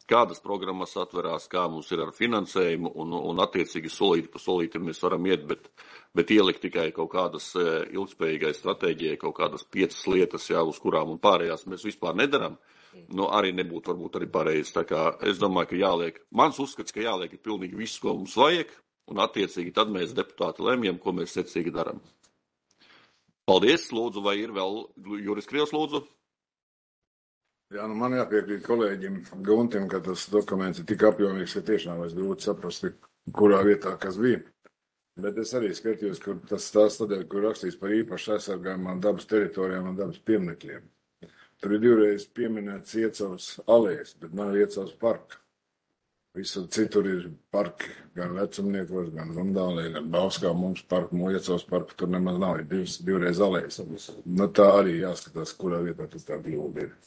kādas programmas atverās, kā mums ir ar finansējumu, un, un attiecīgi solīti pa solīti mēs varam iet, bet, bet ielikt tikai kaut kādas ilgspējīgai stratēģijai, kaut kādas piecas lietas, jā, uz kurām un pārējās mēs vispār nedaram, nu arī nebūtu varbūt arī pareizi. Tā kā es domāju, ka jāliek, mans uzskats, ka jāliek ir pilnīgi viss, ko mums vajag, un attiecīgi tad mēs deputāti lemjam, ko mēs secīgi daram. Paldies, lūdzu, vai ir vēl Juris Krievs, lūdzu? Jā, nu man jāpiekrīt kolēģim Guntim, ka tas dokuments ir tik apjomīgs, ka tiešām es grūti saprast, kurā vietā kas bija. Bet es arī skatījos, kur tas stāsts tādēļ, kur rakstīts par īpaši aizsargājumām dabas teritorijām un dabas pieminekļiem. Tur ir divreiz pieminēts Iecavas alējas, bet nav Iecavas parka. Visur citur ir parki, gan vecumniekos, gan Rundālē, gan Bauskā mums parku, Iecavas parku tur nemaz nav, ir divs, divreiz alējas. Nu tā arī jāskatās, kurā vietā tas tā kļūda ir.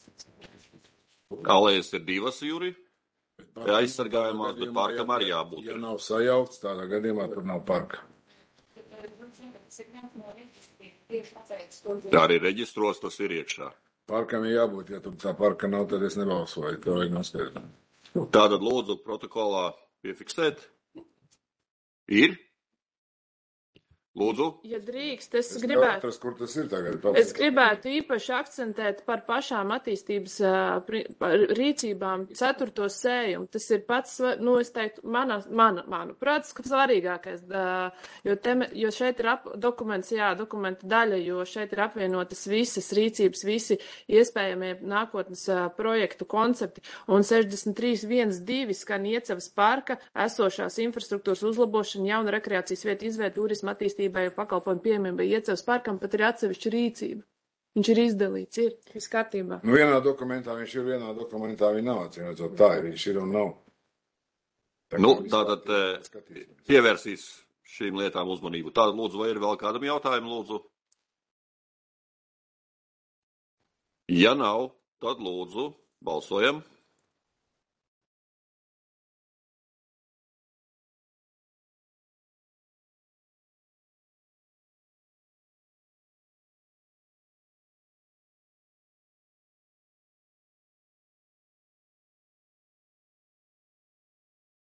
Alējas ir divas, Juri, aizsargājumās, bet parkam arī jābūt. Ja nav sajaukts, tādā gadījumā tur nav parka. Tā arī reģistros, tas ir iekšā. Parkam ir jābūt, ja tur tā parka nav, tad es nebalsoju, to vajag noskaidrot. Tātad lūdzu protokolā piefiksēt. Ir? Lūdzu. Ja drīkst, es, Es gribētu, neatrast, kur tas ir tagad. es gribētu īpaši akcentēt par pašām attīstības ā, pri- par rīcībām ceturto sējumu. Tas ir pats, sva- nu, es teiktu, mana, mana, manuprāt, svarīgākais, ā, jo, te, jo šeit ir ap, dokuments, jā, dokumenta daļa, jo šeit ir apvienotas visas rīcības, visi iespējamie nākotnes ā, projektu koncepti, un sešdesmit trīs viens divi skan Iecavas parka, esošās infrastruktūras uzlabošana, jauna rekreācijas vieta izvēle, turisma attīstībai, pakalpojumu pieejamībai Iecavas parkam, pat ir atsevišķa rīcība. Viņš ir izdalīts, ir viss kārtībā. Nu, vienā dokumentā viņš ir, vienā dokumentā viņš nav. Atcīmredzot, tā ir, viņš ir un nav. Tā Nu, kā tātad eh, pievērsīs šīm lietām uzmanību. Tātad, lūdzu, vai ir vēl kādam jautājumu, lūdzu? Ja nav, tad lūdzu, balsojam.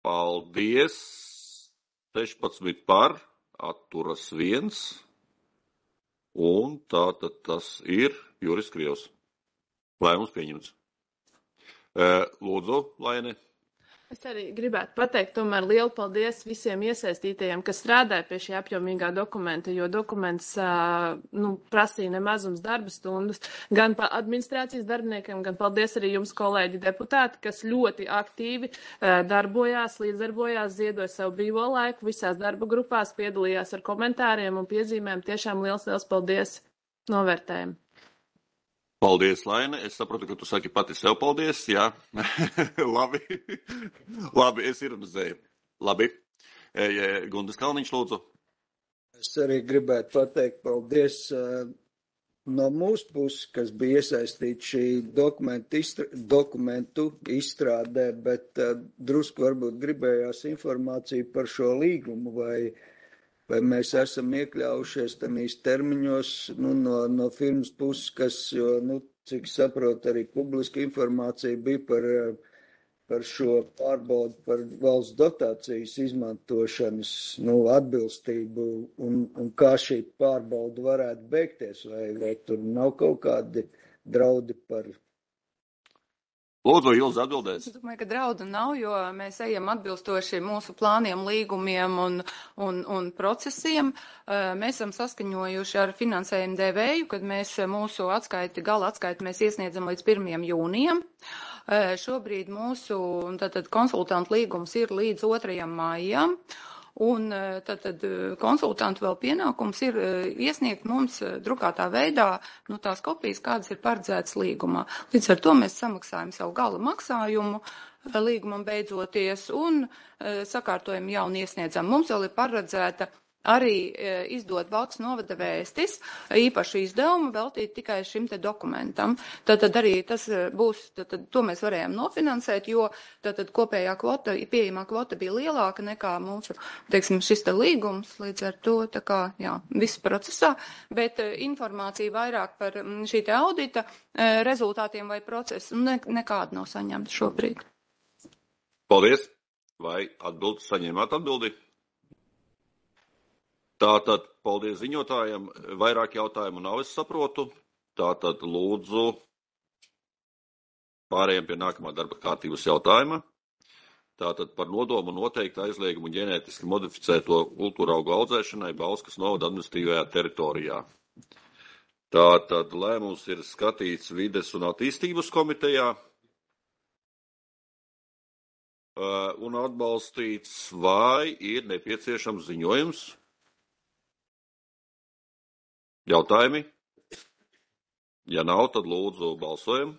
Paldies! sešpadsmit par, atturas viens, un tātad tas ir Juris Krievs. Lēmums pieņemts. Eh, Lūdzu, Laine. Es arī gribētu pateikt tomēr lielu paldies visiem iesaistītajiem, kas strādāja pie šī apjomīgā dokumenta, jo dokuments ā, nu, prasīja nemazums darba stundas gan pa administrācijas darbiniekiem, gan paldies arī jums, kolēģi deputāti, kas ļoti aktīvi ā, darbojās, līdzdarbojās, ziedoja savu brīvo laiku visās darba grupās, piedalījās ar komentāriem un piezīmēm. Tiešām liels, liels paldies novērtējumu. Paldies, Laine. Es saprotu, ka tu saki pati sev paldies, jā. Labi. Labi, es ironizēju. Labi. E, e, Gundas Kalniņš, lūdzu. Es arī gribētu pateikt paldies uh, no mūsu puses, kas bija iesaistīti šī dokumentu, izstrā, dokumentu izstrādē, bet uh, drusku varbūt gribējās informāciju par šo līgumu, vai, vai mēs esam iekļaujušies tanīs termiņos, nu, no, no firmas puses, kas, jo, nu, cik saprot, arī publiska informācija bija par, par šo pārbaudu, par valsts dotācijas izmantošanas, nu, atbilstību un, un kā šī pārbauda varētu beigties, vai, vai tur nav kaut kādi draudi par. Lūdzu, Ilza atbildēs. Es domāju, ka draudu nav, jo mēs ejam atbilstoši mūsu plāniem, līgumiem un, un, un procesiem. Mēs esam saskaņojuši ar finansējumu devēju, kad mēs mūsu atskaiti, gala atskaiti mēs iesniedzam līdz pirmajam jūnijam. Šobrīd mūsu tātad, konsultantu līgums ir līdz otrajam maijam. Un tad, tad konsultantu vēl pienākums ir iesniegt mums drukātā veidā nu, tās kopijas, kādas ir paredzētas līgumā. Līdz ar to mēs samaksājam savu gala maksājumu līgumam beidzoties un sakārtojam jaunu iesniedzam. Mums vēl ir paredzēta arī izdot valsts novada vēstis, īpašu izdevumu veltīt tikai šim te dokumentam. Tātad arī tas būs, tātad to mēs varējām nofinansēt, jo tātad kopējā kvota, pieejamā kvota bija lielāka nekā mūsu, teiksim, šis te līgums, līdz ar to, tā kā, jā, viss procesā, bet informācija vairāk par šī te audita rezultātiem vai procesu ne, nekāda nav saņemta šobrīd. Paldies! Vai atbildi, saņēmāt atbildi? Tātad, paldies ziņotājiem, vairāk jautājumu nav, es saprotu. Tātad, lūdzu, pārējiem pie nākamā darba kārtības jautājuma. Tātad par nodomu noteikti aizliegumu ģenētiski modificēto kultūraugu audzēšanai Bauskas novada administratīvajā teritorijā. Tātad, lēmums ir skatīts Vides un attīstības komitejā un atbalstīts, vai ir nepieciešams ziņojums. Jautājumi? Ja nav, tad lūdzu balsojam.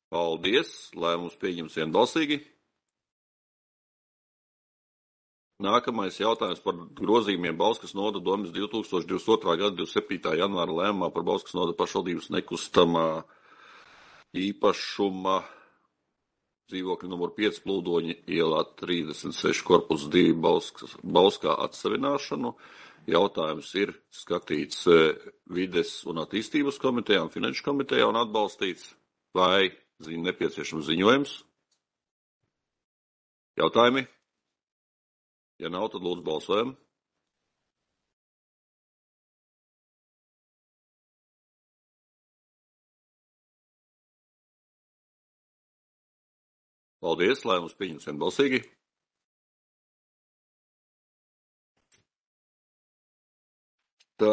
Paldies, lēmums pieņems vienbalsīgi. Nākamais jautājums par grozījumiem Bauskas novada domes divi tūkstoši divdesmit otrā gada divdesmit septītā janvāra lēmumā par Bauskas novada pašvaldības nekustamā īpašuma dzīvokļu numur pieci Plūdoņa ielā trīsdesmit seši korpus divi Bauskas, Bauskā atsavināšanu. Jautājums ir skatīts Vides un attīstības komitejā un finanšu komitejā un atbalstīts, vai ziņ, nepieciešams ziņojums. Jautājumi? Ja nav, tad lūdzu balsojam. Paldies, lai mums pieņems vienbalsīgi. Tā.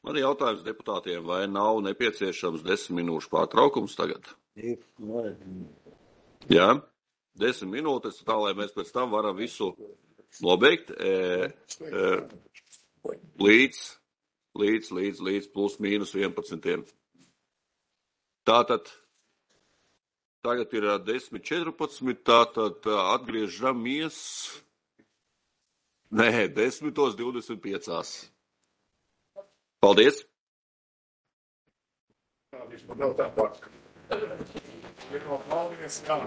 Man ir jautājums deputātiem, vai nav nepieciešams desmit minūšu pārtraukums tagad? Jā, desmit minūtes, tā lai mēs pēc tam varam visu nobeigt e, e, līdz, līdz, līdz, līdz plus mīnus vienpadsmitiem. Tātad, tagad ir desmit četrpadsmit, tātad atgriežamies, nē, desmitos divdesmit piecās. Paldies! Nav tā pārka. Paldies, jā.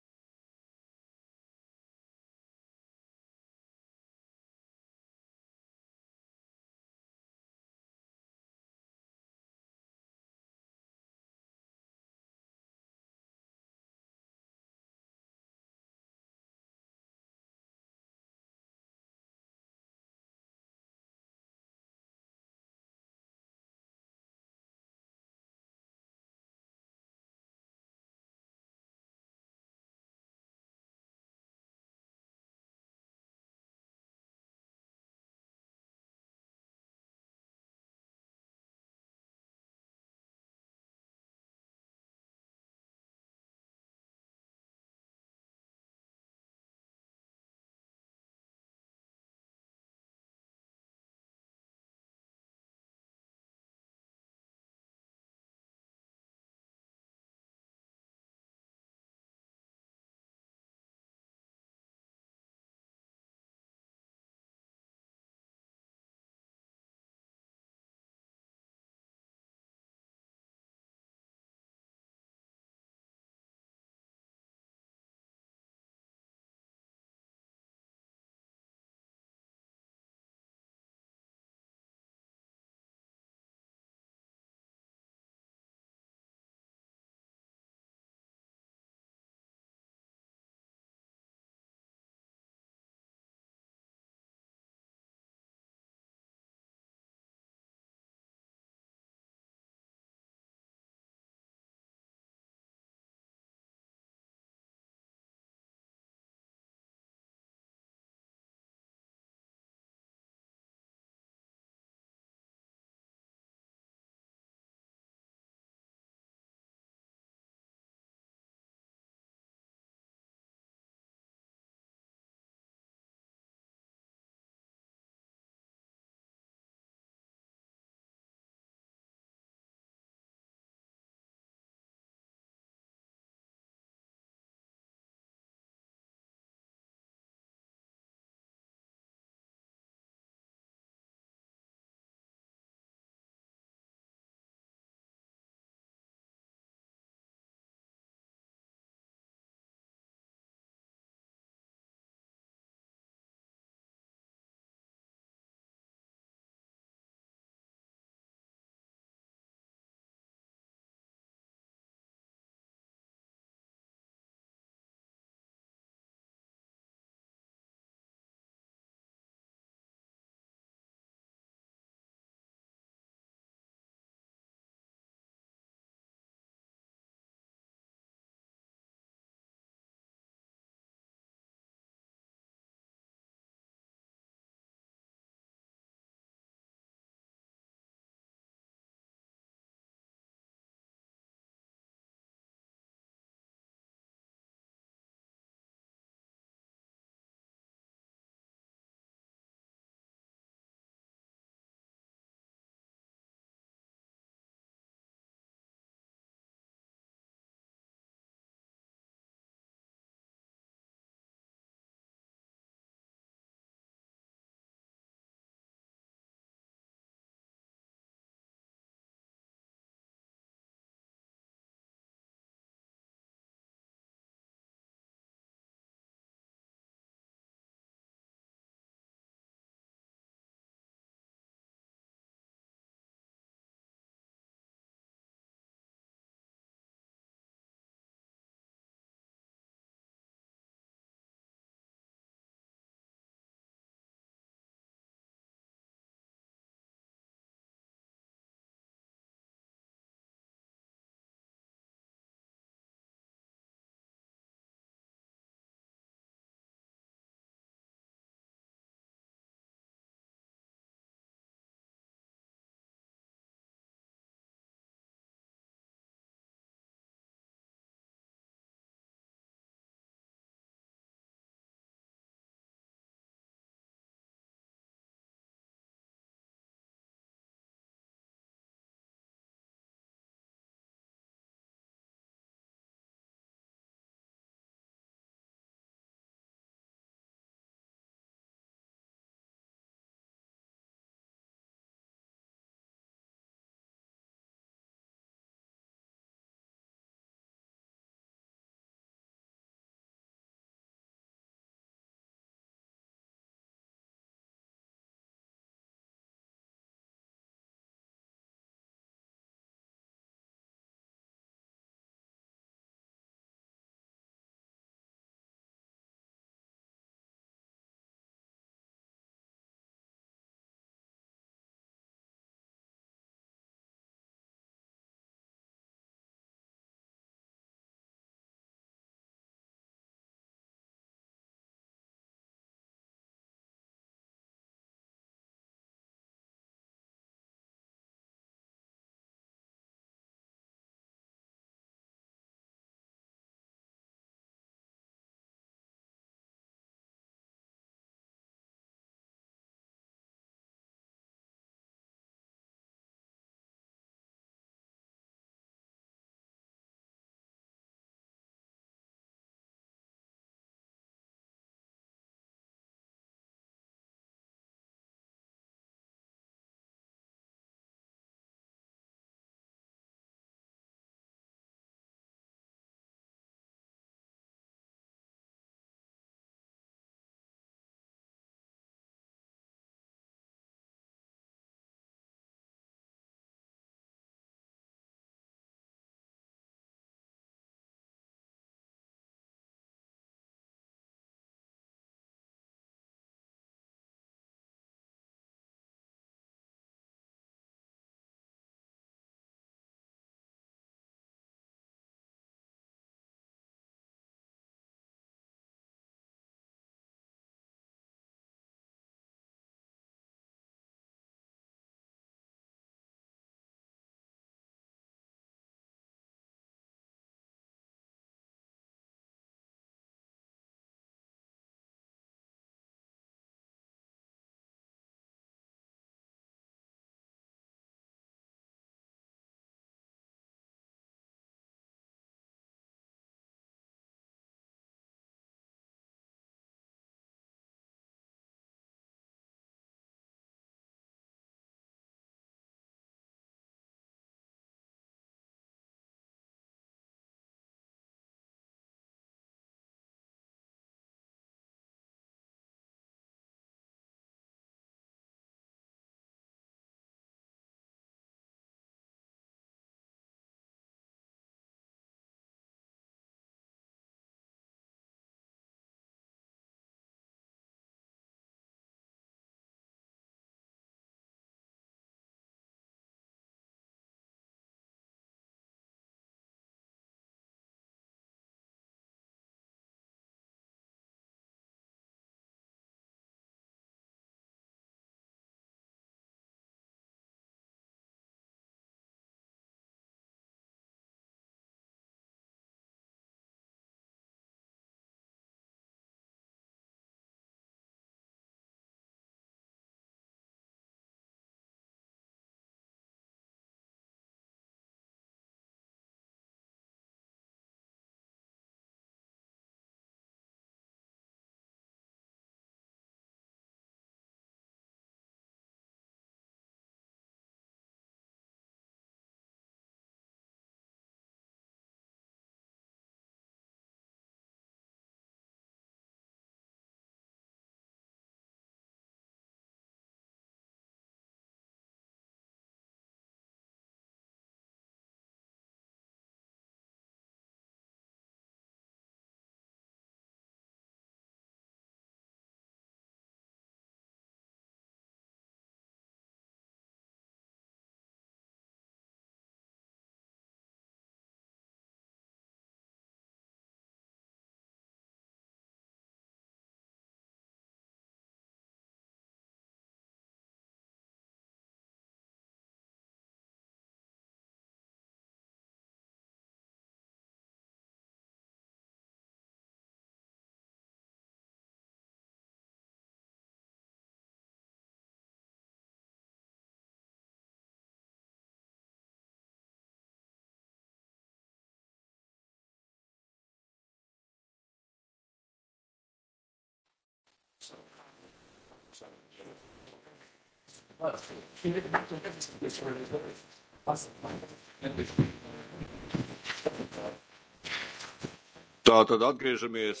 Tātad atgriežamies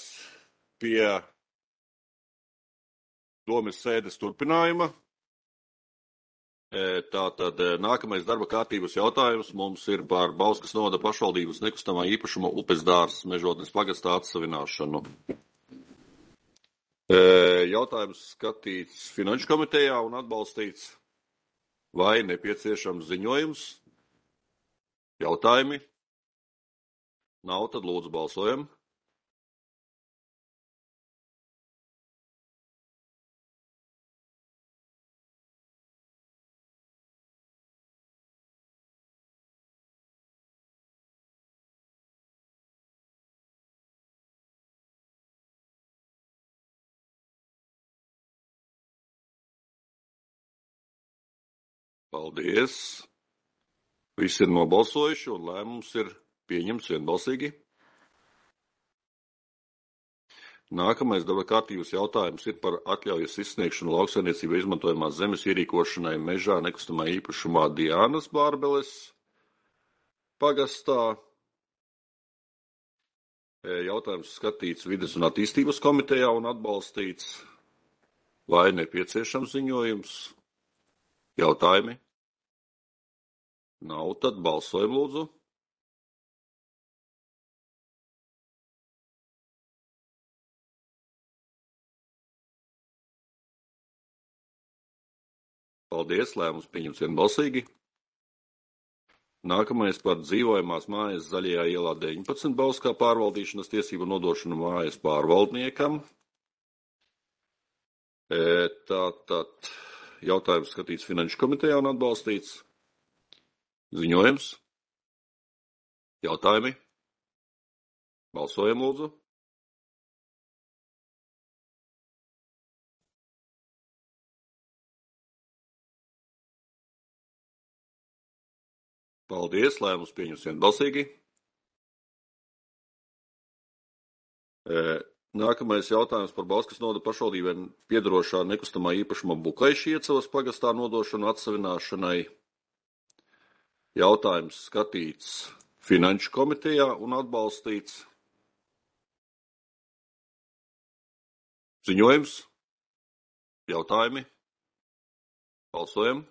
pie domes sēdes turpinājuma. Tātad nākamais darba kārtības jautājums mums ir par Bauskas novada pašvaldības nekustamā īpašuma Upes dārzs mežotnes pagastā atsavināšanu. Jautājums skatīts Finanšu komitejā un atbalstīts. Vai nepieciešams ziņojums? Jautājumi? Nav, tad lūdzu balsojam. Paldies. Visi ir nobalsojuši un lēmums ir pieņemts vienbalsīgi. Nākamais darba kārtības jautājums ir par atļaujas izsniegšanu lauksaimniecībā izmantojamās zemes ierīkošanai mežā nekustamā īpašumā Diānas Bārbeles pagastā. Jautājums skatīts Vides un attīstības komitejā un atbalstīts. Vai nepieciešams ziņojums? Jautājumi? Nav, tad balsojam lūdzu. Paldies, lēmums pieņemts vienbalsīgi. Nākamais par dzīvojamās mājas Zaļajā ielā deviņpadsmit Bauskā pārvaldīšanas tiesību nodošanu mājas pārvaldniekam. Tātad jautājums skatīts Finanšu komitejā un atbalstīts. Ziņojums. Jautājumi. Balsojam lūdzu. Paldies, lēmums pieņems vienbalsīgi. Nākamais jautājums par Bauskas novada pašvaldībai piederošā nekustamā īpašuma Bukaiša Iecavas pagastā nodošanu atsavināšanai. Jautājums skatīts Finanšu komitejā un atbalstīts. Ziņojums. Jautājumi. Balsojam.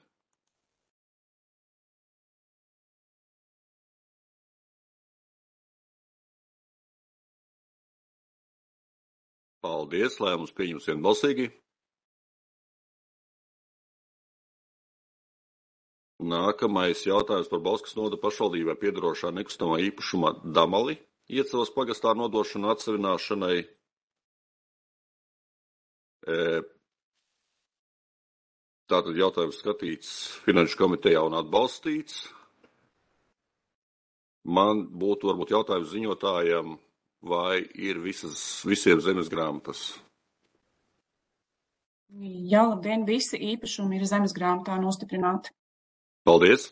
Paldies, lēmums pieņems vienbalsīgi. Nākamais jautājums par Bauskas novada pašvaldībai piederošā nekustamā īpašuma Damali Iecavas pagastā nodošanu atsavināšanai. Tātad jautājums skatīts Finanšu komitejā un atbalstīts. Man būtu varbūt jautājums ziņotājiem, vai ir visas, visiem zemes grāmatas? Jā, labdien, visi īpašumi ir zemes grāmatā nostiprināti. Paldies.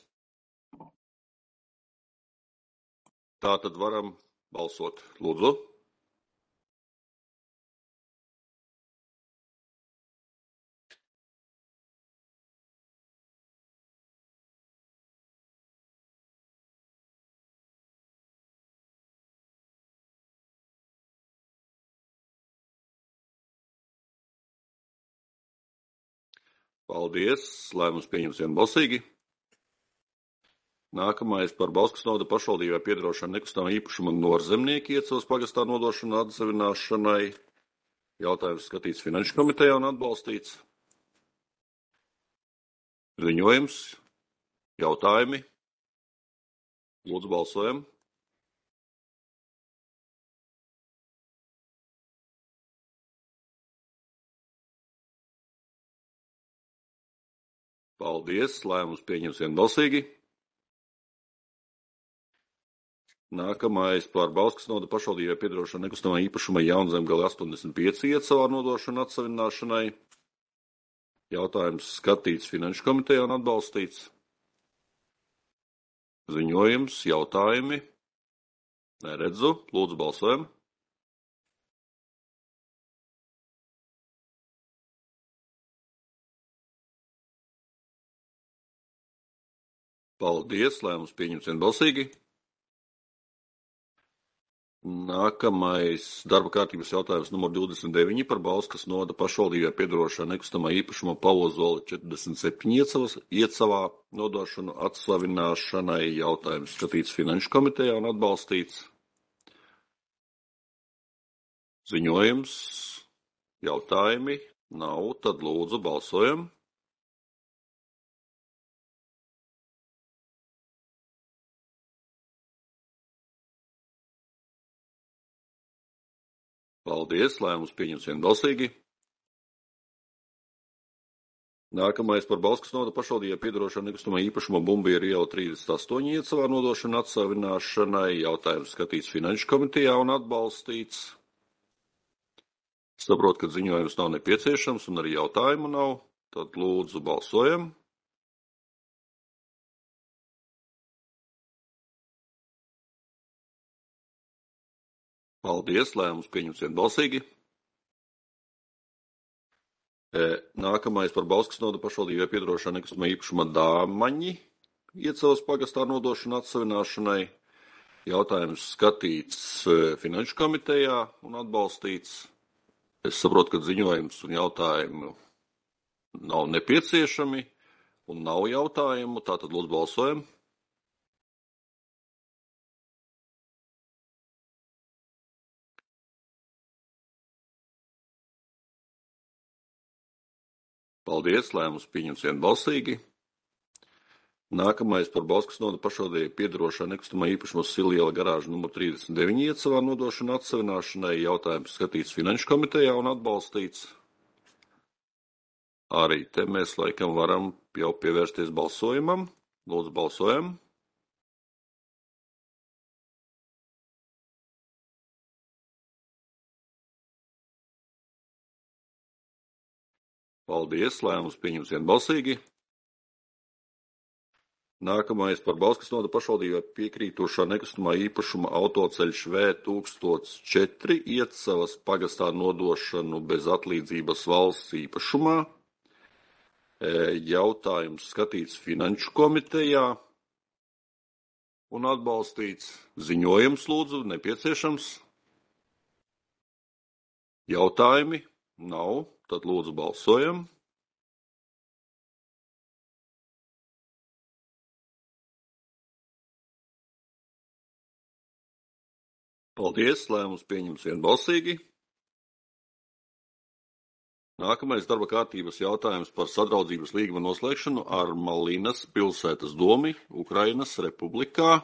Tā tad varam balsot. Lūdzu. Paldies. Lēmums pieņems vienbalsīgi. Nākamais par Bauskas novada pašvaldībai piederošanu nekustamā īpašuma Norzemnieki Iecavas pagastā nodošanu atsavināšanai. Jautājums skatīts Finanšu komitejā un atbalstīts. Ziņojums. Jautājumi. Lūdzu balsojam. Paldies. Lēmums pieņems vienbalsīgi. Nākamais par Bauskas novada pašvaldībai piederošanu nekustamā īpašuma Jaunzemgale astoņdesmit pieci Iecavā nodošanu atsavināšanai. Jautājums skatīts Finanšu komitejā un atbalstīts. Ziņojums, jautājumi. Neredzu. Lūdzu balsojam. Paldies, lēmums pieņemts vienbalsīgi. Nākamais darba kārtības jautājums numur divdesmit deviņi par Bauskas novada pašvaldībai piedarošā nekustamā īpašuma Pavozola četrdesmit septiņi iecavas, iecavā nodošanu atslavināšanai. Jautājums skatīts Finanšu komitejā un atbalstīts. Ziņojums, jautājumi nav, tad lūdzu balsojam. Paldies, lēmums pieņems vienbalsīgi. Nākamais par Bauskas novada pašvaldībai piedarošā nekustamā īpašuma Bumbieru iela trīsdesmit astoņi iecavā nodošana atsavināšanai. Jautājums skatīts Finanšu komitejā un atbalstīts. Saprotu, ka ziņojums nav nepieciešams un arī jautājumu nav. Tad lūdzu balsojam. Paldies, lēmums pieņemts vienbalsīgi. Nākamais par Bauskas novada pašvaldībai piedarošā nekustamā īpašuma Dāmaņi iecavas pagastā nodošana atsavināšanai. Jautājums skatīts Finanšu komitejā un atbalstīts. Es saprotu, ka ziņojums un jautājumu nav nepieciešami un nav jautājumu, tātad lūdzu balsojam. Paldies, lēmums pieņems vienbalsīgi. Nākamais par Bauskas novada pašvaldībai piedarošā nekustamā īpašuma Siliela garāža numur trīsdesmit deviņi iecavā nodošana atsavināšanai. Jautājums skatīts Finanšu komitejā un atbalstīts. Arī te mēs laikam varam jau pievērsties balsojumam. Lūdzu, balsojam. Paldies, lēmums pieņems vienbalsīgi. Nākamais par Bauskas novada pašvaldībai piekrītošā nekustamā īpašuma autoceļš V tūkstoš četri iecavas pagastā nodošanu bez atlīdzības valsts īpašumā. Jautājums skatīts Finanšu komitejā un atbalstīts. Ziņojums lūdzu nepieciešams. Jautājumi nav. Tad lūdzu balsojam. Paldies, lēmums pieņems vienbalsīgi. Nākamais darba kārtības jautājums par sadraudzības līguma noslēgšanu ar Malinas pilsētas domi Ukrainas republikā.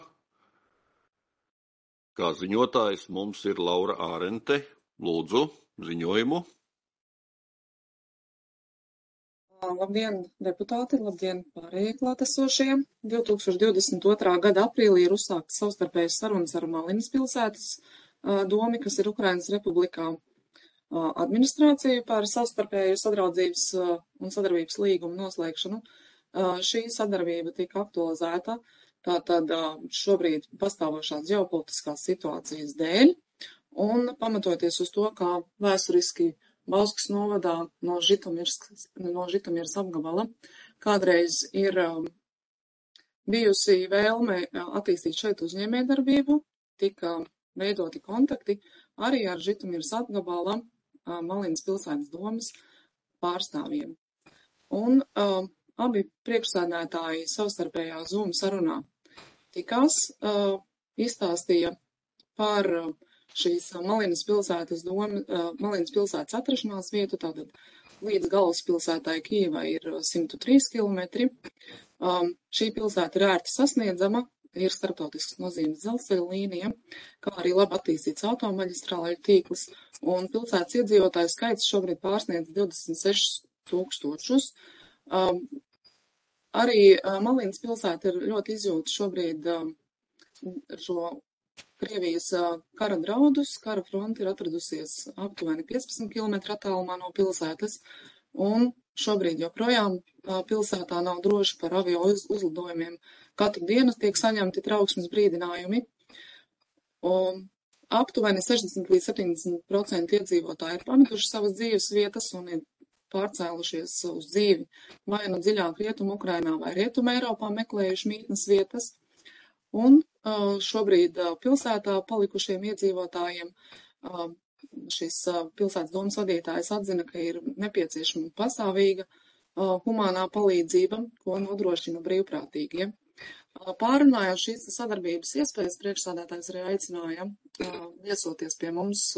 Kā ziņotājs mums ir Laura Ārente. Lūdzu, ziņojumu. Labdien, deputāti, labdien pārējie klātesošie. divi tūkstoši divdesmit otrā gada aprīlī ir uzsāktas savstarpējas sarunas ar Malinas pilsētas domi, kas ir Ukrainas republikā, administrāciju par savstarpēju sadraudzības un sadarbības līgumu noslēgšanu. Šī sadarbība tika aktualizēta tātad šobrīd pastāvošās ģeopolitiskās situācijas dēļ un pamatoties uz to, kā vēsturiski Bauskas novadā no Žitomirs, no Žitomirs apgabala kādreiz ir um, bijusi vēlme attīstīt šeit uzņēmējdarbību, tika veidoti kontakti arī ar Žitomirs apgabala uh, Malinas pilsētas domas pārstāvjiem. Un uh, abi priekšsēdētāji savstarpējā Zoom sarunā tikās, uh, izstāstīja par uh, šīs Malinas pilsētas doma, Malinas pilsētas atrašanās vietu, tātad līdz galvaspilsētai Kijevai ir simt trīs kilometri. Um, šī pilsēta ir ērti sasniedzama, ir starptautisks nozīmes dzelzceļa līnija, kā arī labi attīstīts automaģistrāļu tīkls, un pilsētas iedzīvotāju skaits šobrīd pārsniedz divdesmit sešus tūkstošus. Um, arī uh, Malinas pilsēta ir ļoti izjūta šobrīd um, šo Krievijas kara draudus. Kara fronte ir atradusies aptuveni piecpadsmit kilometru attālumā no pilsētas, un šobrīd joprojām pilsētā nav droši par avio uzlidojumiem. Katru dienu tiek saņemti trauksmes brīdinājumi. Un aptuveni sešdesmit līdz septiņdesmit procenti iedzīvotāji ir pametuši savas dzīves vietas un ir pārcēlušies uz dzīvi vai nu dziļāk Rietumu Ukrainā vai Rietumu Eiropā meklējuši mītnes vietas. Un šobrīd pilsētā palikušiem iedzīvotājiem šis pilsētas domas vadītājs atzina, ka ir nepieciešama pastāvīga humānā palīdzība, ko nodrošina brīvprātīgie. Pārunājot šīs sadarbības iespējas, priekšsādātājs arī aicināja viesoties pie mums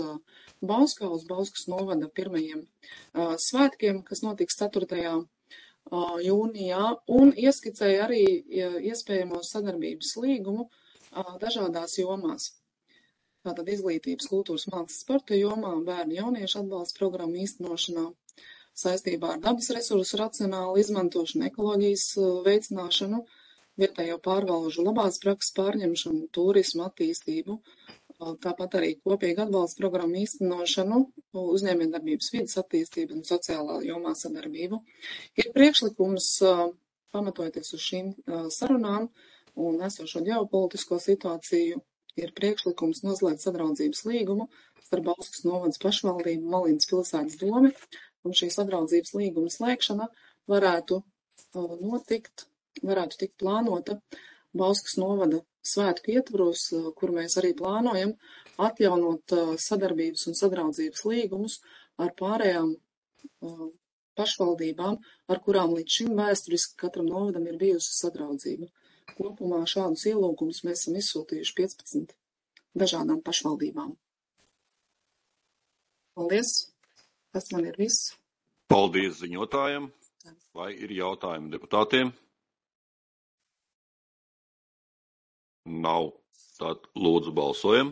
Bauskā uz Bauskas novada pirmajiem svētkiem, kas notiks ceturtajā jūnijā, un ieskicēja arī iespējamo sadarbības līgumu dažādās jomās. Tātad izglītības, kultūras, mākslas, sporta jomā, bērnu jauniešu atbalsta programmu īstenošanā, saistībā ar dabas resursu racionālu izmantošanu, ekoloģijas veicināšanu, vietējo pārvalžu labās prakses pārņemšanu, turismu attīstību, tāpat arī kopīgi atbalsta programmu īstenošanu, uzņēmējdarbības vides attīstību un sociālā jomā sadarbību. Ir priekšlikums, pamatojoties uz šīm sarunām un esošo ģeopolitisko situāciju, ir priekšlikums noslēgt sadraudzības līgumu starp Bauskas novadas pašvaldību, Malinas pilsētas domi, un šī sadraudzības līguma slēgšana varētu notikt, varētu tikt plānota Bauskas novada svētku ietvaros, kur mēs arī plānojam atjaunot sadarbības un sadraudzības līgumus ar pārējām pašvaldībām, ar kurām līdz šim vēsturiski katram novadam ir bijusi sadraudzība. Kopumā šādus ielūgumus mēs esam izsūtījuši piecpadsmit dažādām pašvaldībām. Paldies! Tas man ir viss. Paldies ziņotājiem! Vai ir jautājumi deputātiem? Nav. Tad lūdzu balsojam.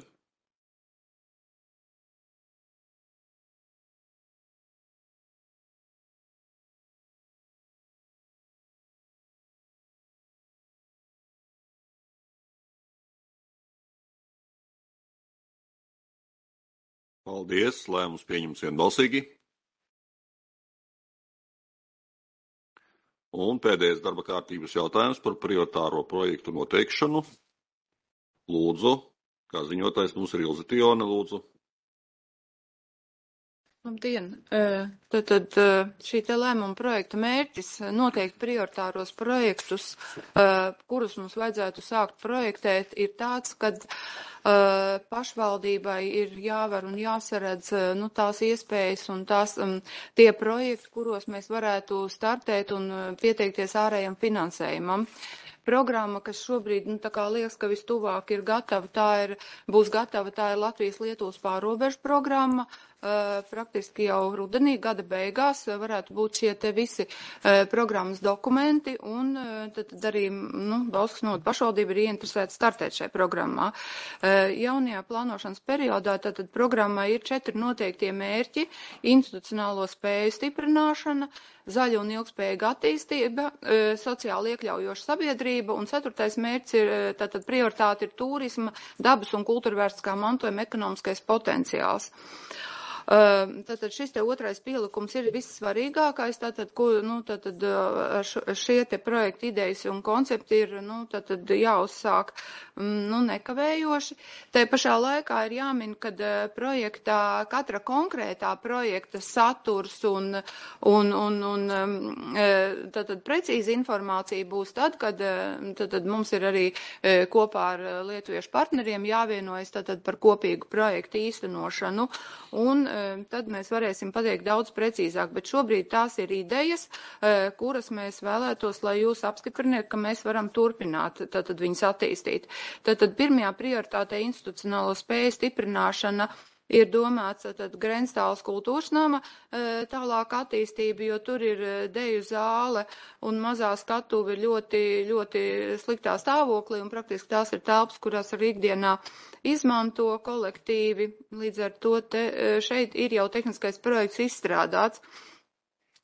Paldies, lēmums pieņems vienbalsīgi. Un pēdējais darba kārtības jautājums par prioritāro projektu noteikšanu. Lūdzu, kā ziņotājs mums ir Ilze Tijone, lūdzu. Labdien! Tad, tad šī te lēmuma projekta mērķis noteikt prioritāros projektus, kurus mums vajadzētu sākt projektēt, ir tāds, kad pašvaldībai ir jāvar un jāsaredz nu, tās iespējas un tās, tie projekti, kuros mēs varētu startēt un pieteikties ārējam finansējumam. Programma, kas šobrīd, nu, tā kā liekas, ka vistuvāk ir gatava, tā ir, būs gatava, tā ir Latvijas-Lietuvas pārrobežu programma. Uh, praktiski jau rudenī, gada beigās, uh, varētu būt šie te visi uh, programmas dokumenti, un uh, tad, tad arī nu, Bauskas novada pašvaldība ir ieinteresēta startēt šajā programmā. Uh, jaunajā plānošanas periodā tātad programmai ir četri noteiktie mērķi - institucionālo spēju stiprināšana, zaļa un ilgspējīga attīstība, uh, sociāli iekļaujoša sabiedrība, un ceturtais mērķis ir tātad prioritāte ir turisma, dabas un kultūrvērstiskā mantojuma ekonomiskais potenciāls. Tātad šis te otrais pielikums ir vissvarīgākais, tātad, ko, nu, tātad šie te projekta idejas un koncepti ir, nu, tātad jāuzsāk, nu, nekavējoši. Te pašā laikā ir jāmin, kad projektā, katra konkrētā projekta saturs un, un, un, un tātad precīzi informācija būs tad, kad tātad mums ir arī kopā ar lietuviešu partneriem jāvienojas tātad par kopīgu projektu īstenošanu, un tad mēs varēsim pateikt daudz precīzāk, bet šobrīd tās ir idejas, kuras mēs vēlētos, lai jūs apstipriniet, ka mēs varam turpināt tātad viņas attīstīt. Tātad pirmajā prioritātē institucionālo spēju stiprināšana ir domāts tātad Grenstāles kultūras nama tālāk attīstība, jo tur ir deju zāle un mazā skatuve ļoti, ļoti sliktā stāvoklī, un praktiski tās ir telpas, kurās arī ikdienā izmanto kolektīvi. Līdz ar to te, šeit ir jau tehniskais projekts izstrādāts.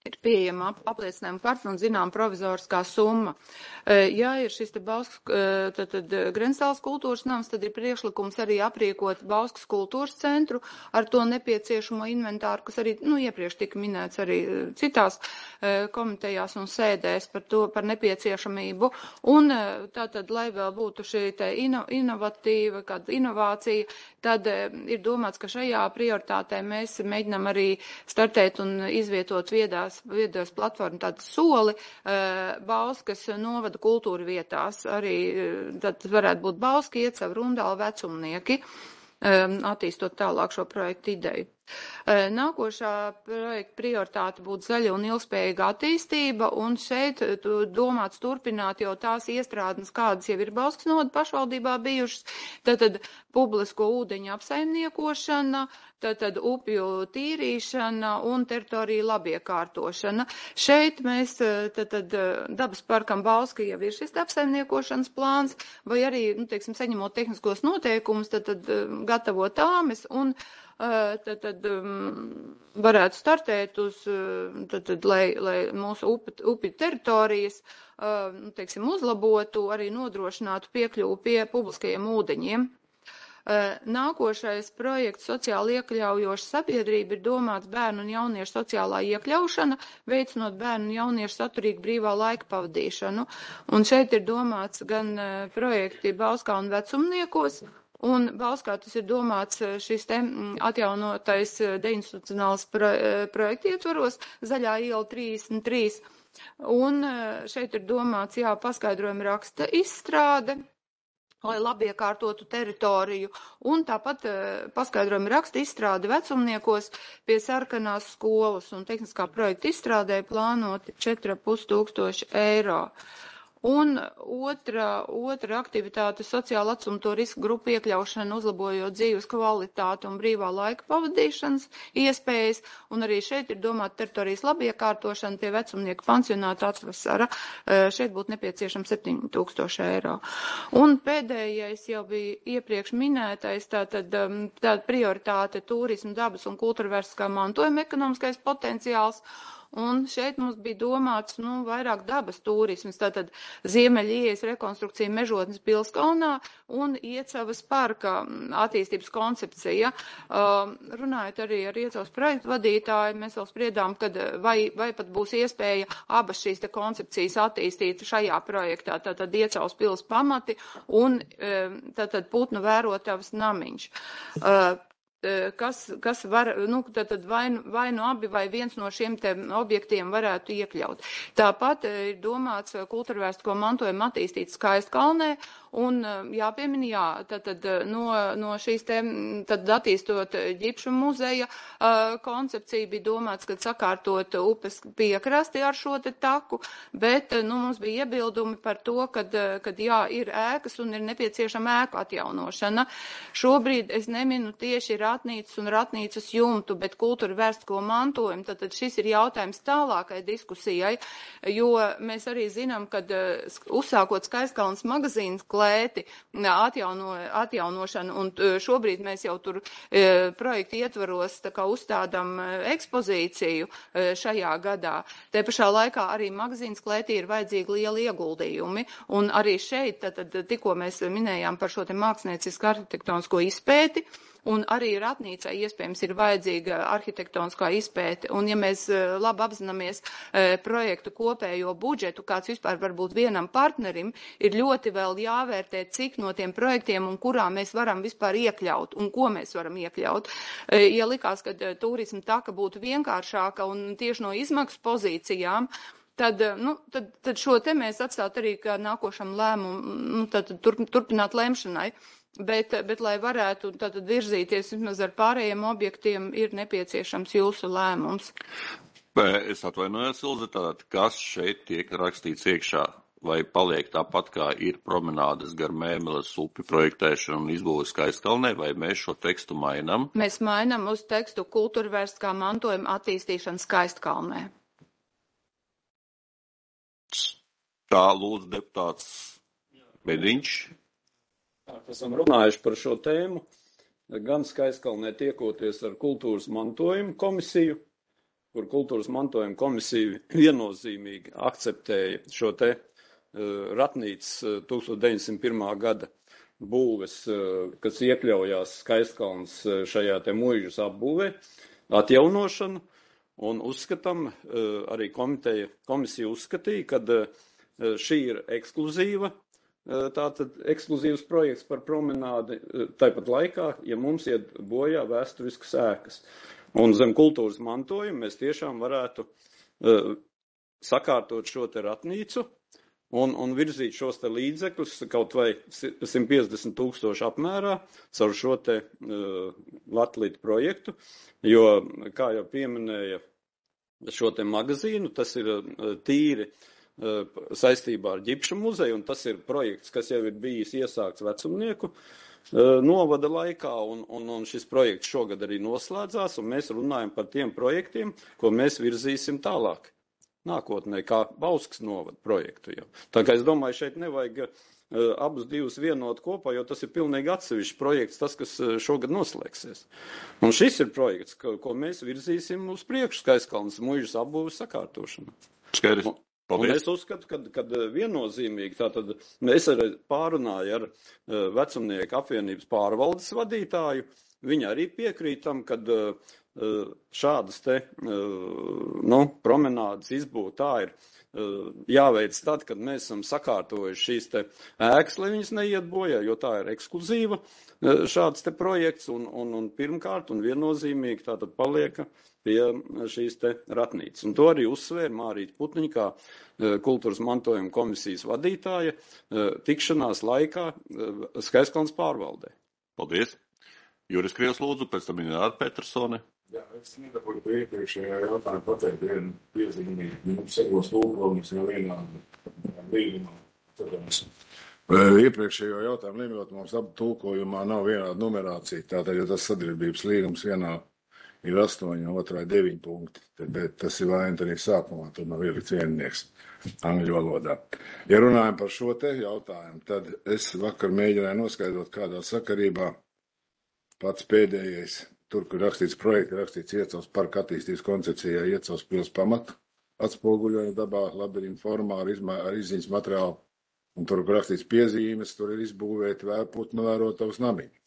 ir pieejama ap, apliecinājuma karte un zinām provizoriskā summa. Ja ir šis te Bauskas, tad, tad Grenstāls kultūras nams, tad ir priekšlikums arī aprīkot Bauskas kultūras centru ar to nepieciešamo inventāru, kas arī, nu, iepriekš tika minēts arī citās komitejās un sēdēs par to, par nepieciešamību. Un tātad, lai vēl būtu šī te ino, inovatīva, kāda inovācija, tad ir domāts, ka šajā prioritātē mēs mēģinām arī startēt un izvietot viedās viedos platformu tādu soli Bauskas novada kultūra vietās. Arī tad varētu būt Bauska, Iecava, Rundāla, Vecumnieki, attīstot tālāk šo projektu ideju. Nākošā projekta prioritāte būtu zaļa un ilgspējīga attīstība, un šeit domāts turpināt jau tās iestrādnes, kādas jau ir Bauskas novada pašvaldībā bijušas, tātad publisko ūdeņu apsaimniekošana, tātad upju tīrīšana un teritoriju labiekārtošana. Šeit mēs, tātad dabas parkam Bauska jau ir šis apsaimniekošanas plāns, vai arī, nu, teiksim, saņemot tehniskos noteikumus, tātad gatavot tāmes un Tad, tad um, varētu startēt uz, tad, tad, lai, lai mūsu upi, upi teritorijas, uh, teiksim, uzlabotu, arī nodrošinātu piekļuvu pie publiskajiem ūdeņiem. Uh, nākošais projekts sociāli iekļaujoša sabiedrība ir domāts bērnu un jauniešu sociālā iekļaušana, veicinot bērnu un jauniešu saturīgu brīvā laika pavadīšanu. Un šeit ir domāts gan uh, projekti Bauskā un Vecumniekos, un Bauskā tas ir domāts šis te atjaunotais deinstitucionāls pro, projekta ietvaros, Zaļā iela trīsdesmit trīs. Un šeit ir domāts, jā, paskaidrojuma raksta izstrāde, lai labi iekārtotu teritoriju, un tāpat paskaidrojuma raksta izstrāde Vecumniekos pie sarkanās skolas, un tehniskā projekta izstrādē plānoti četri ar pus tūkstoši eiro. Un otra, otra aktivitāte sociāla atstumto risku grupu iekļaušana, uzlabojot dzīves kvalitāti un brīvā laika pavadīšanas iespējas, un arī šeit ir domāta teritorijas labiekārtošana pie Vecumnieku pansionāta atvasara. Šeit būtu nepieciešams septiņi tūkstoši eiro. Un pēdējais jau bija iepriekš minētais, tātad tāda prioritāte turismu, dabas un kultūrvērstiskā mantojuma ekonomiskais potenciāls. Un šeit mums bija domāts, nu, vairāk dabas turismas, tātad Ziemeļiejas rekonstrukcija Mežotnes Pilskalnā un Iecavas parka attīstības koncepcija. Uh, runājot arī ar Iecavas projektu vadītāju, mēs vēl spriedām, kad vai, vai pat būs iespēja abas šīs te koncepcijas attīstīt šajā projektā, tātad Iecavas pils pamati un tātad putnu vērotavas namiņš. Uh, Kas, kas var, nu, tad vai, vai no abi vai viens no šiem te objektiem varētu iekļaut. Tāpat ir domāts kultūrvērstisko mantojumu attīstīt Skaistkalnē, un jāpiemina, jā, tad, tad no, no šīs te, tad attīstot ģipšu muzeja uh, koncepcija bija domāts, kad sakārtot upes piekrasti ar šo te taku, bet, nu, mums bija iebildumi par to, kad, kad jā, ir ēkas un ir nepieciešama ēku atjaunošana. Šobrīd es neminu tieši ratnīcas un ratnīcas jumtu, bet kultūrvērstisko mantojumu, tad, tad šis ir jautājums tālākai diskusijai, jo mēs arī zinām, kad uzsākot Skaistkalnas magazīnas klēti atjauno, atjaunošanu, un šobrīd mēs jau tur e, projektu ietvaros tā kā uzstādām ekspozīciju e, šajā gadā. Te pašā laikā arī magazīnas klētī ir vajadzīgi lieli ieguldījumi, un arī šeit, tad, tad tikko mēs minējām par šo te māksliniecisku arhitektonisko izpēti, un arī ratnīcai iespējams ir vajadzīga arhitektoniskā izpēte. Un ja mēs labi apzināmies e, projektu kopējo budžetu, kāds vispār var būt vienam partnerim, ir ļoti vēl jāvērtē, cik no tiem projektiem un kurā mēs varam vispār iekļaut un ko mēs varam iekļaut. E, ja likās, ka turisma taka būtu vienkāršāka un tieši no izmaksu pozīcijām, Tad, nu, tad, tad šo te mēs atstāt arī kā nākošam lēmumu, nu, tad turp, turpināt lemšanai. Bet, bet, lai varētu tātad virzīties vismaz ar pārējiem objektiem, ir nepieciešams jūsu lēmums. Es atvainojos, Ilze, tātad, kas šeit tiek rakstīts iekšā? Vai paliek tāpat, kā ir promenādes gar Mēmeles upi projektēšana un izbūve Skaistkalnē, vai mēs šo tekstu mainam? Mēs mainam uz tekstu kultūrvērstiskā mantojuma attīstīšana Skaistkalnē. Tā lūdzu deputāts Bediņš. Esam runājuši par šo tēmu, gan Skaistkalnē tiekoties ar kultūras mantojumu komisiju, kur kultūras mantojuma komisija viennozīmīgi akceptēja šo te uh, ratnīcas uh, tūkstoš deviņsimt pirmā gada būves, uh, kas iekļaujās Skaistkalns uh, šajā te muižas apbūvē, atjaunošanu, un uzskatām, uh, arī komiteja, komisija uzskatīja, ka uh, šī ir ekskluzīva, uh, tātad ekskluzīvs projekts par promenādi, uh, tāpat laikā, ja mums iet bojā vēsturiskas ēkas. Un zem kultūras mantojuma mēs tiešām varētu uh, sakārtot šo te ratnīcu un, un virzīt šos te līdzekļus kaut vai simt piecdesmit tūkstoši apmērā caur šo te uh, Latvijas projektu, jo, kā jau pieminēja šo te magazīnu, tas ir uh, tīri uh, saistībā ar Ģipša muzeju, un tas ir projekts, kas jau ir bijis iesākts vecumnieku novada laikā, un, un, un šis projekts šogad arī noslēdzās, un mēs runājam par tiem projektiem, ko mēs virzīsim tālāk nākotnē, kā Bauskas novada projektu jau. Tā kā es domāju, šeit nevajag uh, abus divus vienot kopā, jo tas ir pilnīgi atsevišķs projekts, tas, kas šogad noslēgsies. Un šis ir projekts, ko, ko mēs virzīsim uz priekšu, Skaistkalnas muižas apbūves sakārtošanu. Skaidrs. Un es uzskatu, ka, kad viennozīmīgi, tātad mēs arī pārunāju ar vecumnieku apvienības pārvaldes vadītāju, viņi arī piekrītam, kad šādas te, nu, promenādes izbūve tā ir jāveic tad, kad mēs esam sakārtojuši šīs te ēkas, lai viņas neiet bojā, jo tā ir ekskluzīva šāds te projekts, un, un, un pirmkārt un viennozīmīgi tātad palieka pie šīs te ratnīcas. Un to arī uzsvēra Mārīta Putniņa, kā kultūras mantojuma komisijas vadītāja, tikšanās laikā Skaistkalnas pārvaldē. Paldies. Juris Krievs lūdzu, pēc tam Ināra Petersone. Jā, es nedabūju pie iepriekšējā jautājuma pateikt vienu piezīmi. Mums sekos lūgums jau vienā līgumā. Iepriekšējo jautājumu līmjot mums abu tulkojumā nav vienāda numerācija. Tātad, ja tas sadarbības līgums vienā ir astoņi, otrā deviņi punkti, bet tas ir vaina arī sākumā, tur nav ielikts viennieks angļu valodā. Ja runājam par šo te jautājumu, tad es vakar mēģināju noskaidrot, kādā sakarībā pats pēdējais, tur, kur rakstīts projekti, rakstīts Iecavas parka attīstības koncepcijā, Iecavas pils pamatu, atspoguļoja dabā labirintu formā ar, izmā, ar izziņas materiālu, un tur, kur rakstīts piezīmes, tur ir izbūvēti vērputnu vērotavas namiņi.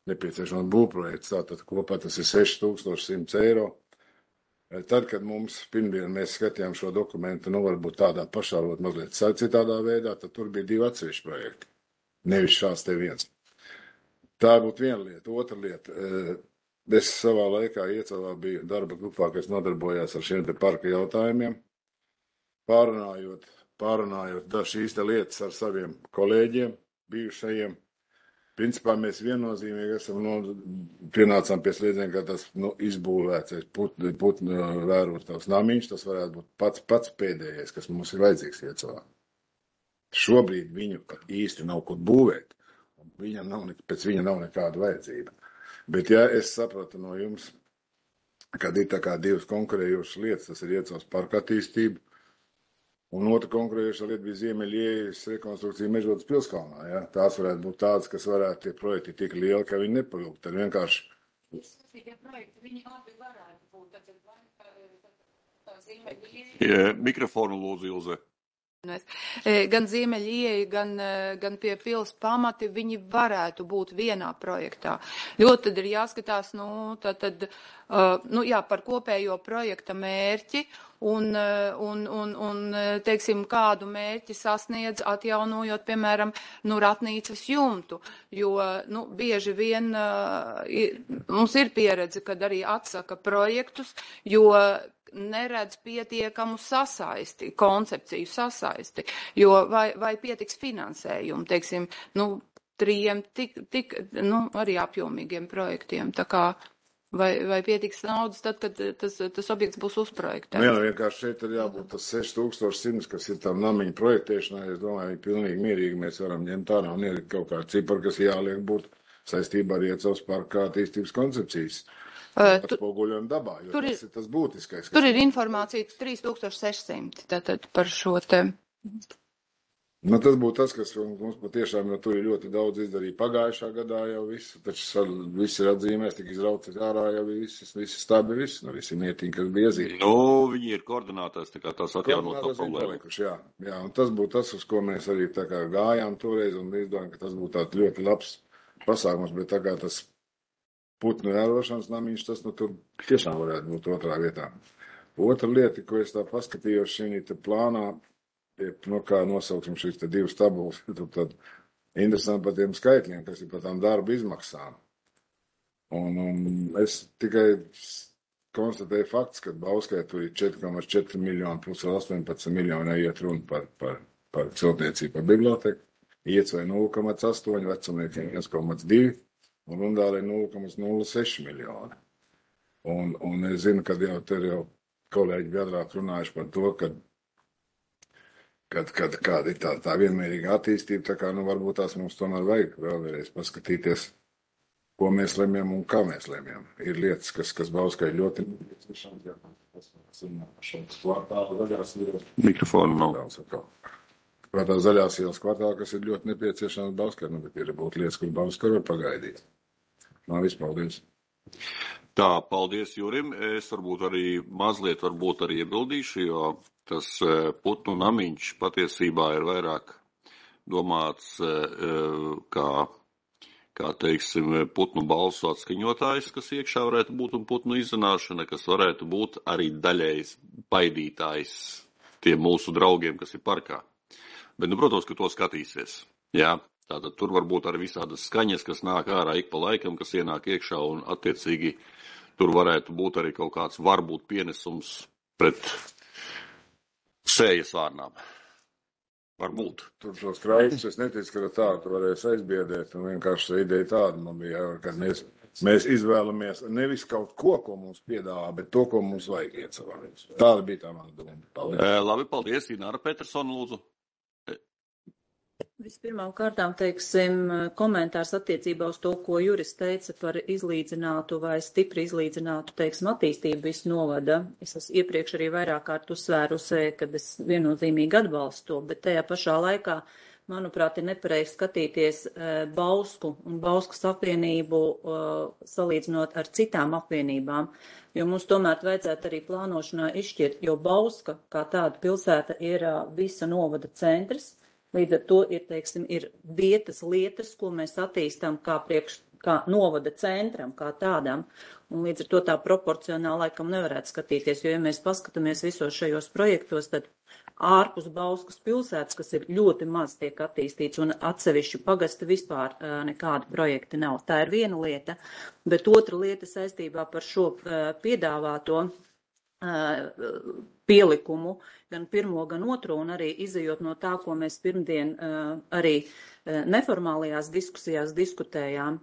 Nepieciešams būvprojekts, tātad kopā tas ir seši tūkstoši simts eiro. Tad, kad mums pirmdien mēs skatījām šo dokumentu, nu varbūt tādā pašā, varbūt mazliet citādā veidā, tad tur bija divi atsevišķi projekti, nevis šāds te viens. Tā būtu viena lieta. Otra lieta, es savā laikā Iecavā biju darba grupā, kas nodarbojās ar šiem te parka jautājumiem, pārunājot, pārunājot šīs te lietas ar saviem kolēģiem, bijušajiem. Principā mēs viennozīmīgi esam no, pienācām pie sliedziena, ka tas nu, izbūvēts putnu put, vērotavas namiņš, tas varētu būt pats, pats pēdējais, kas mums ir vajadzīgs Iecavā. Šobrīd viņu īsti nav kur būvēt, un viņam nav, pēc viņa nav nekāda vajadzība. Bet ja es sapratu no jums, kad ir tā kā divas konkurējošas lietas, tas ir Iecavas parka attīstība, un otra konkurējoša lieta bija Ziemeļiejas rekonstrukcija Mežodas pilskalnā. Ja? Tās varētu būt tādas, kas varētu tie projekti tik lieli, ka viņi nepalūk. Tad vienkārši... Tie projekti, viņi abi varētu būt. Tad, tā Ziemeļieja... Ja, mikrofonu lūdzu, Ilze. Gan Ziemeļieja, gan, gan pie pils pamati, viņi varētu būt vienā projektā. Jo tad ir jāskatās, nu, tad, tad, nu, jā, par kopējo projekta mērķi un, un, un, un, teiksim, kādu mērķi sasniedz atjaunojot, piemēram, nu, ratnīcas jumtu. Jo, nu, bieži vien mums ir pieredze, kad arī atsaka projektus, jo neredz pietiekamu sasaisti, koncepciju sasaisti, jo vai, vai pietiks finansējumu, teiksim, nu, trījiem tik, tik, nu, arī apjomīgiem projektiem, tā kā, vai, vai pietiks naudas tad, kad tas, tas objekts būs uzprojektēts. Nu jā, vienkārši šeit ir jābūt tas seši tūkstoši simts, kas ir tam namiņu projektēšanai, es domāju, pilnīgi mierīgi mēs varam ņemt ārā un ielikt kaut kādu ciparu, kas jāliek būt saistībā ar Iecavas parka attīstības koncepcijas. Atspoguļojam dabā, jo tur tas ir, ir tas būtiskais. Tur ir informācija trīs tūkstoši seši simti tātad par šo te. Nu, tas būtu tas, kas mums patiešām, jo tur ir ļoti daudz izdarīja pagājušā gadā jau visu, taču viss ir atzīmēs, tik izrauts ārā jau visi, visi stabi, visi, nu, visi nietiņi, kas bija iezīmēti. Nu, viņi ir koordinātās, tā kā tās atjaunot tā problēma. Jā, jā, un tas būtu tas, uz ko mēs arī tā kā gājām toreiz, un izdomājam, ka tas būtu tāds ļoti labs pasākums, bet tā kā tas putnu vērošanas namiņš, tas, nu, tur tiešām varētu būt otrā vietā. Otra lieta, ko es tā paskatījos šī te plānā, ir, nu, kā nosauksim šīs te divas tabulas, tur tad interesanti par tiem skaitļiem, kas ir par tām darba izmaksām. Un, un es tikai konstatēju fakts, ka Bauskai tur ir četri komats četri miljoni plus astoņpadsmit miljoni iet runa par, par, par celtniecību, par biblioteku, iecvai nulle komats astoņi, vecumniekiem viens komats divi un Rundālē nulle komats nulle seši miljoni. Un, un es zinu, ka jau tur jau kolēģi biedrāk runājuši par to, ka kad, kad kāda ir tā, tā vienmērīga attīstība, tā kā, nu, varbūt tās mums tomēr vajag vēlreiz paskatīties, ko mēs lemjam un kā mēs lemjam. Ir lietas, kas, kas Bauskai ļoti nepieciešams, jā, tas kvartāla zaļās ielas. Mikrofonu nav. Kvartāla zaļās ielas kvartāla, kas ir ļoti nepieciešams Bauskai, nu, bet ir būt lietas, kur Bauskai var pagaidīt. Nā, viss, paldies. Tā, paldies Jurim. Es varbūt arī mazliet varbūt arī iebildīšu, jo tas putnu namiņš patiesībā ir vairāk domāts kā, kā teiksim, putnu balsu atskaņotājs, kas iekšā varētu būt, un putnu izzināšana, kas varētu būt arī daļējs baidītājs tiem mūsu draugiem, kas ir parkā. Bet, nu, protams, ka to skatīsies. Jā. Tātad tur var būt arī visādas skaņas, kas nāk ārā ik pa laikam, kas ienāk iekšā, un attiecīgi tur varētu būt arī kaut kāds varbūt pienesums pret sējas vārnām. Varbūt. Tur šos kraikus es neticu, ka tā tu varēs aizbiedēt, un vienkārši ideja tāda man bija, ka mēs, mēs izvēlamies nevis kaut ko, ko mums piedāvā, bet to, ko mums vajag iet savā. Tāda bija tā mana doma. Paldies. E, labi, paldies, Ināra Petersona, lūdzu. Vispirmām kārtām, teiksim, komentārs attiecībā uz to, ko Juris teica par izlīdzinātu vai stipri izlīdzinātu, teiksim, attīstību visu novada. Es esmu iepriekš arī vairāk kārt uzsvērusi, kad es viennozīmīgi atbalstu to, bet tajā pašā laikā, manuprāt, ir nepareizi skatīties Bausku un Bauskas apvienību salīdzinot ar citām apvienībām, jo mums tomēr vajadzētu arī plānošanā izšķirt, jo Bauska kā tāda pilsēta ir visa novada centrs. Līdz ar to ir, teiksim, ir vietas, lietas, ko mēs attīstam kā, priekš, kā novada centram, kā tādam. Un līdz ar to tā proporcionāli laikam nevarētu skatīties, jo, ja mēs paskatāmies visos šajos projektos, tad ārpus Bauskas pilsētas, kas ir ļoti maz tiek attīstīts, un atsevišķu pagasta vispār nekādi projekti nav. Tā ir viena lieta, bet otra lieta saistībā par šo piedāvāto pielikumu, gan pirmo, gan otro, un arī izejot no tā, ko mēs pirmdien arī neformālajās diskusijās diskutējām.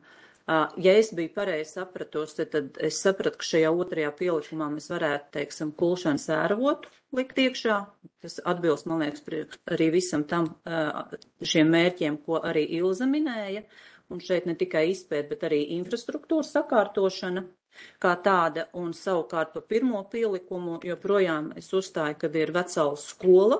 Ja es biju pareizi sapratusi, tad es sapratu, ka šajā otrajā pielikumā mēs varētu, teiksim, kulšanas ēravotu likt iekšā. Tas atbilst, man liekas, arī visam tam šiem mērķiem, ko arī Ilza minēja. Un šeit ne tikai izpēt, bet arī infrastruktūras sakārtošana kā tāda, un savukārt pa pirmo pielikumu joprojām es uzstāju, kad ir Vecaules skola,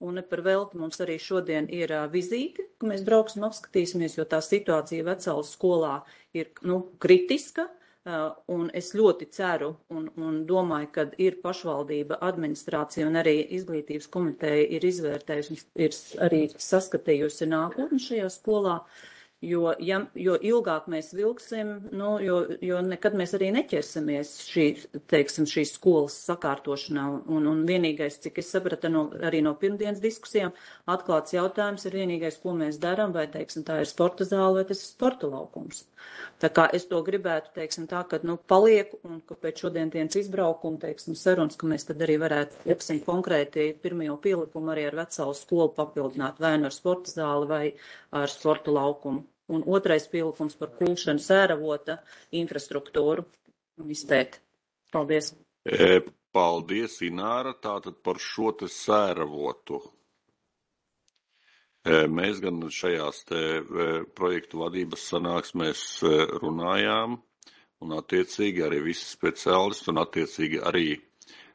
un ne par velti mums arī šodien ir uh, vizīte, ka mēs brauksim apskatīsimies, jo tā situācija Vecaules skolā ir, nu, kritiska, uh, un es ļoti ceru un, un domāju, kad ir pašvaldība, administrācija un arī izglītības komiteja ir izvērtējusi, ir arī saskatījusi nākotni šajā skolā. Jo, ja, jo ilgāk mēs vilksim, nu, jo, jo nekad mēs arī neķersimies šī, teiksim, šīs skolas sakārtošanā. Un, un vienīgais, cik es sapratu no, arī no pirmdienas diskusijām, atklāts jautājums ir vienīgais, ko mēs darām, vai, teiksim, tā ir sporta zāle vai tas ir sporta laukums. Tā kā es to gribētu, teiksim, tā, ka, nu, palieku un ka pēc šodien dienas izbraukuma, teiksim, sarunas, ka mēs tad arī varētu, teiksim, konkrēti pirmajo pielikumu arī ar Vecaules skolu papildināt vai ar sporta zāli vai ar sporta laukumu. Un otrais pielikums par kulšanu sēravota infrastruktūru un izpēt. Paldies. E, paldies, Ināra. Tātad par šo te sēravotu. E, mēs gan šajās te e, projektu vadības sanāksmēs e, runājām, un attiecīgi arī visi speciālisti, un attiecīgi arī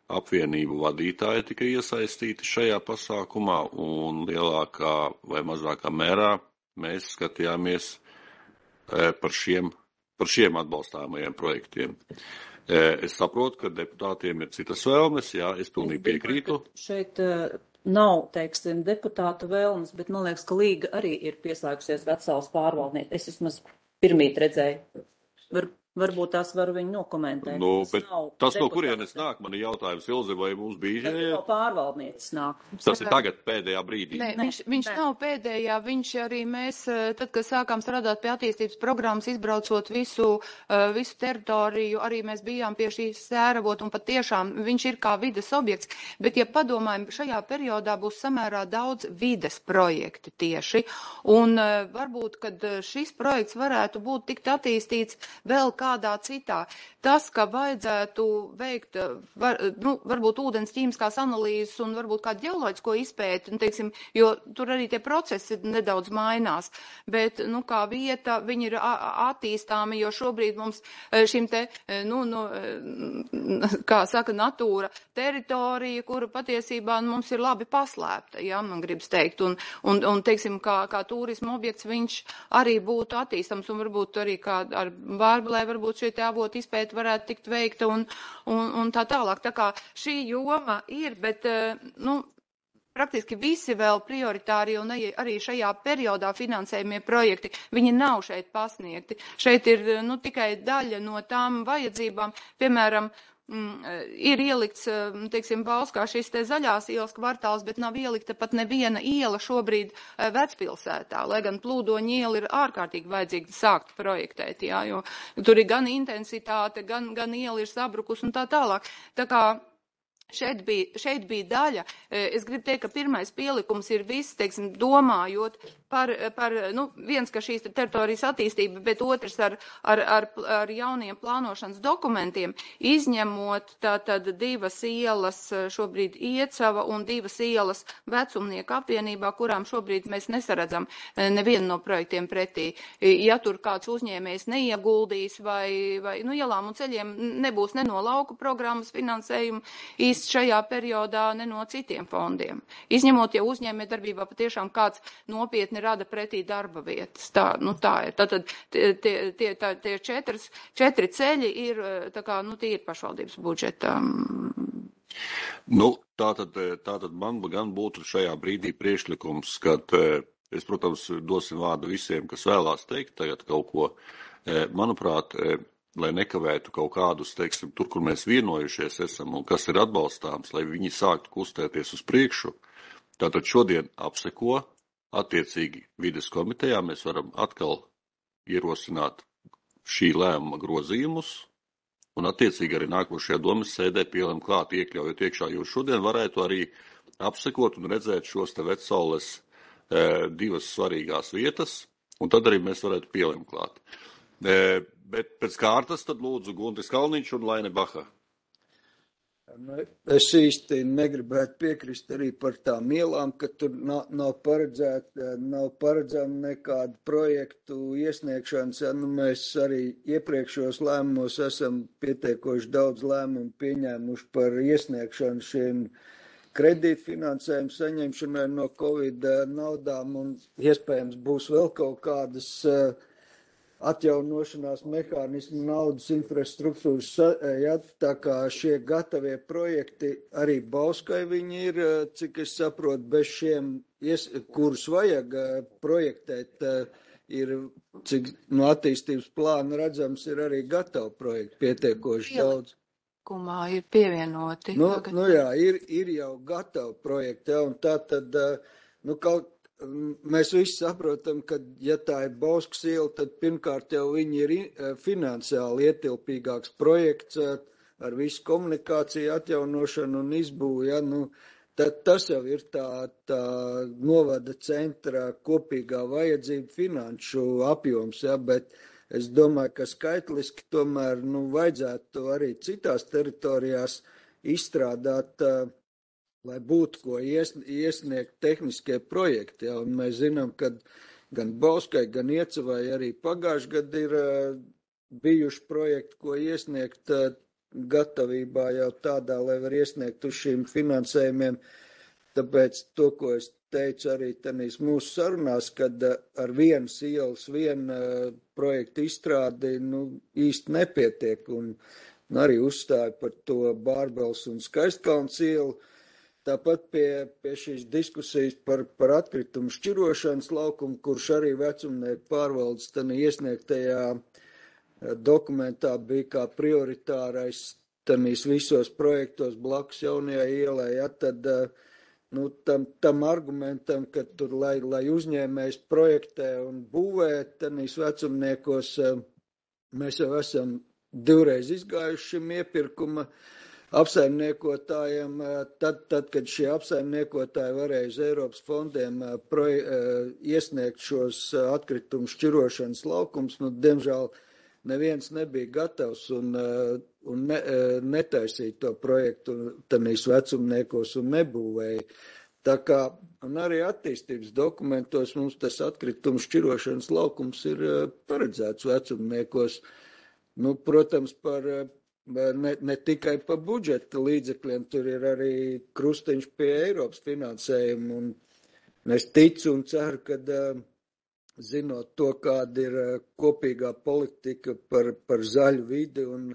apvienību vadītāji tika iesaistīti šajā pasākumā, un lielākā vai mazākā mērā mēs skatījāmies par šiem, par šiem atbalstāmajiem projektiem. Es saprotu, ka deputātiem ir citas vēlmes, jā, es pilnīgi piekrītu. Šeit nav, teiksim, deputātu vēlmes, bet man liekas, ka Līga arī ir pieslēgusies Vecsalas pārvaldniece. Es vismaz pirmīt redzēju. Var, varbūt tās varu viņu nokomentēt. Nu, bet tas, no kurienes nāk, man ir jautājums, Ilze, vai mums bija... Tas no pārvaldnieces nāk. Tas ir tagad pēdējā brīdī. Nē, viņš, viņš nav pēdējā, viņš arī mēs, tad, kad sākām strādāt pie attīstības programmas, izbraucot visu, visu teritoriju, arī mēs bijām pie šīs sēravot, un pat tiešām viņš ir kā vides objekts, bet, ja padomājam, šajā periodā būs samērā daudz vides projekti tieši, un varbūt, kad šis projekts varētu būt tikt attīstīts vēl kādā citā. Tas, ka vajadzētu veikt, var, nu, varbūt ūdens ķīmiskās analīzes un varbūt kādu ģeoloģisko izpēti, nu, teiksim, jo tur arī tie procesi nedaudz mainās, bet, nu, kā vieta, viņi ir attīstāmi, jo šobrīd mums šim te, nu, nu, kā saka, natūra teritorija, kura patiesībā nu, mums ir labi paslēpta, ja, man gribas teikt, un, un, un teiksim, kā, kā turisma objekts viņš arī būtu attīstams, un varbūt arī kā ar Vārbalē varbūt šie te avoti izpēti varētu tikt veikta un, un, un tā tālāk. Tā kā šī joma ir, bet, nu, praktiski visi vēl prioritāri un arī šajā periodā finansējumie projekti, viņi nav šeit pasniegti. Šeit ir, nu, tikai daļa no tām vajadzībām, piemēram, ir ielikts, teiksim, Bauskā šis te zaļās ielas kvartāls, bet nav ielikta pat neviena iela šobrīd Vecpilsētā, lai gan Plūdoņa iela ir ārkārtīgi vajadzīga sākt projektēt, jā, jo tur ir gan intensitāte, gan, gan iela ir sabrukus un tā tālāk. Tā kā Šeit bija, šeit bija daļa, es gribu teikt, ka pirmais pielikums ir viss, teiksim, domājot par, par nu, viens, ka šīs teritorijas attīstība, bet otrs ar, ar, ar, ar jauniem plānošanas dokumentiem, izņemot tātad divas ielas šobrīd Iecava un divas ielas Vecumnieku apvienībā, kurām šobrīd mēs nesaredzam nevienu no projektiem pretī. Ja tur kāds uzņēmējs neieguldīs vai, vai nu, ielām un ceļiem nebūs ne no lauku programmas finansējuma, šajā periodā ne no citiem fondiem. Izņemot, ja uzņēmē darbībā patiešām kāds nopietni rada pretī darba vietas. Tā, nu tā ir. Tātad tie, tie, tā, tie četras, četri ceļi ir, tā kā, nu tie ir pašvaldības budžeta. Nu, tātad, tātad man gan būtu šajā brīdī priekšlikums, kad es, protams, dosim vārdu visiem, kas vēlās teikt tagad kaut ko. Manuprāt, lai nekavētu kaut kādus, teiksim, tur, kur mēs vienojušies esam un kas ir atbalstāms, lai viņi sāktu kustēties uz priekšu. Tātad šodien apseko, attiecīgi vides komitejā mēs varam atkal ierosināt šī lēmuma grozījumus un attiecīgi arī nākošajā domas sēdē pielēm klāt iekļaujot iekšā, jo šodien varētu arī apsekot un redzēt šos te Vecaules e, divas svarīgās vietas, un tad arī mēs varētu pielēm klāt. E, Bet pēc kārtas tad lūdzu Guntis Kalniņš un Laine Baha. Es īsti negribētu piekrist arī par tām ielām, ka tur nav, nav paredzēta, nav paredzama nekāda projektu iesniegšanas. Ja, nu, mēs arī iepriekšos lēmumos esam pietiekoši daudz lēmumu pieņēmuši par iesniegšanu šiem kredītfinansējumu saņemšanai no Covid naudām un iespējams būs vēl kaut kādas uh, atjaunošanās mehānismu naudas infrastruktūras, ja, tā kā šie gatavie projekti arī Bauskai viņi ir, cik es saprotu, bez šiem, kurus vajag projektēt, ir, cik no attīstības plāna redzams, ir arī gatavi projekti pietiekoši daudz. Kumā ir pievienoti. Nu, nu jā, ir, ir jau gatavi projekti, ja, un tā tad, nu, kaut mēs visi saprotam, ka, ja tā ir Bauskas iela, tad pirmkārt jau viņi ir finansiāli ietilpīgāks projekts ar visu komunikāciju atjaunošanu un izbūvu, ja, nu, tad tas jau ir tā, tā novada centra kopīgā vajadzība finanšu apjoms, ja, bet es domāju, ka skaitliski tomēr, nu, vajadzētu arī citās teritorijās izstrādāt lai būtu ko ies, iesniegt tehniskie projekti. Ja, un mēs zinām, ka gan Bauskai, gan Iecavai arī pagājuši gadu ir uh, bijuši projekti, ko iesniegt. Uh, gatavībā jau tādā, lai var iesniegt uz šīm finansējumiem. Tāpēc to, ko es teicu arī tanīs mūsu sarunās, kad ar vienas ielas, viena projekta izstrādi nu, īsti nepietiek. Un arī uzstāju par to Bārbels un Skaistkalns ielu. Tāpat pie, pie šīs diskusijas par, par atkritumu šķirošanas laukumu, kurš arī vecumnieku pārvaldes tanī iesniegtajā dokumentā bija kā prioritārais tanīs visos projektos blakus jaunajai ielai, ja, tad nu, tam, tam argumentam, ka tur, lai, lai uzņēmējs projektē un būvē tanīs vecumniekos, mēs jau esam divreiz izgājuši šim iepirkuma apsaimniekotājiem, tad, tad, kad šie apsaimniekotāji varēja uz Eiropas fondiem proje, iesniegt šos atkritumu šķirošanas laukums, nu, diemžēl neviens nebija gatavs un, un ne, netaisīja to projektu tanīs vecumniekos un nebūvēja. Tā kā, un arī attīstības dokumentos mums tas atkritumu šķirošanas laukums ir paredzēts vecumniekos. Nu, protams, par, ne, ne tikai par budžeta līdzekļiem, tur ir arī krustiņš pie Eiropas finansējuma, un es ticu un ceru, ka zinot to, kāda ir kopīgā politika par, par zaļu vidi un,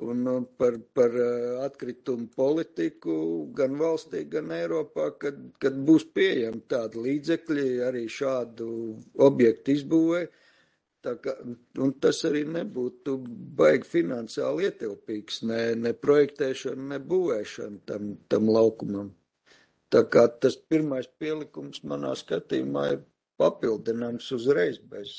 un par, par atkritumu politiku gan valstī, gan Eiropā, kad, kad būs pieejami tādi līdzekļi arī šādu objektu izbūvē. Tā kā, un tas arī nebūtu baigi finansiāli ietilpīgs, ne, ne projektēšana, ne būvēšana tam, tam laukumam. Tā kā tas pirmais pielikums manā skatījumā ir papildinājums uzreiz bez.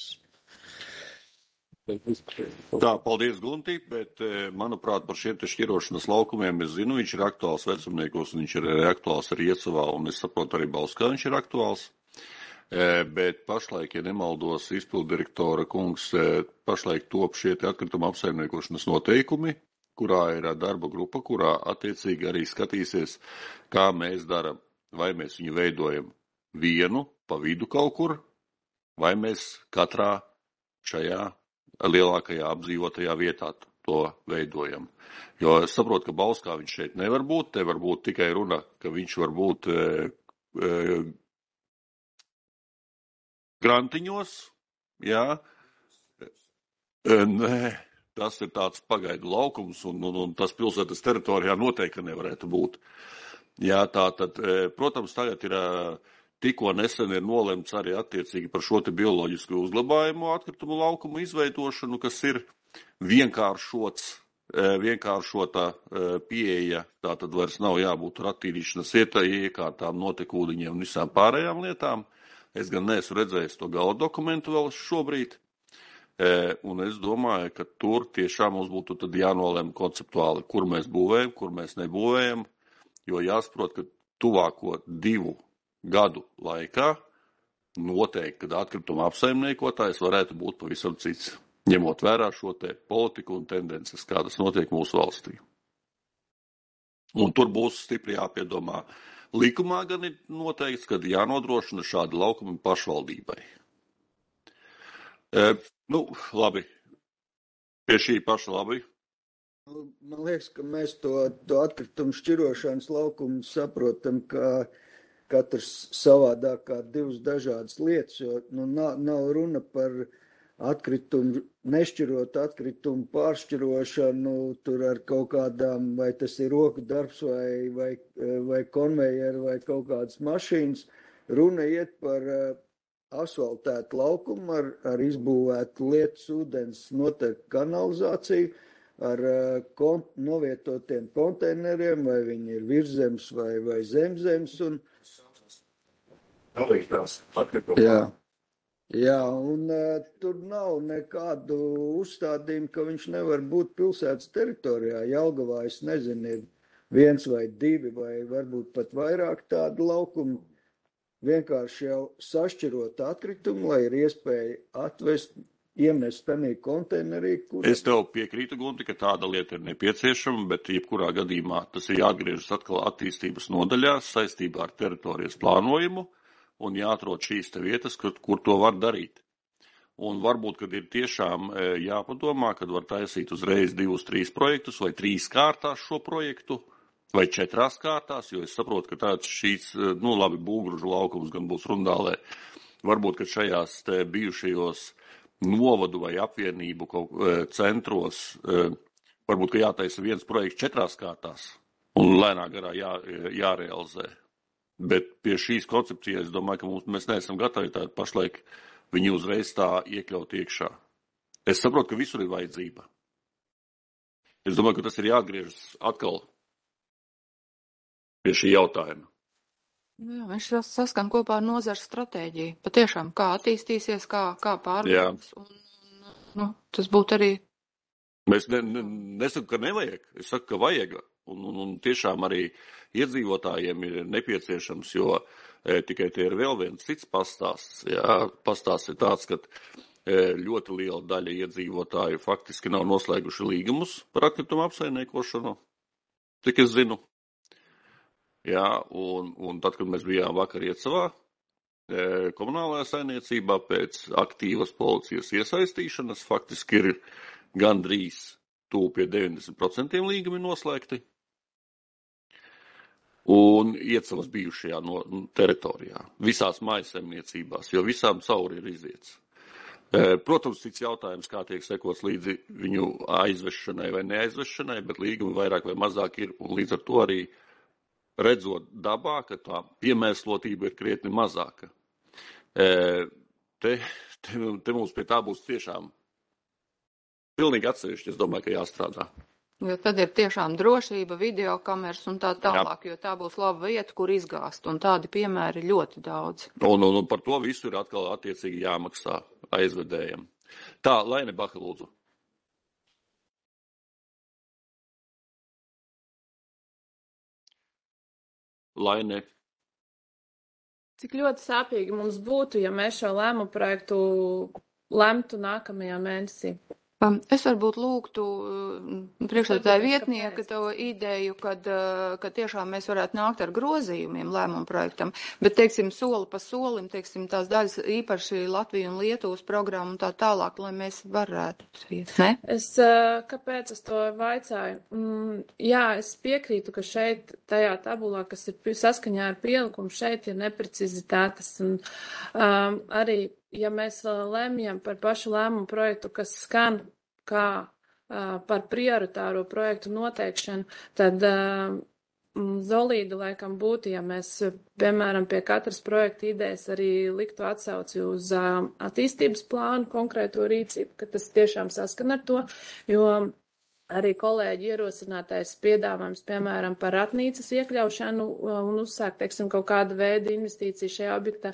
Tā, paldies, Gunti, bet, manuprāt, par šiem te šķirošanas laukumiem es zinu, viņš ir aktuāls vecumniekos, un viņš ir arī aktuāls arī Iecavā, un es saprotu arī Bauskā viņš ir aktuāls. Bet pašlaik, ja nemaldos, izpildirektora kungs, pašlaik top šie atkrituma apsaimniekošanas noteikumi, kurā ir darba grupa, kurā attiecīgi arī skatīsies, kā mēs daram, vai mēs viņu veidojam vienu pa vidu kaut kur, vai mēs katrā šajā lielākajā apdzīvotajā vietā to veidojam. Jo es saprotu, ka Bauskā viņš šeit nevar būt, te var būt tikai runa, ka viņš var būt e, e, grantiņos, jā, nē, tas ir tāds pagaidu laukums, un, un, un tas pilsētas teritorijā noteikti nevarētu būt. Jā, tā tad, protams, tagad ir, tikko nesen ir nolemts arī attiecīgi par šo te bioloģisku uzglabājumu atkritumu laukumu izveidošanu, kas ir vienkāršots, vienkāršota pieeja, tā tad vairs nav jābūt ratīrīšanas iekārtām, notekūdeņiem un visām pārējām lietām. Es gan neesmu redzējis to gala dokumentu vēl šobrīd, un es domāju, ka tur tiešām mums būtu tad jānolem konceptuāli, kur mēs būvējam, kur mēs nebūvējam, jo jāsaprot, ka tuvāko divu gadu laikā noteikti, kad atkrituma apsaimniekotājs varētu būt pavisam cits, ņemot vērā šo te politiku un tendences, kādas notiek mūsu valstī. Un tur būs stipri jāpiedomā. Likumā gan ir noteikts, ka jānodrošina šādi laukumi pašvaldībai. E, nu, labi. Pie šī paša labi. Man liekas, ka mēs to, to atkritumu šķirošanas laukumu saprotam, ka katrs savādāk kā divas dažādas lietas, jo nu, nav, nav runa par atkritumu, nešķirot atkritumu pāršķirošanu, tur ar kaut kādām, vai tas ir roku darbs, vai, vai, vai konvejeri, vai kaut kādas mašīnas. Runa iet par asfaltētu laukumu ar, ar izbūvētu lietus, ūdens, noteikti kanalizāciju, ar kon, novietotiem konteineriem, vai viņi ir virzems vai, vai zemzems. Un... Jā. Jā, un uh, tur nav nekādu uzstādījumu, ka viņš nevar būt pilsētas teritorijā. Jelgavā, es nezinu, ir viens vai divi vai varbūt pat vairāk tādu laukumu. Vienkārši jau sašķirot atkritumu, lai ir iespēja atvest, iemest tanī konteinerī. Kur... Es tev piekrītu, Gunti, ka tāda lieta ir nepieciešama, bet jebkurā gadījumā tas ir jāatgriežas atkal attīstības nodaļās saistībā ar teritorijas plānojumu. Un jāatrod šīs te vietas, kur, kur to var darīt. Un varbūt, kad ir tiešām jāpadomā, kad var taisīt uzreiz divus, trīs projektus vai trīs kārtās šo projektu vai četrās kārtās, jo es saprotu, ka tāds šīs, nu labi, Būgružu laukums gan būs Rundālē, varbūt, ka šajās te bijušajos novadu vai apvienību kaut centros, varbūt, ka jātaisa viens projekts četrās kārtās un lēnā garā jā, jārealizē. Bet pie šīs koncepcijas, es domāju, ka mums, mēs neesam gatavi tā pašlaik viņu uzreiz tā iekļaut iekšā. Es saprotu, ka visur ir vajadzība. Es domāju, ka tas ir jāatgriežas atkal pie šī jautājuma. Jā, viņš saskan kopā ar nozares stratēģiju. Patiešām, kā attīstīsies, kā, kā pārvaldīs. Un, nu, tas būtu arī. Mēs ne, ne, nesaku, ka nevajag. Es saku, ka vajag. Un, un, un tiešām arī iedzīvotājiem ir nepieciešams, jo e, tikai tie ir vēl viens cits pastāsts. Jā, pastāsts ir tāds, ka e, ļoti liela daļa iedzīvotāju faktiski nav noslēguši līgumus par atkritumu apsaimniekošanu, tik es zinu. Jā, un, un tad, kad mēs bijām vakar Iecavā, e, komunālajā saimniecībā pēc aktīvas policijas iesaistīšanas, faktiski ir gandrīz tuvu pie deviņdesmit procentiem līgumi noslēgti. Un Iecavas bijušajā no, teritorijā, visās mājasemniecībās, jo visām cauri ir iziets. E, protams, cits jautājums, kā tiek sekots līdzi viņu aizvešanai vai neaizvešanai, bet līgumi vairāk vai mazāk ir, un līdz ar to arī redzot dabā, ka tā piemēslotība ir krietni mazāka. E, te, te, te mums pie tā būs tiešām pilnīgi atsevišķi, es domāju, ka jāstrādā. Jo tad ir tiešām drošība, videokameras un tā tālāk, Jā. Jo tā būs laba vieta, kur izgāzt, un tādi piemēri ļoti daudz. Un, un, un par to visu ir atkal attiecīgi jāmaksā aizvedējiem. Tā, Laine Baha, lūdzu. Laine. Cik ļoti sāpīgi mums būtu, ja mēs šo lēmumu projektu lemtu nākamajā mēnesī? Es varbūt lūgtu priekšsēdētāja vietnieka to ideju, kad, kad tiešām mēs varētu nākt ar grozījumiem lēmumu projektam, bet, teiksim, soli pa solim, teiksim, tās daļas īpaši Latviju un Lietuvas programmu un tā tālāk, lai mēs varētu iet, ne? Es, kāpēc es to vaicāju? Mm, jā, es piekrītu, ka šeit tajā tabulā, kas ir saskaņā ar pielikumu, šeit ir neprecizitātes un um, arī ja mēs lemjam par pašu lēmumu projektu, kas skan kā uh, par prioritāro projektu noteikšanu, tad uh, zolīdi laikam būtu, ja mēs, piemēram, pie katras projekta idejas arī liktu atsauci uz uh, attīstības plānu, konkrēto rīcību, ka tas tiešām saskan ar to, jo arī kolēģi ierosinātais piedāvājums, piemēram, par ratnīcas iekļaušanu un uzsākt, teiksim, kaut kāda veida investīciju šajā objektā.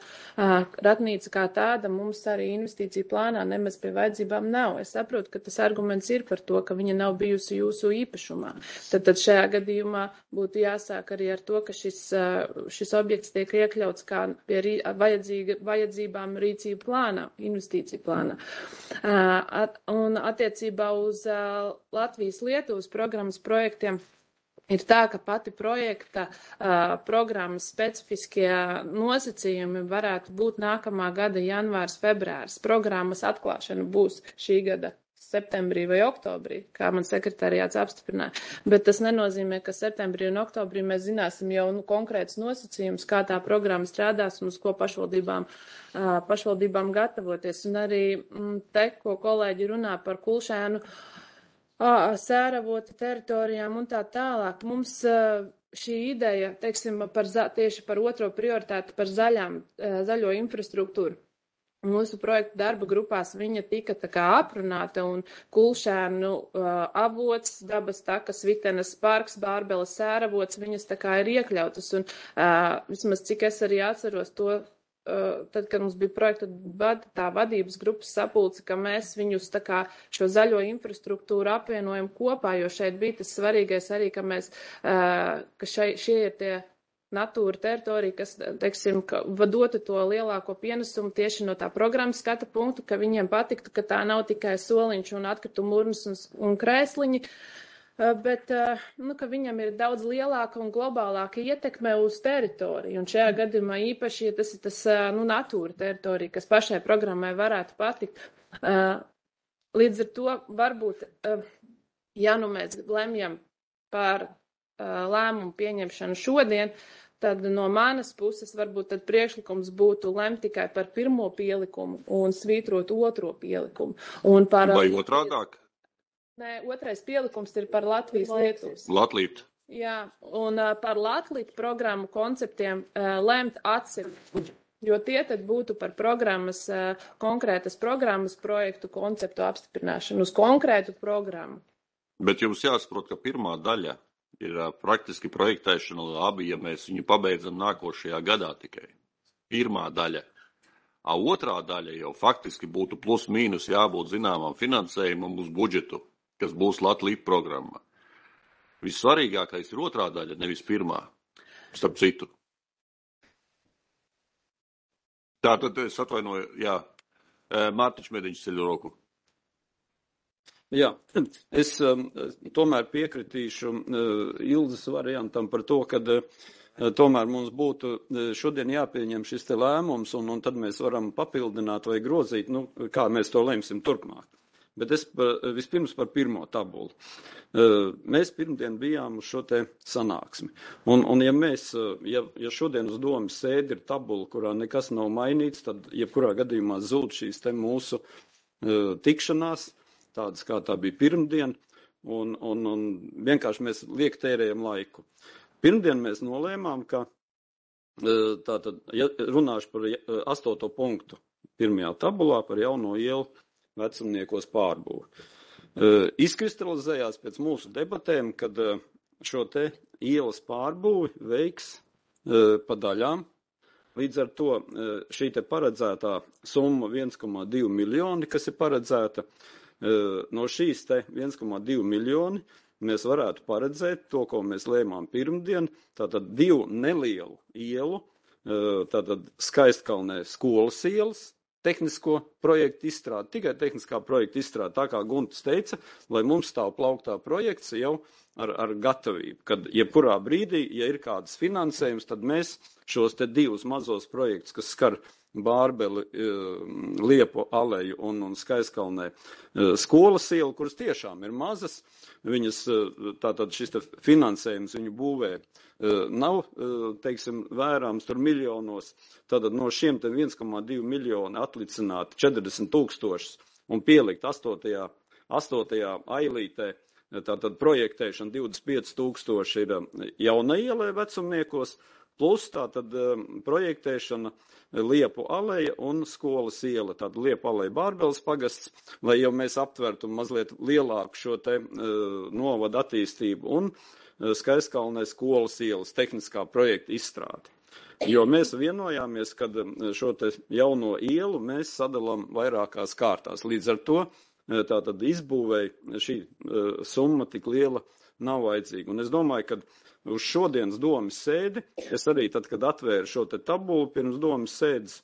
Ratnīca kā tāda mums arī investīciju plānā nemaz pie vajadzībām nav. Es saprotu, ka tas arguments ir par to, ka viņa nav bijusi jūsu īpašumā. Tad, tad šajā gadījumā būtu jāsāk arī ar to, ka šis, šis objekts tiek iekļauts kā pie rī, vajadzībām rīcību plānā, investīciju plānā. Un attiecībā uz Latvijas-Lietuvas programmas projektiem ir tā, ka pati projekta uh, programmas specifiskie nosacījumi varētu būt nākamā gada janvārs, februārs. Programmas atklāšana būs šī gada septembrī vai oktobrī, kā man sekretariāts apstiprināja. Bet tas nenozīmē, ka septembrī un oktobrī mēs zināsim jau nu, konkrētus nosacījumus, kā tā programma strādās un uz ko pašvaldībām, uh, pašvaldībām gatavoties. Un arī mm, te, ko kolēģi runā par Kulšēnu, Sēravota teritorijām un tā tālāk. Mums šī ideja, teiksim, par za, tieši par otro prioritāti, par zaļām, zaļo infrastruktūru. Mūsu projekta darba grupās viņa tika tā kā aprunāta un Kulšēnu avots, dabas takas, Vitenes parks, Bārbeles Sēravots, viņas tā kā ir iekļautas. Un vismaz cik es arī atceros to, tad, kad mums bija projekta vad, tā vadības grupas sapulce, ka mēs viņus tā kā šo zaļo infrastruktūru apvienojam kopā, jo šeit bija tas svarīgais arī, ka mēs, ka šai, šie ir tie natūra teritorija, kas, teiksim, ka dotu to lielāko pienesumu tieši no tā programmas skata punktu, ka viņiem patiktu, ka tā nav tikai soliņš un atkritumu urnas un, un krēsliņi, bet nu, ka viņam ir daudz lielāka un globālāka ietekme uz teritoriju. Un šajā gadījumā īpaši, ja tas ir tas nu, natūra teritorija, kas pašai programmai varētu patikt. Līdz ar to varbūt, ja nu mēs lemjam par lēmumu pieņemšanu šodien, tad no manas puses varbūt tad priekšlikums būtu lemt tikai par pirmo pielikumu un svītrot otro pielikumu. Un par, Vai otrādāk? Nē, otrais pielikums ir par Latvijas-Lietuvas. Latvijas. Jā, un uh, par Latvijas programmu konceptiem uh, lemt atsevišķi, jo tie tad būtu par programmas, uh, konkrētas programmas projektu konceptu apstiprināšanu uz konkrētu programmu. Bet jums jāsaprot, ka pirmā daļa ir uh, praktiski projektēšana labi, ja mēs viņu pabeidzam nākošajā gadā tikai. Pirmā daļa. A otrā daļa jau faktiski būtu plus mīnus jābūt zināmam finansējumam uz budžetu, kas būs Latvijas programma. Vissvarīgākais ir otrā daļa, nevis pirmā, starp citu. Tātad es atvainoju, jā, Mārtiņš Mediņš ceļ roku. Jā, es um, tomēr piekritīšu uh, Ilzas variantam par to, ka uh, tomēr mums būtu uh, šodien jāpieņem šis te lēmums, un, un tad mēs varam papildināt vai grozīt, nu, kā mēs to lemsim turpmāk. Bet es par, vispirms par pirmo tabulu. Mēs pirmdien bijām uz šo te sanāksmi. Un, un ja mēs, ja, ja šodien uz domas sēdi ir tabula, kurā nekas nav mainīts, tad jebkurā gadījumā zūd šīs te mūsu uh, tikšanās, tādas kā tā bija pirmdien, un, un, un vienkārši mēs liek tērējam laiku. Pirmdien mēs nolēmām, ka uh, tātad, ja runāšu par uh, astoto punktu pirmajā tabulā par jauno ielu vecumniekos pārbūvi. Uh, izkristalizējās pēc mūsu debatēm, kad uh, šo te ielas pārbūvi veiks uh, pa daļām. Līdz ar to uh, šī te paredzētā summa viens komā divi miljoni, kas ir paredzēta, uh, no šīs te viens komā divi miljoni mēs varētu paredzēt to, ko mēs lēmām pirmdien, tātad divu nelielu ielu, uh, tātad Skaistkalnē skolas ielas, tehnisko projektu izstrādi, tikai tehniskā projekta izstrādi, tā kā Guntis teica, lai mums stāv plauktā projekts jau ar, ar gatavību, kad jebkurā brīdī, ja ir kāds finansējums, tad mēs šos te divus mazos projektus, kas skar Bārbeli, Liepu aleju un, un Skaistkalnē skolas ielu, kuras tiešām ir mazas, viņas, tātad šis te finansējums viņu būvē nav, teiksim, vērāms tur miljonos, tātad no šiem te viens komā divi miljoni atlicināt četrdesmit tūkstošus un pielikt astotajā, astotajā ailītē, tātad projektēšana divdesmit pieci tūkstoši ir jauna ielē vecumniekos, plus tātad projektēšana Liepu aleja un skolas iela, tātad Liepu aleja Bārbeles pagasts, lai jau mēs aptvertu mazliet lielāku šo te uh, novadu attīstību un uh, Skaistkalnē skolas ielas tehniskā projekta izstrādi. Jo mēs vienojāmies, kad šo te jauno ielu mēs sadalām vairākās kārtās. Līdz ar to tātad izbūvēja šī uh, summa tik liela nav vajadzīga. Un es domāju, ka uz šodienas domas sēdi, es arī tad, kad atvēru šo te tabulu pirms domas sēdes,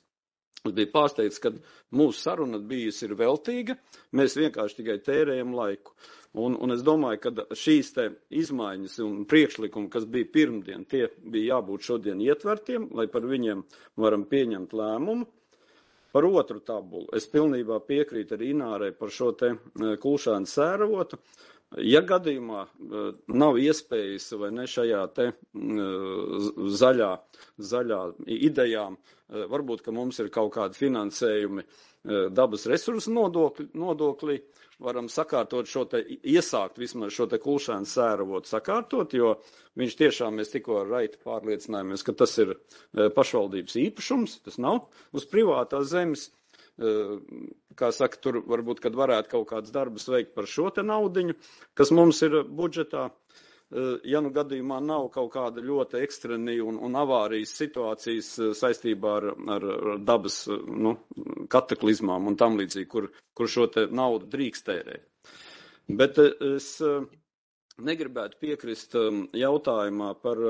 es biju pārsteigts, ka mūsu saruna bijusi ir veltīga, mēs vienkārši tikai tērējam laiku. Un, un es domāju, ka šīs te izmaiņas un priekšlikumi, kas bija pirmdien, tie bija jābūt šodien ietvertiem, lai par viņiem varam pieņemt lēmumu. Par otru tabulu es pilnībā piekrītu arī Inārai par šo te Kulšānu sēravotu. Ja gadījumā nav iespējas vai ne šajā te zaļā, zaļā idejām, varbūt, ka mums ir kaut kādi finansējumi dabas resursu nodokļi, nodokļi, varam sakārtot šo te, iesākt vismaz šo te Kulšānu sēravotu sakārtot, jo viņš tiešām mēs tikko ar Raitu pārliecinājāmies, ka tas ir pašvaldības īpašums, tas nav uz privātās zemes. Kā saka, tur varbūt, kad varētu kaut kāds darbus veikt par šo te naudiņu, kas mums ir budžetā, ja nu gadījumā nav kaut kāda ļoti ekstrēni un, un avārijas situācijas saistībā ar, ar dabas nu, kataklizmām un tam līdzīgi, kur, kur šo te naudu drīkst tērēt. Bet es negribētu piekrist jautājumā par,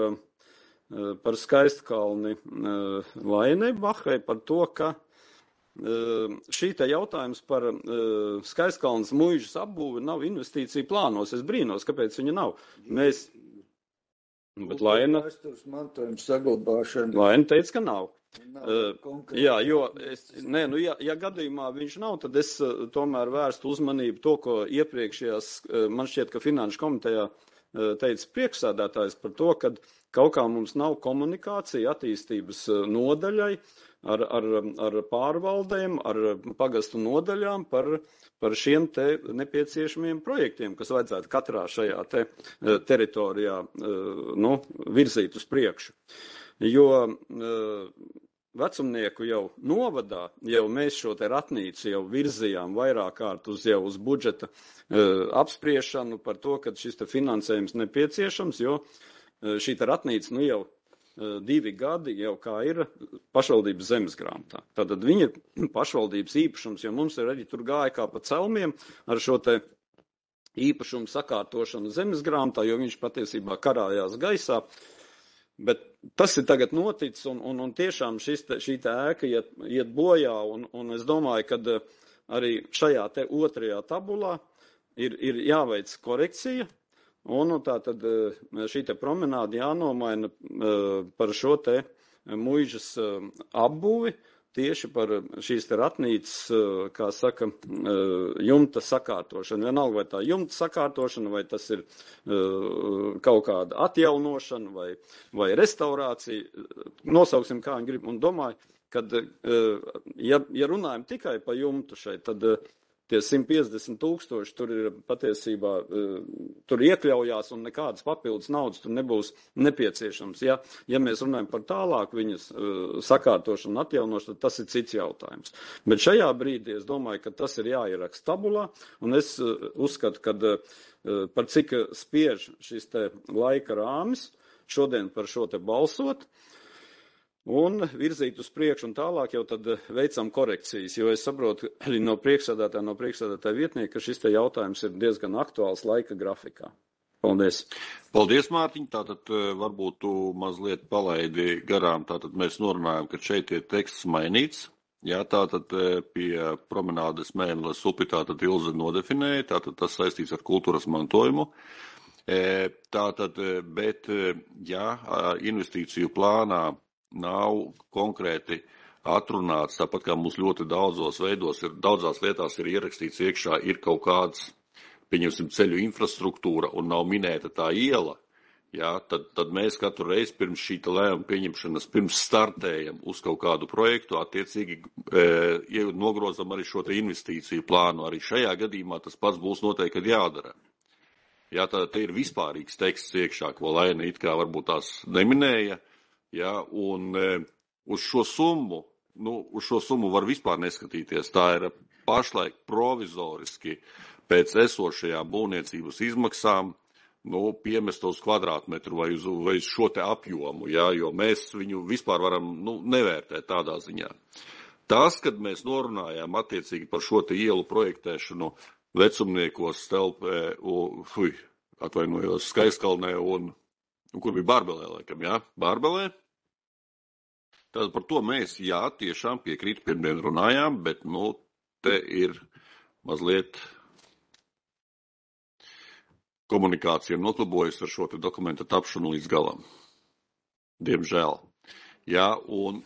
par Skaistkalni Lainei Bahai, par to, ka šī te jautājums par Skaistkalnas muižas apbūvi nav investīcija plānos. Es brīnos, kāpēc viņa nav. Mēs, bet Laina, Laina teica, ka nav. Uh, jā, jo, es, nē, nu, ja, ja gadījumā viņš nav, tad es uh, tomēr vērstu uzmanību to, ko iepriekšējās, uh, man šķiet, ka Finanšu komitejā uh, teica priekšsēdētājs par to, ka kaut kā mums nav komunikācija attīstības uh, nodaļai ar, ar, ar pārvaldēm, ar pagastu nodaļām par, par šiem te nepieciešamiem projektiem, kas vajadzētu katrā šajā te uh, teritorijā uh, nu, virzīt uz priekšu. Jo uh, vecumnieku jau novadā, jau mēs šo te ratnīcu jau virzījām vairāk kārt uz jau uz budžeta uh, apspriešanu par to, ka šis te finansējums nepieciešams, jo uh, šī te ratnīca nu jau uh, divi gadi jau kā ir pašvaldības zemesgrāmatā. Tātad viņa ir pašvaldības īpašums, jo mums ir arī tur gāja kā pa celmiem ar šo te īpašumu sakārtošanu zemesgrāmatā, jo viņš patiesībā karājās gaisā. Bet tas ir tagad noticis, un, un, un tiešām šis te, šī te ēka iet, iet bojā, un, un es domāju, ka arī šajā te otrajā tabulā ir, ir jāveic korekcija, un tā tad šī te promenāde jānomaina par šo te muižas apbūvi, tieši par šīs te ratnīcas, kā saka, jumta sakārtošanu. Vienalga, vai tā jumta sakārtošana, vai tas ir kaut kāda atjaunošana, vai, vai restaurācija. Nosauksim, kā viņi grib. Un domāju, kad, ja, ja runājam tikai pa jumtu šeit, tad tie simt piecdesmit tūkstoši tur ir patiesībā, tur iekļaujās un nekādas papildus naudas tur nebūs nepieciešams. Ja, ja mēs runājam par tālāk viņas sakārtošanu un atjaunošanu, tad tas ir cits jautājums. Bet šajā brīdī es domāju, ka tas ir jāieraksta tabulā, un es uzskatu, ka par cik spiež šis te laika rāmis šodien par šo te balsot, un virzīt uz priekšu un tālāk jau tad veicam korekcijas, jo es saprotu arī no priekšsēdētāja, no priekšsēdētāja vietnieka, ka šis te jautājums ir diezgan aktuāls laika grafikā. Paldies. Paldies, Mārtiņ. Tātad varbūt tu mazliet palaidi garām. Tātad mēs norunājam, ka šeit ir teksts mainīts. Jā, tātad pie promenādes Mēneles upi tātad Ilze nodefinēja, tātad tas saistīts ar kultūras mantojumu. Tātad, bet, jā, investīciju plānā nav konkrēti atrunāts, tāpat kā mums ļoti daudzos veidos ir, daudzās lietās ir ierakstīts iekšā, ir kaut kāds, pieņemsim, ceļu infrastruktūra un nav minēta tā iela, jā, tad, tad mēs katru reizi pirms šīta lēmuma pieņemšanas, pirms startējam uz kaut kādu projektu, attiecīgi e, nogrozam arī šo te investīciju plānu. Arī šajā gadījumā tas pats būs noteikti jādara. Jā, tā te ir vispārīgs teksts iekšā, ko Laina it kā varbūt tās neminēja. Ja, un e, uz šo summu, nu, uz šo summu var vispār neskatīties. Tā ir pašlaik provizoriski pēc esošajām būvniecības izmaksām, nu, piemest uz kvadrātmetru vai uz, vai uz šo te apjomu, ja, jo mēs viņu vispār varam, nu, nevērtēt tādā ziņā. Tas, kad mēs norunājām attiecīgi par šo te ielu projektēšanu Vecumniekos, Stelpē, fuj, atvainojos, Skaistkalnē un Nu, kur bija Bārbelē, laikam, jā, Bārbelē. Tad par to mēs, jā, tiešām piekrīt, pirmdien runājām, bet, nu, te ir mazliet komunikācija noklubojas ar šo te dokumenta tapšanu līdz galam. Diemžēl. Jā, un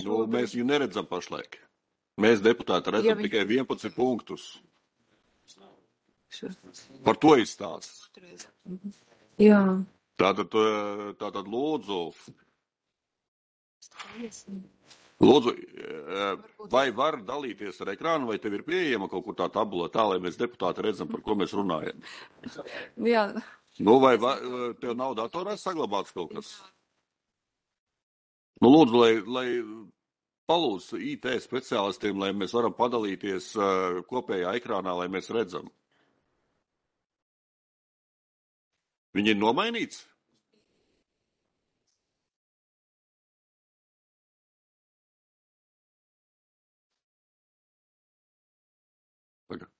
nu, mēs viņu neredzam pašlaik. Mēs deputāti redzam ja viņi... tikai vienpadsmit punktus. Par to izstāsts. Jā. Tātad, tātad lūdzu, lūdzu, vai var dalīties ar ekrānu, vai tev ir pieejama kaut kur tā tabula tā, lai mēs deputāti redzam, par ko mēs runājam? Jā. Nu, vai va, tev nav datorā saglabāts kaut kas? Nu, lūdzu, lai, lai palūdz I T speciālistiem, lai mēs varam padalīties kopējā ekrānā, lai mēs redzam. Viņi ir nomainīts? Tagad.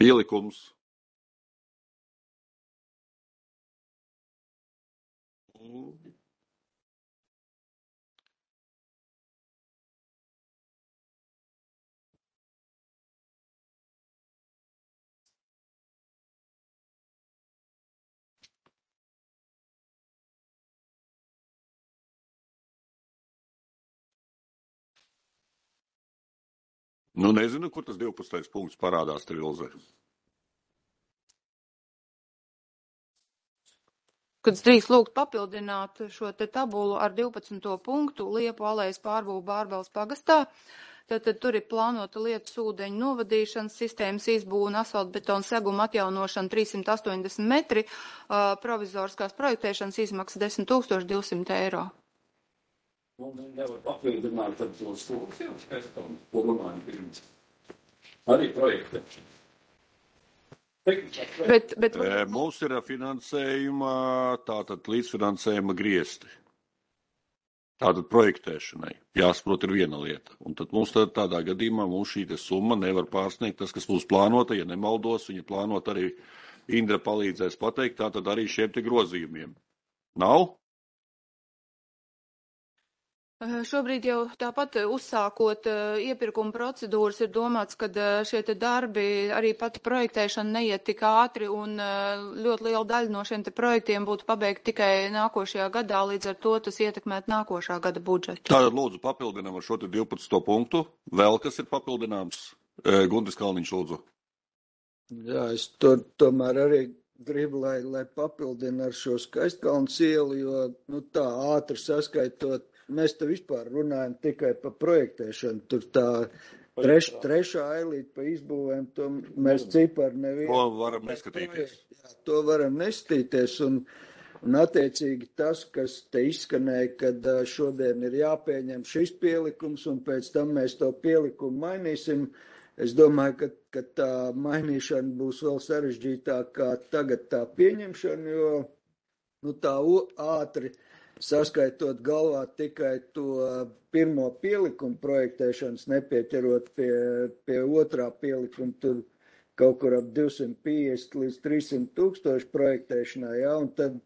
Pielikums. Nu, nezinu, kur tas divpadsmitais punkts parādās tev, Ilze. Kad es drīkst lūgt papildināt šo te tabulu ar divpadsmito punktu Liepu alejas pārbūvu Bārbels pagastā, tad, tad tur ir plānota lietus ūdeņu novadīšanas sistēmas izbūve un asfaltbetona seguma atjaunošana trīssimt astoņdesmit metri, uh, provizoriskās projektēšanas izmaksas desmit tūkstoši divsimt eiro. Mums nevar papildināt ar to stūros, jau skaistām, ko domājam pirms. Arī projektēšana. Bet, bet... E, mums ir finansējuma, tātad līdzfinansējuma griesti. Tātad projektēšanai. Jāsaprot ir viena lieta. Un tad mums tad, tādā gadījumā mums šī summa nevar pārsniegt tas, kas mums plānota. Ja nemaldos, viņa plānota arī Indra palīdzēs pateikt, tātad arī šiem te grozījumiem. Nav? Šobrīd jau tāpat uzsākot iepirkuma procedūras ir domāts, ka šie te darbi, arī pati projektēšana neiet tik ātri un ļoti liela daļa no šiem te projektiem būtu pabeigta tikai nākošajā gadā, līdz ar to tas ietekmēt nākošā gada budžetu. Tātad lūdzu papildinām ar šo te divpadsmito punktu. Vēl kas ir papildināms? Gundis Kalniņš lūdzu. Jā, es to, tomēr arī gribu, lai, lai papildina ar šo Skaistkalnas ielu, jo nu, tā ātri saskaitot. Mēs te vispār runājam tikai par projektēšanu. Tur tā treš, trešā ailīte pa izbūvēm, to mēs cipari nevienu. To varam neskatīties. Jā, to varam neskatīties. Un, un attiecīgi tas, kas te izskanēja, kad šodien ir jāpieņem šis pielikums un pēc tam mēs to pielikumu mainīsim, es domāju, ka, ka tā mainīšana būs vēl sarežģītāk kā tagad tā pieņemšana, jo nu, tā ātri saskaitot galvā tikai to pirmo pielikumu projektēšanas, nepieķerot pie, pie otrā pielikuma, tur kaut kur ap divsimt piecdesmit līdz trīssimt tūkstoši projektēšanā, jā, un tad,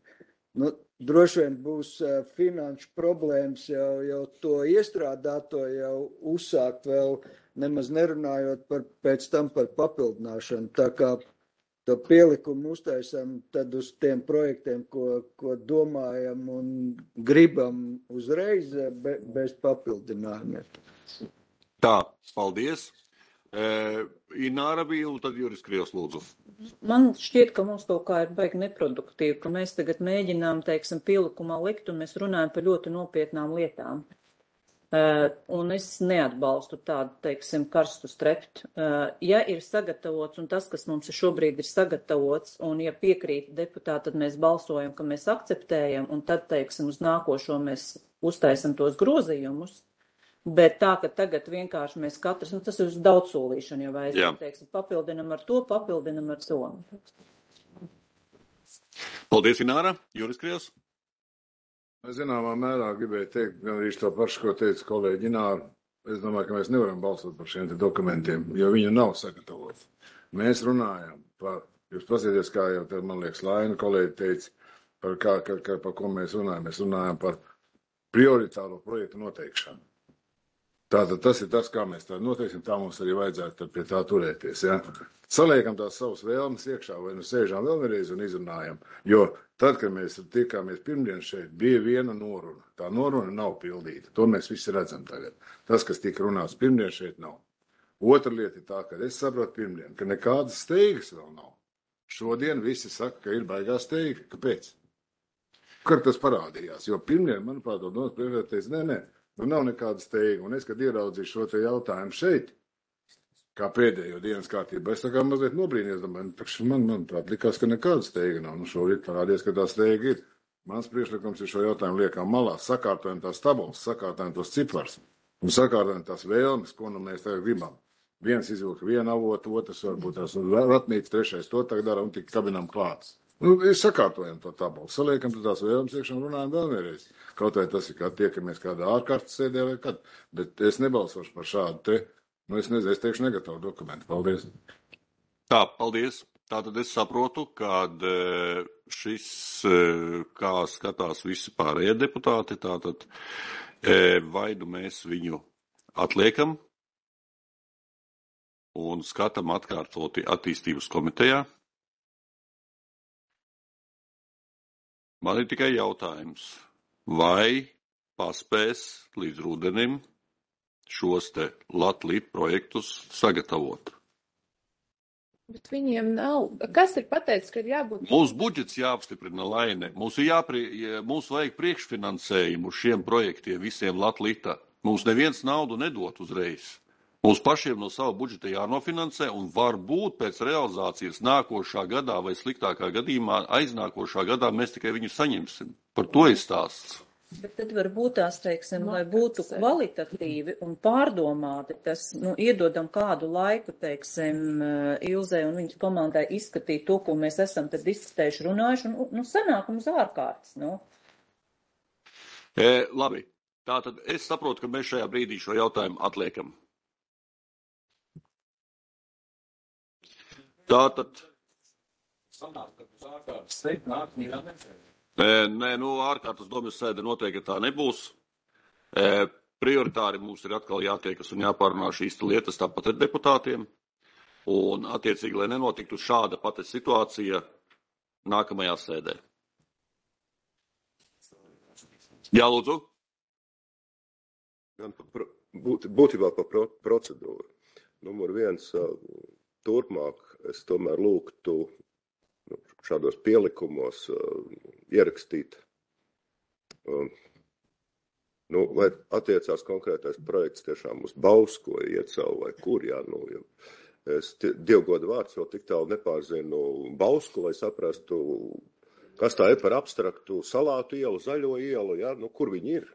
nu, droši vien būs uh, finanšu problēmas jau, jau to iestrādāto jau uzsākt vēl, nemaz nerunājot par, pēc tam par papildināšanu, tā kā to pielikumu uztaisam tad uz tiem projektiem, ko, ko domājam un gribam uzreiz be, bez papildinājumiem. Tā, paldies. E, Ināra bija un tad Juris Krievs lūdzu. Man šķiet, ka mums kaut kā ir baigi neproduktīvi, ka mēs tagad mēģinām, teiksim, pielikumā likt un mēs runājam par ļoti nopietnām lietām. Uh, un es neatbalstu tādu, teiksim, karstu streptu. Uh, ja ir sagatavots, un tas, kas mums šobrīd ir sagatavots, un ja piekrīt deputāti, tad mēs balsojam, ka mēs akceptējam, un tad, teiksim, uz nākošo mēs uztaisam tos grozījumus, bet tā, ka tagad vienkārši mēs katrs, nu tas ir uz daudz solīšanu, ja vajag, teiksim, papildinam ar to, papildinam ar to. Paldies, Ināra. Juris Krievs. Es zināmā mērā gribēju teikt, gan arī to pašu, ko teica kolēģi Ināra. Es domāju, ka mēs nevaram balsot par šiem te dokumentiem, jo viņi nav sagatavoti. Mēs runājam par, jūs pasieties, kā jau te, man liekas, Laina kolēģi teica, par, kā, kā, kā, par ko mēs runājam. Mēs runājam par prioritāro projektu noteikšanu. Tātad tas ir tas, kā mēs tā noteiksim, tā mums arī vajadzētu pie tā turēties. Ja? Saliekam tās savas vēlmes iekšā, vai nu sēžām vēl vienreiz un izrunājam. Jo tad, kad mēs tikāmies pirmdien šeit, bija viena noruna. Tā noruna nav pildīta. To mēs visi redzam tagad. Tas, kas tika runāts pirmdien, šeit nav. Otra lieta ir tā, ka es saprotu pirmdien, ka nekādas steigas vēl nav. Šodien visi saka, ka ir baigā steiga. Kāpēc? Kur tas parādījās? Jo pirmdien, manuprāt, to domas priekšēteica, nē, nē. Nu, nav nekāda steiga, un es, kad ieraudzīju šo te jautājumu šeit, kā pēdējo dienas kārtību, es tā kā mazliet nobrīnies, domāju, nu, man, manuprāt, likās, ka nekāda steiga nav. Nu, šorīt parādies, ka tā steiga ir. Mans priekšlikums ir šo jautājumu liekām malā, sakārtojam tās tabulas, sakārtojam tos cipars, un sakārtojam tās vēlmes, ko nu mēs tagad gribam. Viens izvilka vienu avotu, otrs varbūt tās ratnīts, trešais to tagad dara un tik kabinām klāts. Nu, sakārtojam to tabulu, saliekam tās vēlmes iekšā un runājam vēl vienreiz. Kaut vai tas ir, kā tiekamies kādā ārkārtas sēdē vai kad, bet es nebalsošu par šādu te, nu es nezinu, es teikšu negatavu dokumentu. Paldies. Tā, paldies. Tātad es saprotu, ka šis, kā skatās visi pārējie deputāti, tātad vai nu mēs viņu atliekam un skatām atkārtoti attīstības komitejā. Man ir tikai jautājums, vai paspēs līdz rudenim šos te Latvijas projektus sagatavot? Bet viņiem nav. Kas ir pateicis, ka ir jābūt? Mūsu budžets jāapstiprina, Laine. Mums ir jāprie, mums vajag priekšfinansējumu šiem projektiem visiem Latvijā. Mums neviens naudu nedot uzreiz. Mums pašiem no sava budžeta jānofinansē un varbūt pēc realizācijas nākošā gadā vai sliktākā gadījumā aiznākošā gadā mēs tikai viņu saņemsim. Par to ir stāsts. Bet tad varbūt tās, teiksim, lai būtu kvalitatīvi un pārdomāti, tas, nu, iedodam kādu laiku, teiksim, Ilzei un viņas komandai izskatīt to, ko mēs esam tad diskutējuši, runājuši, un, nu, sanāk mums ārkārtas, nu. E, labi, tātad es saprotu, ka mēs šajā brīdī šo jautājumu atliekam. Tātad. Sanāk, ka uz ārkārtas teikt nāk mīrā nefēr. Nē, nu, ārkārtas domas sēde noteikti tā nebūs. E, prioritāri mums ir atkal jātiekas un jāpārunā šīs lietas tāpat ar deputātiem. Un, attiecīgi, lai nenotiktu šāda pati situācija nākamajā sēdē. Jā, lūdzu. Būt, būtībā par pro, procedūru. Numur viens, turpmāk es tomēr lūgtu šādos pielikumos uh, ierakstīt, uh, nu, vai attiecās konkrētais projekts tiešām uz Bausku vai Iecevu vai kur, jā, nu, ja es dievgoda vārds vēl tik tālu nepārzinu Bausku, lai saprastu, kas tā ir par abstraktu salātu ielu, zaļo ielu, jā, nu, kur viņi ir.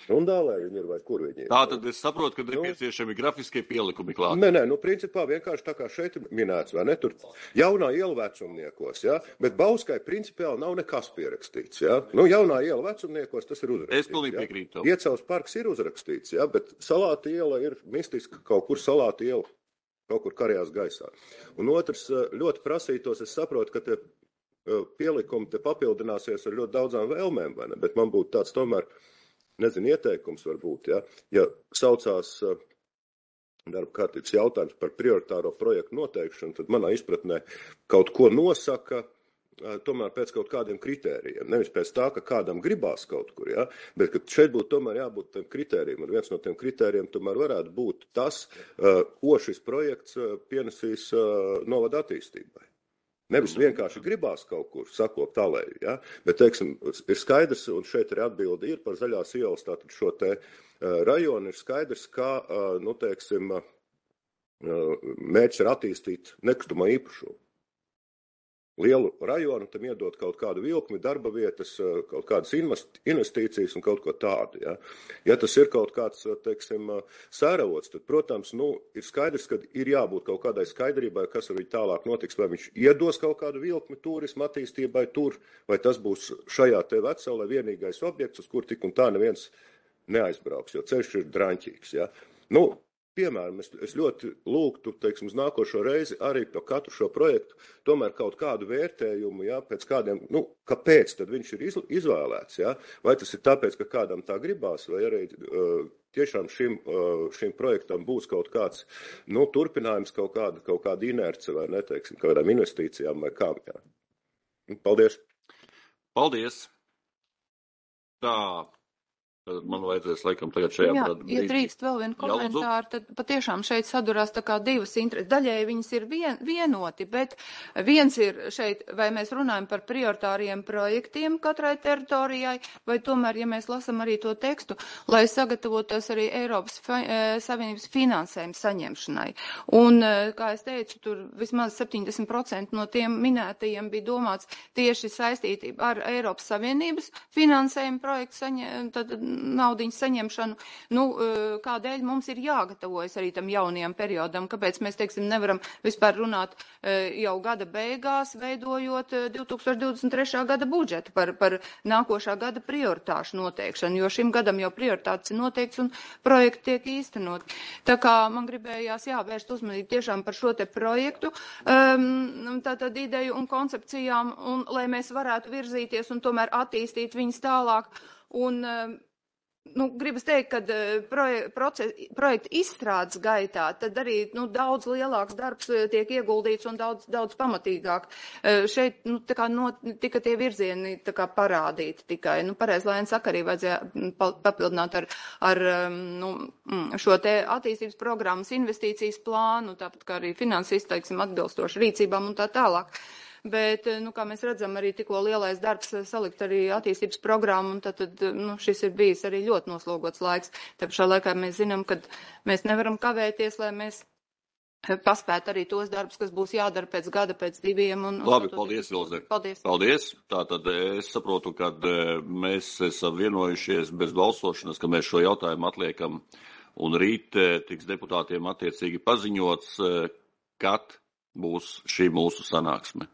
Rundālē viņi ir vai kur viņi ir? Tātad es saprotu, ka nepieciešami grafiskie pielikumi klāt. Nē, nē, nu principā vienkārši tā kā šeit ir minēts, vai ne, tur jaunā iela vecumniekos, jā, bet Bauskai principiāli nav nekas pierakstīts, jā. Nu, jaunā iela vecumniekos tas ir uzrakstīts. Es pilnīgi piekrītu. Iecavas parks ir uzrakstīts, jā, bet Salāta iela ir mistiski kaut kur Salāta iela, kaut kur karjās gaisā. Un otrs, ļoti prasītos, es saprotu, ka te pielikumi te papildināsies ar ļoti daudzām vēlmēm, vai ne, bet man būtu tāds tomēr, nezinu, ieteikums varbūt, ja, ja saucās uh, darba kārtības jautājums par prioritāro projektu noteikšanu, tad manā izpratnē kaut ko nosaka uh, tomēr pēc kaut kādiem kritērijiem. Nevis pēc tā, ka kādam gribās kaut kur, ja, bet ka šeit būtu tomēr jābūt tiem kritērijiem. Un viens no tiem kritērijiem tomēr varētu būt tas, uh, ko šis projekts uh, pienesīs uh, novada attīstībai. Nevis vienkārši gribās kaut kur sakopt alēju, ja? Bet, teiksim, ir skaidrs, un šeit arī atbildi ir par zaļās ielas, tātad šo te uh, rajonu ir skaidrs, kā, uh, nu, teiksim, uh, mērķis ir attīstīt nekustamā īpašumu. Lielu rajonu, tam iedot kaut kādu vilkmi, darba vietas, kaut kādas investīcijas un kaut ko tādu. Ja, ja tas ir kaut kāds, teiksim, sēravots, tad, protams, nu, ir skaidrs, ka ir jābūt kaut kādai skaidrībai, kas ar viņu tālāk notiks, vai viņš iedos kaut kādu vilkmi turismu attīstībai tur, vai tas būs šajā te vecelē vienīgais objekts, uz kur tik un tā neviens neaizbrauks, jo ceļš ir draņķīgs. Ja. Nu, piemēram, es, es ļoti lūgtu, teiksim, uz nākošo reizi arī par katru šo projektu tomēr kaut kādu vērtējumu, ja, pēc kādiem, nu, kāpēc tad viņš ir iz, izvēlēts, ja, vai tas ir tāpēc, ka kādam tā gribās, vai arī uh, tiešām šim, uh, šim projektam būs kaut kāds, nu, turpinājums, kaut kāda, kaut kāda inerce, vai ne, teiksim, kādām investīcijām vai kām, jā. Paldies. Paldies. Tā. Man vajadzēs laikam tagad šajā Jā, brīdī. Ja drīkst vēl vienu komentāru, tad patiešām šeit sadurās tā kā divas intereses. Daļēji viņas ir vien, vienoti, bet viens ir šeit, vai mēs runājam par prioritāriem projektiem katrai teritorijai, vai tomēr, ja mēs lasam arī to tekstu, lai sagatavotos arī Eiropas fa Savienības finansējuma saņemšanai. Un, kā es teicu, tur vismaz septiņdesmit procenti no tiem minētajiem bija domāts tieši saistītība ar Eiropas Savienības finansējuma projektu saņem, tad, naudiņas saņemšanu, nu, kādēļ mums ir jāgatavojas arī tam jaunajam periodam, kāpēc mēs, teiksim, nevaram vispār runāt jau gada beigās, veidojot divi tūkstoši divdesmit trešā gada budžetu par, par nākošā gada prioritāšu noteikšanu, jo šim gadam jau prioritātes ir noteikts un projekti tiek īstenot. Tā kā man gribējās jāvērst uzmanību tiešām par šo te projektu, um, tātad ideju un koncepcijām, un lai mēs varētu virzīties un tomēr attīstīt viņas tālāk. Un, um, nu, gribas teikt, ka proje, proces, projekta izstrādes gaitā tad arī nu, daudz lielāks darbs tiek ieguldīts un daudz, daudz pamatīgāk. Šeit nu, tā kā no, tika tie virzieni tā kā parādīti tikai. Nu, pareiz, lai saka, arī vajadzēja papildināt ar, ar nu, šo te attīstības programmas investīcijas plānu, tāpat kā arī finanses izteiksim atbilstoši rīcībām un tā tālāk. Bet, nu, kā mēs redzam, arī tikko lielais darbs salikt arī attīstības programmu, un tad, tad nu, šis ir bijis arī ļoti noslogots laiks. Tā pašā laikā mēs zinām, ka mēs nevaram kavēties, lai mēs paspētu arī tos darbus, kas būs jādara pēc gada, pēc diviem. Un, Labi, un paldies, Ilze. Paldies. Paldies. Tātad es saprotu, ka mēs esam vienojušies bez balsošanas, ka mēs šo jautājumu atliekam, un rīt tiks deputātiem attiecīgi paziņots, kad būs šī mūsu sanāksme.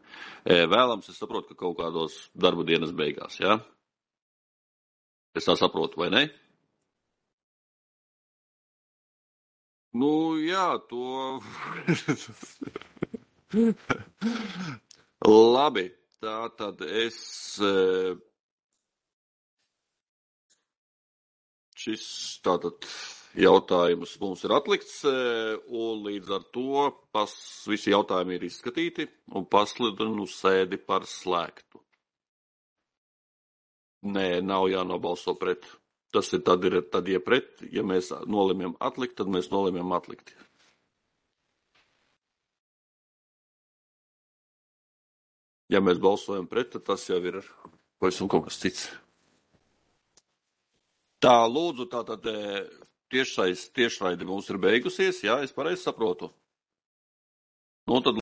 Vēlams, es saprotu, ka kaut kādos darba dienas beigās, jā? Ja? Es tā saprotu, vai ne? Nu, jā, to... Labi, tā tad es... Šis tātad... Jautājums mums ir atlikts, un līdz ar to pas, visi jautājumi ir izskatīti, un pasludinu sēdi par slēgtu. Nē, nav jānobalso pret. Tas ir tad, ir, tad ja pret, ja mēs nolemjam atlikt, tad mēs nolemjam atlikt. Ja mēs balsojam pret, tad tas jau ir pavisam kaut kas cits. Tā, lūdzu, tātad... Tiešraide mums ir beigusies, jā, es pareizi saprotu. Nu, tad